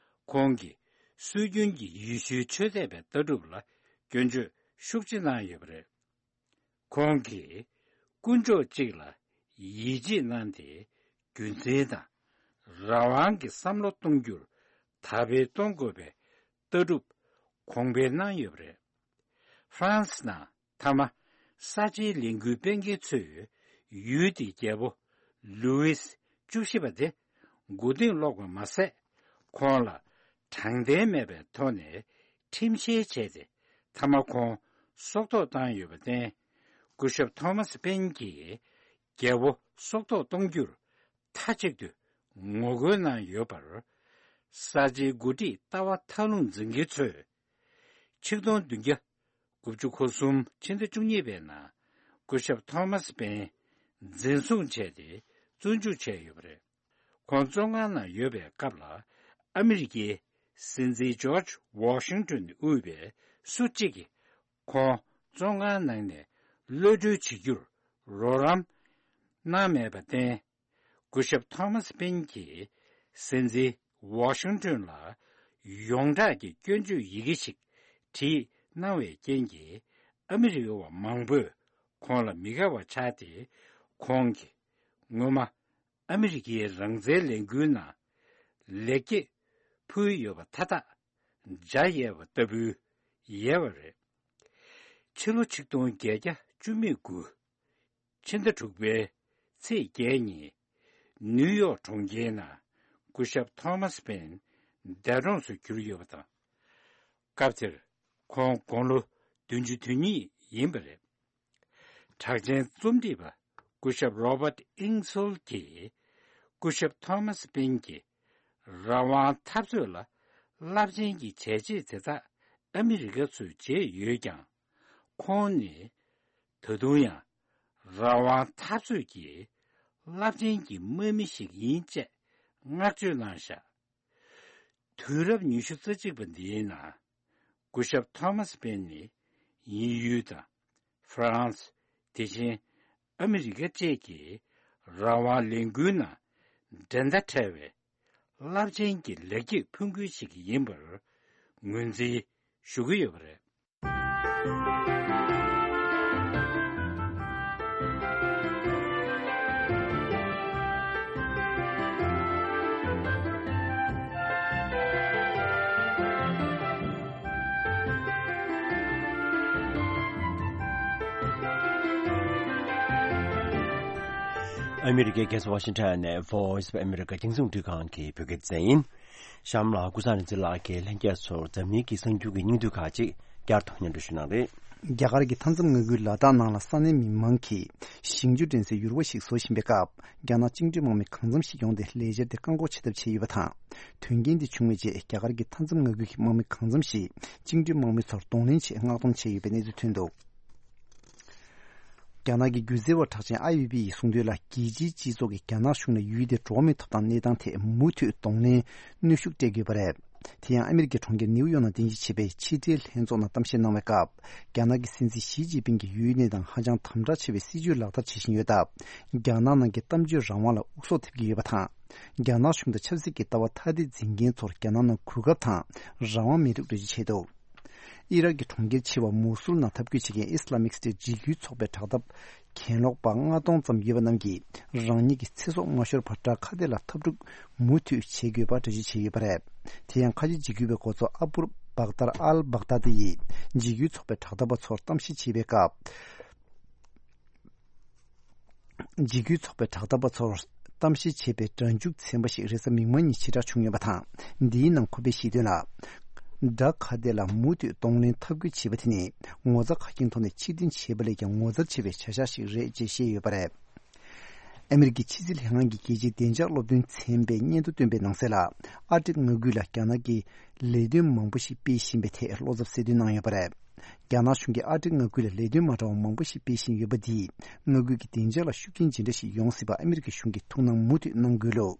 ཁོང་གིས་སྲོལ་རྒྱུན་གྱི་ཡེ་ཤུའི་ཆོས་དད་པའི་ལྟ་གྲུབ་ལ་སྐྱོན་བརྗོད་ཤུགས་ཆེ་གནང་ཡོད་པ་རེད། ཁོང་གིས་དཀོན་མཆོག་གཅིག་ལ་ཡིད་ཆེས་གནང་སྟེ། རྒྱུ་མཚན་དང་རང་དབང་གི་བསམ་བློ་གཏོང་རྒྱུར་དར་སྤེལ་གཏོང་དགོས་པའི་ལྟ་གྲུབ་གོང་འཕེལ་གནང་ཡོད་པ་རེད། ཧྥ་རན་སི་ནང་མཐའ་མ་གསར་བརྗེའི་ལས་འགུལ་སྤེལ་མཁན་ཚོས་ཡུལ་དེའི་རྒྱལ་པོ་ལུའིས་བཅུ་བཞི་པ་དེ་མགོ་རྟིང་སློག་པ་མ་ཟད། ཁོང་ལ་དྲང་བདེན་མེད་པའི་ཐོག་ནས་ཁྲིམས་བཤེར་བྱས་ཏེ། མཐའ་མ་ཁོང་སྲོག་ཐོག་བཏང་ཡོད་པར་བརྟེན། སྐུ་ཞབས་ཐོ་མཱས་ཕེན་གྱིས་རྒྱལ་པོ་སྲོག་ཐོག་གཏོང་རྒྱུར་མཐའ་གཅིག་ཏུ་ངོ་རྒོལ་གནང་ཡོད་པར། གསར་བརྗེའི་འགོ་ཁྲིད་ལྟ་བ་མཐའ་ལྷུང་འཛིན་མཁན་ཚོས། ཆིག་སྟོང་བདུན་བརྒྱ་དགུ་བཅུ་གོ་གསུམ་ཕྱི་ཟླ་བཅུ་གཉིས་པའི་ནང་སྐུ་ཞབས་ཐོ་མཱས་ཕེན་འཛིན་བཟུང་བྱས་ཏེ་བཙོན་འཇུག་བྱས་ཡོད་པ་རེད། ཁོང་བཙོན་ཁང་ནང་ཡོད་པའི་སྐབས་ལ། ཨ་མི་རི་ཀའི་སྲིད་འཛིན་ཇོརྗ་ཝོ་ཤིང་ཏོན་དབུས་པའི་སུ་གཅིག་གིས་ཁོང་བཙོན་ཁང་ནང་ནས་གློད་གྲོལ་བྱེད་རྒྱུར་རོགས་རམ་གནང་མེད་པར་བརྟེན། སྐུ་ཞབས་ཐོ་མཱས་པེན་གྱིས་སྲིད་འཛིན་ཝོ་ཤིང་ཏོན་ལ་ཡོངས་གྲགས་ཀྱི་སྐྱོན་བརྗོད་ཡི་གེ་ཞིག་བྲིས་གནང་བའི་རྐྱེན་གྱིས། ཨ་མི་རི་ཀ་བ་མང་པོས་ཁོང་ལ་མི་དགའ་བ་ཆགས་ཏེ། ཁོང་གིས་སྔོན་མ་ཨ་མི་རི་ཀའི་རང་བཙན་ལས་འགུལ་ནང་ལེགས་སྐྱེས་ཕུལ་ཡོད་པ་མཐའ་དག་འཇའ་ཡལ་བ་ལྟ་བུའི་ཡལ་བ་རེད། ཕྱི་ལོ་ཆིག་སྟོང་བརྒྱད་བརྒྱ་བཅུ་མེད་དགུ། ཕྱི་ཟླ་དྲུག་པའི་ཚེས་བརྒྱད་ཉིན། ནིའུ་ཡོག་གྲོང་ཁྱེར་ནང་སྐུ་ཞབས་ཐོ་མཱས་པེན་འདས་གྲོངས་སུ་གྱུར་ཡོད་པ་དང་། སྐབས་དེར་ཁོང་དགུང་ལོ་བདུན་ཅུ་དོན་གཉིས་ཡིན་པ་རེད། གྲགས་ཅན་རྩོམ་སྒྲིག་པ་སྐུ་ཞབས་རོ་བརྟ་ཨིང་སོལ་གྱིས། སྐུ་ཞབས་ཐོ་མཱས་པེན་གྱིས་རང་དབང་འཐབ་རྩོད་ལ་རླབས་ཆེན་གྱི་བྱས་རྗེས་དེ་དག་ཨ་མི་རི་ཀ་ཚོས་བྱས་ཡོད་ཀྱང་། ཁོང་ནི་ད་དུང་ཡང་རང་དབང་འཐབ་རྩོད་ཀྱི་རླབས་ཆེན་གྱི་དམག་མི་ཞིག་ཡིན་ཅེས་བསྔགས་བརྗོད་གནང་བཞག་དུས་རབས་ཉི་ཤུ་རྩ་གཅིག་པ་འདིའི་ནང་། སྐུ་ཞབས་ཐོ་མཱས་པེན་ནི་དབྱིན་ཡུལ་དང་ཧྥ་རན་སི། དེ་བཞིན་ཨ་མི་རི་ཀ་བཅས་ཀྱི་རང་དབང་ལས་འགུལ་ནང་འགྲན་ཟླ་བྲལ་བའི་རླབས་ཆེན་གྱི་ལེགས་སྐྱེས་ཕུལ་མཁན་ཞིག་ཡིན་པར་ངོས་འཛིན་ཞུ་གི་ཡོད་པ་རེད། ཨ་མི་རི་ཀའི་རྒྱལ་ས་ཝ་ཤིང་ཊོན་ནས་Voice of America རྒྱང་སྲིང་རླུང་འཕྲིན་ཁང་གི་བོད་སྐད་སྡེ་ཚན་ཡིན། གཤམ་ལ་ཀུན་བཟང་རིག་འཛིན་ལགས་ཀྱིས་ལྷན་རྒྱས་ཚོར་འཛམ་གླིང་གི་གསར་འགྱུར་གྱི་སྙིང་བསྡུས་ཁག་ཅིག་བསྐྱར་དུ་སྙན་སྒྲོན་ཞུ་གནང་རེད། རྒྱ་གར་གྱི་མཐའ་མཚམས་མངའ་ཁུལ་ལ་དྭགས་ནང་ལ་ས་གནས་མི་མང་གིས་ཞིང་ཆུ་འདྲེན་སའི་ཡུར་བ་ཞིག་བཟོ་བཞིན་པའི་སྐབས། རྒྱ་ནག་བཅིངས་འགྲོལ་དམག་མི་གང་འཚམ་ཞིག་ཡོང་སྟེ་ལས་འཆར་དེ་བཀག་འགོག་བྱེད་ཐབས་བྱས་ཡོད་པ་དང་། དོན་རྐྱེན་དེ་བྱུང་བའི་རྗེས་རྒྱ་གར་གྱི་མཐའ་མཚམས་མངའ་ཁུལ་གྱི་དམག་མི་གང་འཚམ་ཞིག་བཅིངས་འགྲོལ་དམག་མི་ཚོར་གདོང་ལེན་ཆེད་མངགས་གཏོང་བྱས་ཡོད་པའི་གནས་ཚུལ་ཐོན་འདུག་རྒྱ་ནག་གི་སྒྱུ་རྩལ་བ་གྲགས་ཅན་ཨའི་ཝེ་བི་ཡིས་གསུངས་དོན་ལ། རྒྱལ་སྤྱིའི་སྤྱི་ཚོགས་ཀྱིས་རྒྱ་ནག་གཞུང་ལ་ཡུལ་དེའི་འགྲོ་བ་མིའི་ཐོབ་ཐང་གནས་སྟངས་ཐད་མུ་མཐུད་གདོང་ལེན་གནོན་ཤུགས་སྤྲད་དགོས་པ་རེད། དེ་ཡང་ཨ་མི་རི་ཀའི་གྲོང་ཁྱེར་ནེའུ་ཡོག་ནང་རྟེན་གཞི་བྱས་པའི་ཕྱི་འབྲེལ་ལྷན་ཚོགས་ནང་གཏམ་བཤད་གནང་བའི་སྐབས། རྒྱ་ནག་གི་སྲིད་འཛིན་ཞི་ཅིན་ཕིང་གིས་ཡུལ་གནས་དང་ཧ་ཅང་དམ་དྲག་ཆེ་བའི་སྲིད་ཇུས་ལག་བསྟར་བྱེད་བཞིན་ཡོད་སྟབས། རྒྱ་ནག་ནང་གི་གཏམ་བརྗོད་རང་དབང་ལ་དབུ་སྐྱོར་ཐེབས་ཀྱི་ཡོད་པ་དང་། རྒྱ་ནག་གཞུང་དང་ཆབ་སྲིད་ཀྱི་ལྟ་བ་ཐ་དད་འཛིན་མཁན་ཚོར་རྒྱ་ནག་ནང་གོ་སྐབས་དང་རང་དབང་མེད་ཐབས་འགྲེལ་བརྗོད་བྱས་འདུག་ཨི་རག་གི་གྲོང་ཁྱེར་ཆེ་བ་མུ་སུལ་ནང་འཐབ་རྒོལ་བྱེད་མཁན་ཨི་སི་ལ་མིག་སི་ཊའི་འཇིགས་སྐུལ་ཚོགས་པའི་དྲག་འཐབ་གྱེན་ལོག་པ་ལྔ་སྟོང་ཙམ་ཡོད་པ་རྣམས་ཀྱིས་རང་ཉིད་ཀྱི་ཚེ་སྲོག་མ་ཤོར་བར་བྲག་ཁ་སྡེ་ལ་འཐབ་འཁྲུག་མུ་མཐུད་བྱེད་དགོས་པ་འགྲེལ་བརྗོད་བྱས་ཡོད་པ་རེད། དེ་ཡང་ཁ་ཆེ་འཇིགས་སྐུལ་བའི་འགོ་གཙོ་ཨ་བུ་བག་ཏར་ཨལ་བག་ཏཱ་ཏི་ཡིས་འཇིགས་སྐུལ་ཚོགས་པའི་དྲག་འཐབ་པ་ཚོར་གཏམ་བཤད་བྱེད་པའི་སྐབས། འཇིགས་སྐུལ་ཚོགས་པའི་དྲག་འཐབ་པ་ཚོར་གཏམ་བཤད་བྱས་པའི་སྒྲ་འཇུག་ཚན་པ་ཞིག་རེས་གཟའ་མིག་དམར་ཉིན་ཕྱིར་བསྒྲགས་བྱུང་ཡོད་པ་དང་། འདིའི་ནང་ཁོ་པས་བཤད་དོན་ལ། བྲག་ཁ་སྡེ་ལ་མུ་མཐུད་གདོང་ལེན་འཐབ་རྒོལ་བྱེད་པ་དེ་ནི་ངོ་ཚ་ཁ་སྐྱེངས་ཐོག་ནས་ཕྱིར་འཐེན་བྱེད་པ་ལས་ཀྱང་ངོ་མཚར་ཆེ་བའི་བྱ་གཞག་ཞིག་རེད་ཅེས་བཤད་ཡོད་པ་རེད། ཨ་མི་རི་ཀའི་ཕྱི་སྲིད་ལྷན་ཁང་གི་རྒྱལ་སྤྱིའི་བདེ་འཇགས་སློབ་སྟོན་ཚན་པས་སྙན་ཐོ་བཏོན་པའི་ནང་གསལ་ལ། ཨར་ཀྲིག་མངའ་ཁུལ་ལ་རྒྱ་ནག་གིས་ལས་དོན་མང་པོ་ཞིག་སྤེལ་བཞིན་པའི་ཐད་བློ་འཚབ་གསལ་སྟོན་གནང་ཡོད་པ་རེད། རྒྱ་ནག་གཞུང་གིས་ཨར་ཀྲིག་མངའ་ཁུལ་ལ་ལས་དོན་མ་འདྲ་བ་མང་པོ་ཞིག་སྤེལ་བཞིན་ཡོད་པ་འདིས་མངའ་ཁུལ་གྱི་བདེ་འཇགས་ལ་ཤུགས་རྐྱེན་ཇི་འདྲ་ཞིག་ཡོང་སྲིད་པ་ཨ་མི་རི་ཀའི་གཞུང་གིས་ཐུགས་སྣང་མུ་མཐུད་གནང་དགོས་ལུགས།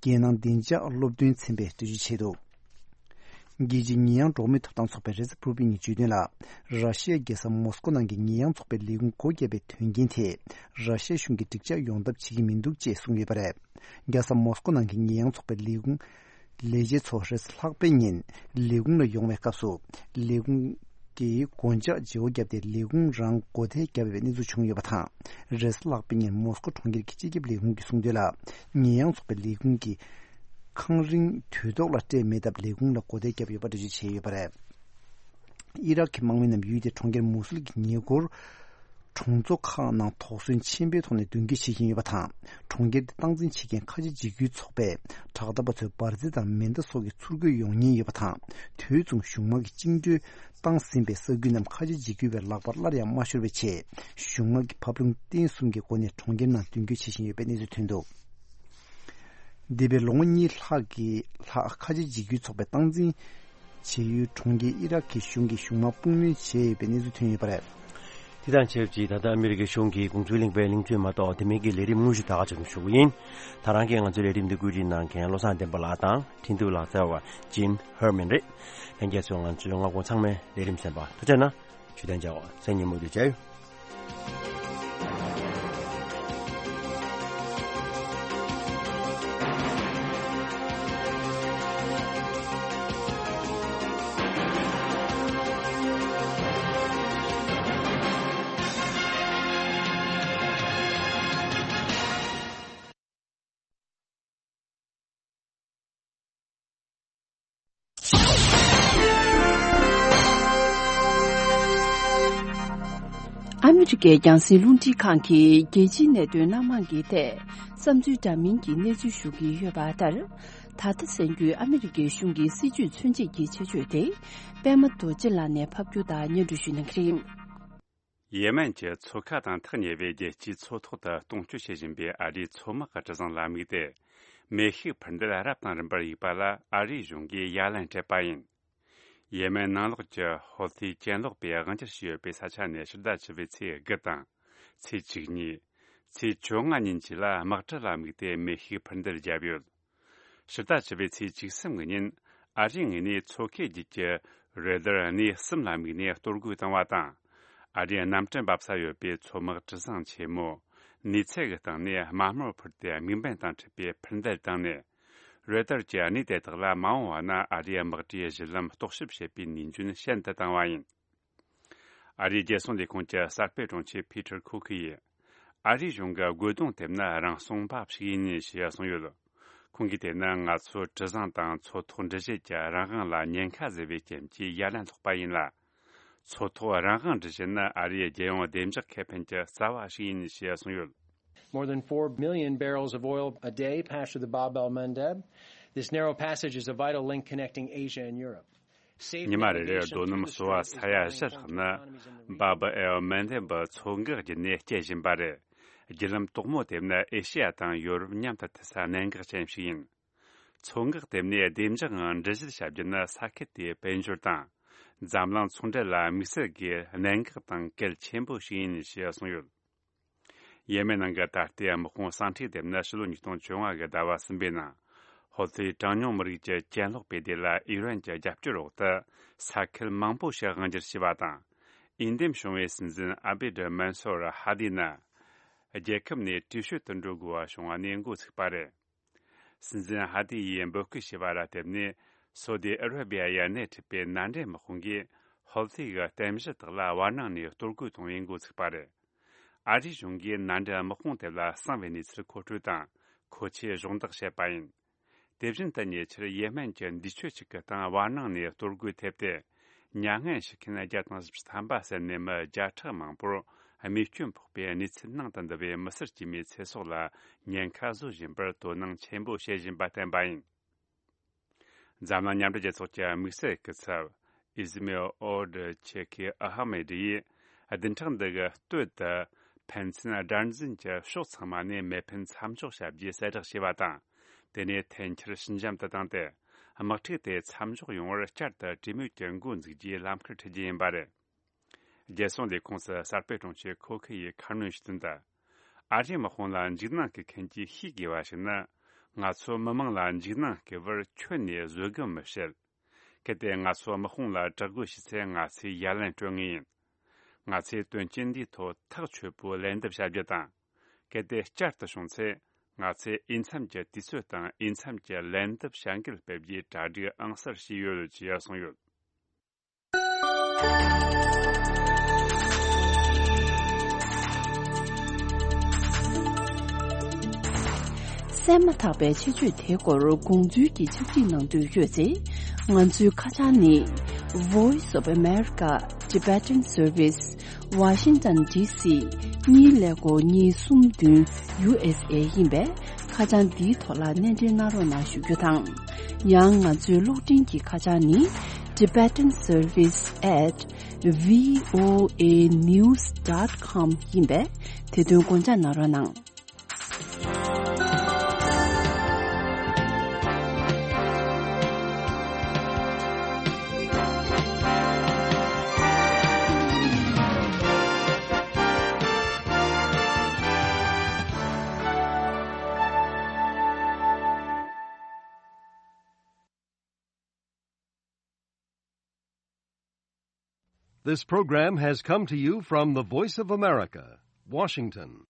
རྒྱལ་ནང་བདེ་འཇགས་སློབ་སྟོན་ཚན་པས་འགྲེལ་བརྗོད་བྱས་འདུག་རྒྱལ་སྤྱིའི་ཉེས་ཡངས་འགྲོ་བ་མིའི་ཐོབ་ཐང་ཚོགས་པའི་རེས་གཟའ་ཕུར་བུ་ཉིན་བརྗོད་དོན་ལ། ར་ཤི་ཡའི་རྒྱལ་ས་མོ་སྐོ་ནང་གི་ཉེས་ཡངས་ཚོགས་པའི་ལས་ཁུངས་སྒོ་བརྒྱབ་པའི་དོན་རྐྱེན་ཐད། ར་ཤི་ཡའི་གཞུང་གིས་འགྲིག་འཇགས་ཡོང་ཐབས་བྱེད་ཀྱི་མི་འདུག་ཅེས་གསུངས་ཡོད་པ་རེད། རྒྱལ་ས་མོ་སྐོ་ནང་གི་ཉེས་ཡངས་ཚོགས་པའི་ལས་ཁུངས་ལས་བྱེད་ཚོ་རེས་ལྷག་པའི་ཉིན་ལས་ཁུངས་ལ་ཡོང་བའི་སྐབས་སུ། ལས་ཁུངས་ཀྱིས་སྒོ་འཇགས་བརྗེ་བོ་བརྒྱབ་སྟེ་ལས་ཁུངས་རང་སྒོ་ཐེལ་བརྒྱབ་པའི་གནས་ཚུལ་བྱུང་ཡོད་པ་དང་། རེས་ལྷག་པའི་ཉིན་མོ་སྐོ་གྲོང་ཁྱེར་གྱི་སྤྱི་ཁྱབ་ལས་ཁུངས་ཀྱིས་གསུངས་དོན་ལ། ཉེས་ཡངས་ཚོགས་པའི་ལས་ཁུངས་ཀྱིས་ཁང་རིན་དུས་ཐོག་ལ་སྤྲད་མེད་སྟབས་ལས་ཁུངས་ལ་སྒོ་ཐེལ་བརྒྱབ་ཡོད་པ་འགྲེལ་བརྗོད་བྱས་ཡོད་པ་རེད། ཨི་རག་གི་དམག་མི་རྣམས་ཡུལ་དེའི་གྲོང་ཁྱེར་མུ་སུལ་གྱི་ཉེ་འཁོར་གྲོང་ཚོ་ཁག་ནང་དོགས་ཟོན་ཆེན་པོའི་ཐོག་ནས་མདུན་སྐྱོད་བྱེད་བཞིན་ཡོད་པ་དང་། གྲོང་ཁྱེར་དེ་སྟངས་འཛིན་བྱེད་མཁན་ཁ་ཆེ་འཇིགས་སྐུལ་ཚོགས་པས་དྲག་འཐབ་པ་ཚོའི་འབར་རྫས་དང་མེ་མདའ་སོགས་ཀྱི་ཚུར་རྒོལ་ཡོང་ཉེན་ཡོད་པ་དང་། དུས་མཚུངས་གཞུང་དམག་གིས་བཅིངས་འགྲོལ་བཏང་ཟིན་པའི་ས་ཁུལ་རྣམས་ཁ་ཆེ་འཇིགས་སྐུལ་བའི་ལག་པར་སླར་ཡང་མ་ཤོར་བའི་ཆེད། གཞུང་དམག་གིས་བབ་བརླིང་བརྟན་གསུམ་གྱི་སྒོ་ནས་གྲོང་ཁྱེར་ནང་མདུན་སྐྱོད་བྱེད་བཞིན་ཡོད་པའི་གནས་ཚུལ་ཐོན་འདུག་འདས་པའི་ལོ་ངོ་གཉིས་ལྷག་གི་ལྷག་ཁ་ཆེ་འཇིགས་སྐུལ་ཚོགས་པའི་སྟངས་འཛིན་བྱེད་ཡུལ་གྲོང་ཁྱེར་ཨི་རག་གི་གཞུང་གིས་གཞུང་དམག་དཔུང་ནུས་བྱས་ཡོད་པའི་གནས་ཚུལ་ཐོན་ཡོད་པ་རེད། དེ་དང་ཆབས་ཅིག་ད་ལྟ་ཨ་མི་རི་ཀའི་གཞུང་གིས་དགོངས་ཚུལ་གླེང་བའི་གླེང་བརྗོད་མ་གཏོགས་དེ་མིན་གྱི་ལས་རིམ་དངོས་གཞི་ད་ག་ཅིག་ཞུ་གི་ཡིན། ད་རང་གིས་ང་ཚོའི་ལས་རིམ་འདི་བཀོད་སྒྲིག་གནང་མཁན་བློ་བཟང་བསྟན་པ་ལགས་དང་འཕྲིན་ཐུབ་ལགས་རྩ་བ་ཇིན་ཧར་མན་རེད། ལྷན་རྒྱས་ཚོས་ང་ཚོའི་སྔ་དགོང་ཚང་མའི་ལས་རིམ་གསན་པ་ཐུགས་རྗེ་གནང་། ཇུས་གཏན་འཇལ་བ་སང་ཉིན་མུ་མཐུད་མཇལ་ཡོང་། ཨ་མི་རི་ཀའི་རྒྱང་སྲིང་རླུང་འཕྲིན་ཁང་གིས་རྒྱལ་སྤྱིའི་གནད་དོན་སྣ་མང་གི་ཐད་བསམ་ཚུལ་འདྲ་མིན་གྱི་གནས་ཚུལ་ཞུ་གི་ཡོད་པ་ལྟར། ད་ལྟ་གསན་རྒྱུའི་ཨ་མི་རི་ཀའི་གཞུང་གི་སྲིད་བྱུས་མཚོན་བྱེད་ཀྱི་ཆེད་བརྗོད་དེ། པད་མ་རྡོ་རྗེ་ལགས་ནས་ཕབ་སྒྱུར་དང་སྙན་སྒྲོན་ཞུ་གནང་གི་རེད། ཡེ་མན་གྱི་མཚོ་ཁ་དང་ཐག་ཉེ་བའི་རྒྱལ་སྤྱིའི་མཚོ་ཐོག་ཏུ་གཏོང་སྤྱོད་བྱེད་བཞིན་པའི་ཨ་རིའི་མཚོ་དམག་གི་གྲུ་གཟིངས་ལ་དམིགས་ཏེ། མེ་ཤུགས་འཕུར་མདེལ་རབ་དང་རིམ་པར་གཡུགས་པ་ལ་ཨ་རིའི་གཞུང་གིས་ཡ་ལན་སྤྲད་པ་ཡིན། ཡེ་མན་ནང་ལོགས་ཀྱི་ཧོ་ཐི་གྱེན་ལོག་པས་དབང་སྒྱུར་བྱས་ཡོད་པའི་ས་ཆ་ནས་ཕྱི་ཟླ་བཅུ་པའི་ཚེས་དགུ་དང་། ཚེས་བཅུ་གཉིས། ཚེས་བཅོ་ལྔ་ཉིན་བཅས་ལ་དམག་གྲུ་ལ་དམིགས་ཏེ་མེ་ཤུགས་འཕུར་མདེལ་བརྒྱབ་ཡོད། ཕྱི་ཟླ་བཅུ་པའི་ཚེས་བཅུ་གསུམ་གྱི་ཉིན། ཨ་རིའི་ངོས་ནས་མཚོ་ཁའི་རྒྱུད་ཀྱི་རེ་དར་གནས་གསུམ་ལ་དམིགས་ནས་གཏོར་རྒོལ་བཏང་བ་དང་། ཨ་རིའི་གནམ་གྲུ་འབབ་ས་ཡོད་པའི་མཚོ་དམག་གྲུ་གཟིངས་ཆེན་མོ། ནུས་ཚད་ཀྱི་སྟེང་ནས་དམའ་མོར་འཕུར་ཏེ་དམིགས་འབེན་དང་འཁྲིལ་བའི་འཕུར་མདེལ་བཏང་ནས། རེ་དར་གྱི་གནས་དེ་དག་ལ་མ་འོངས་པ་ན་ཨ་རིའི་དམག་གྲུའི་གཞི་ལམ་རྟོག་ཞིབ་བྱེད་པའི་ནུས་འཇོན་ཤན་དུ་བཏང་བ་ཡིན། ཨ་རིའི་རྒྱལ་སྲུང་ལས་ཁུངས་ཀྱི་གསར་སྤེལ་དྲུང་ཆེ་ཕི་ཐར་ཁོ་ཁི་ཡིས། ཨ་རིའི་གཞུང་གི་རྒོལ་རྡུང་དེ་ནི་རང་སྲུང་འབབ་ཞིག་ཡིན་ཞེས་གསུངས་ཡོད། ཁོང་གིས་དེ་ནི་ང་ཚོའི་གྲུ་གཟིངས་དང་མཚོ་ཐོག་འགྲུལ་བཞུད་ཀྱི་རང་དབང་ལ་ཉེན་ཁ་བཟོས་པའི་རྐྱེན་གྱིས་ཡ་ལན་སློག་པ་ཡིན་ལ། མཚོ་ཐོག་རང་དབང་འགྲུལ་བཞུད་ནི་ཨ་རིའི་རྒྱལ་ཡོངས་བདེ་འཇགས་ཁེ་ཕན་གྱི་རྩ་བ་ཞིག་ཡིན་ཞེས་གསུངས་ཡོད། More than four million barrels of oil a day pass through the Bab el Mandeb. This narrow passage is a vital link connecting Asia and Europe. ཉི་མ་རེ་རེར་རྡོ་སྣུམ་གསོ་བ་ས་ཡ་བཞི་ལྷག་ནི་སྦ་བ་ཨེལ་མན་དེ་འབུ་མཚོ་འགག་བརྒྱུད་ནས་སྐྱེལ་བཞིན་པ་རེད། བརྒྱུད་ལམ་དོག་མོ་དེ་ནི་ཨེ་ཤི་ཡ་དང་ཡོ་རོབ་མཉམ་དུ་མཐུད་ས་གནད་འགག་ཅན་ཞིག་ཡིན། མཚོ་འགག་དེ་ནས་བདེ་འཇགས་ངང་འགྲུལ་བཞུད་བྱ་རྒྱུ་ནི་ས་ཁུལ་དེའི་དཔལ་འབྱོར་དང་། འཛམ་གླིང་ཚོང་འབྲེལ་ལ་དམིགས་བསལ་གྱི་གནད་འགག་དང་གལ་ཆེན་པོ་ཞིག་ཡིན་ཞེས་གསུངས་ཡོད། ཡེ་མེན་ནང་གི་ད་ལྟའི་དམག་དཔུང་ཟིང་འཁྲུག་དེ་ནི་ཕྱི་ལོ་ཉིས་སྟོང་བཅོ་ལྔ་གི་ཟླ་བ་གསུམ་པའི་ནང་། ཧོ་ཐི་གྲངས་ཉུང་མི་རིགས་ཀྱི་གྱེན་ལོག་པའི་སྡེ་ལ་ཨི་རན་གྱི་རྒྱབ་སྐྱོར་འོག་ཏུ་ས་ཁུལ་མང་པོ་ཞིག་དབང་སྒྱུར་བྱས་པ་དང་། ཨིན་འདེམས་བྱུང་བའི་སྲིད་འཛིན་ཨ་བེ་ཌི་མན་སོར་ཧ་དི་ནི། རྒྱལ་ཁབ་ནས་བྲོས་བྱོལ་དུ་འགྲོ་དགོས་པ་བྱུང་བ་ནས་འགོ་ཚུགས་པ་རེད། སྲིད་འཛིན་ཧ་དི་ཡིས་འབོད་སྐུལ་བྱས་པ་ལ་བརྟེན་ནས། སོ་དི་ཨ་ར་བི་ཡ་ཡ་ནས་ཁྲིད་པའི་མནའ་འབྲེལ་དམག་དཔུང་གིས་ཧོ་ཐི་གི་རྟེན་གཞི་དག་ལ་བར་སྣང་ནས་གཏོར་རྒོལ་གཏོང་བའི་འགོ་ཚུགས་པ་རེད། ཨ་རིའི་གཞུང་གིས་མནའ་འབྲེལ་དམག་དཔུང་དེ་ལ་གསང་བའི་གནས་ཚུལ་མཁོ་སྤྲོད་དང་མཁོ་ཆས་གཞོགས་འདེགས་བྱས་པ་ཡིན། དེ་བཞིན་དུ་ཉེ་ཆར་ཡེ་མེན་གྱི་འདས་མཆོད་ཅིག་གི་སྟེང་བར་སྣང་ནས་གཏོར་རྒོལ་ཐེབས་ཏེ། མྱ་ངན་ཞུ་མཁན་བརྒྱ་དང་བཞི་བཅུ་ཐམ་པ་ཟིན་ནས་མི་བརྒྱ་ཕྲག་མང་པོར་རྨས་སྐྱོན་ཕོག་པའི་གནས་ཚུལ་ནང་དུ་འདུ་བའི་མི་སེར་དཀྱུས་མའི་ཚེ་སྲོག་ལ་ཉེན་ཁ་བཟོ་བཞིན་པར་དོ་སྣང་ཆེན་པོ་བྱེད་བཞིན་པ་བསྟན་པ་ཡིན། འཛམ་གླིང་མཉམ་འབྲེལ་རྒྱལ་ཚོགས་ཀྱི་དམིགས་བསལ་སྐུ་ཚབ་ཨི་ཟི་མེལ་ཨོ་ཌི་ཆེ་ཁི་ཨ་ཧ་མེ་ཌི་ཡིས་བདུན་ཕྲག་འདི་གི་སྟོད་དུ་ཕན་ཚུན་དགྲར་འཛིན་གྱི་ཕྱོགས་ཚང་མ་ནས་མེ་འཕེན་མཚམས་འཇོག་བྱ་རྒྱུའི་གསལ་བསྒྲགས་བྱས་པ་དང་། དེ་ནས་འཐེན་འཁྱེར་ཞི་འཇམ་དུ་བཏང་སྟེ། དམག་འཁྲུག་དེ་མཚམས་འཇོག་ཡོང་བར་བསྐྱར་དུ་གྲོས་མོལ་གྱི་འགོ་འཛུགས་རྒྱུའི་ལམ་ཁར་ཁྲིད་རྒྱུ་ཡིན་པ་རེད། རྒྱལ་སྲུང་ལས་ཁུངས་སུ་གསར་སྤེལ་དྲུང་ཆེ་ཁོ་ཁི་ཡིས་ཁ་སྣོན་ཞུས་དོན་དུ། ཨ་རིའི་དམག་དཔུང་ལ་འཇིགས་སྣང་གི་མཁན་གྱིས་ཤེས་དགོས་པ་ཞིག་ནི། ང་ཚོ་མི་མང་ལ་འཇིགས་སྣང་སྐུལ་བར་ཁྱོན་ནས་བཟོད་སྒོམ་མི་བྱེད། གལ་ཏེ་ང་ཚོ་དམག་དཔུང་ལ་དྲག་རྒོལ་བྱས་ཚེ་ང་ཚོས་ཡ་ལན་སྤྲོད་ངེས་ཡིན། ང་ཚོས་དོན་རྐྱེན་འདིའི་ཐོག་ཐག་ཆོད་པོའི་ལན་འདེབས་བྱ་རྒྱུ་དང་། གལ་ཏེ་བསྐྱར་དུ་བྱུང་ཚེ། ང་ཚོས་འོས་འཚམ་གྱི་དུས་ཚོད་དང་འོས་འཚམ་གྱི་ལན་འདེབས་བྱ་འགུལ་སྤེལ་རྒྱུའི་གྲ་སྒྲིག་ཨང་གསར་བྱས་ཡོད་ཅེས་གསུངས་ཡོད། གསན་མ་ཐག་པའི་ཆེད་བརྗོད་དེའི་སྐོར་དགོངས་ཚུལ་གྱི་ཕྱག་བྲིས་གནང་འདོད་ཡོད་ཚེ། ང་ཚོའི་ཁ་བྱང་ནི། Voice of America Tibetan Service, Washington D C གཉིས་ཀླད་ཀོར་གཉིས་གསུམ་བདུན་ཡུ་ཨེས་ཨེ་ཡིན་པས། ཁ་བྱང་འདིའི་ཐོག་ལ་གནས་འབྲེལ་གནང་རོགས་གནང་ཞུ་རྒྱུ་དང་། ཡང་ང་ཚོའི་གློག་འཕྲིན་གྱི་ཁ་བྱང་ནི། Tibetan Service at V O A news dot com ཡིན་པས། དེ་དོན་དགོངས་འཇགས་གནང་རོགས་གནང་། This program has come to you from the Voice of America, Washington.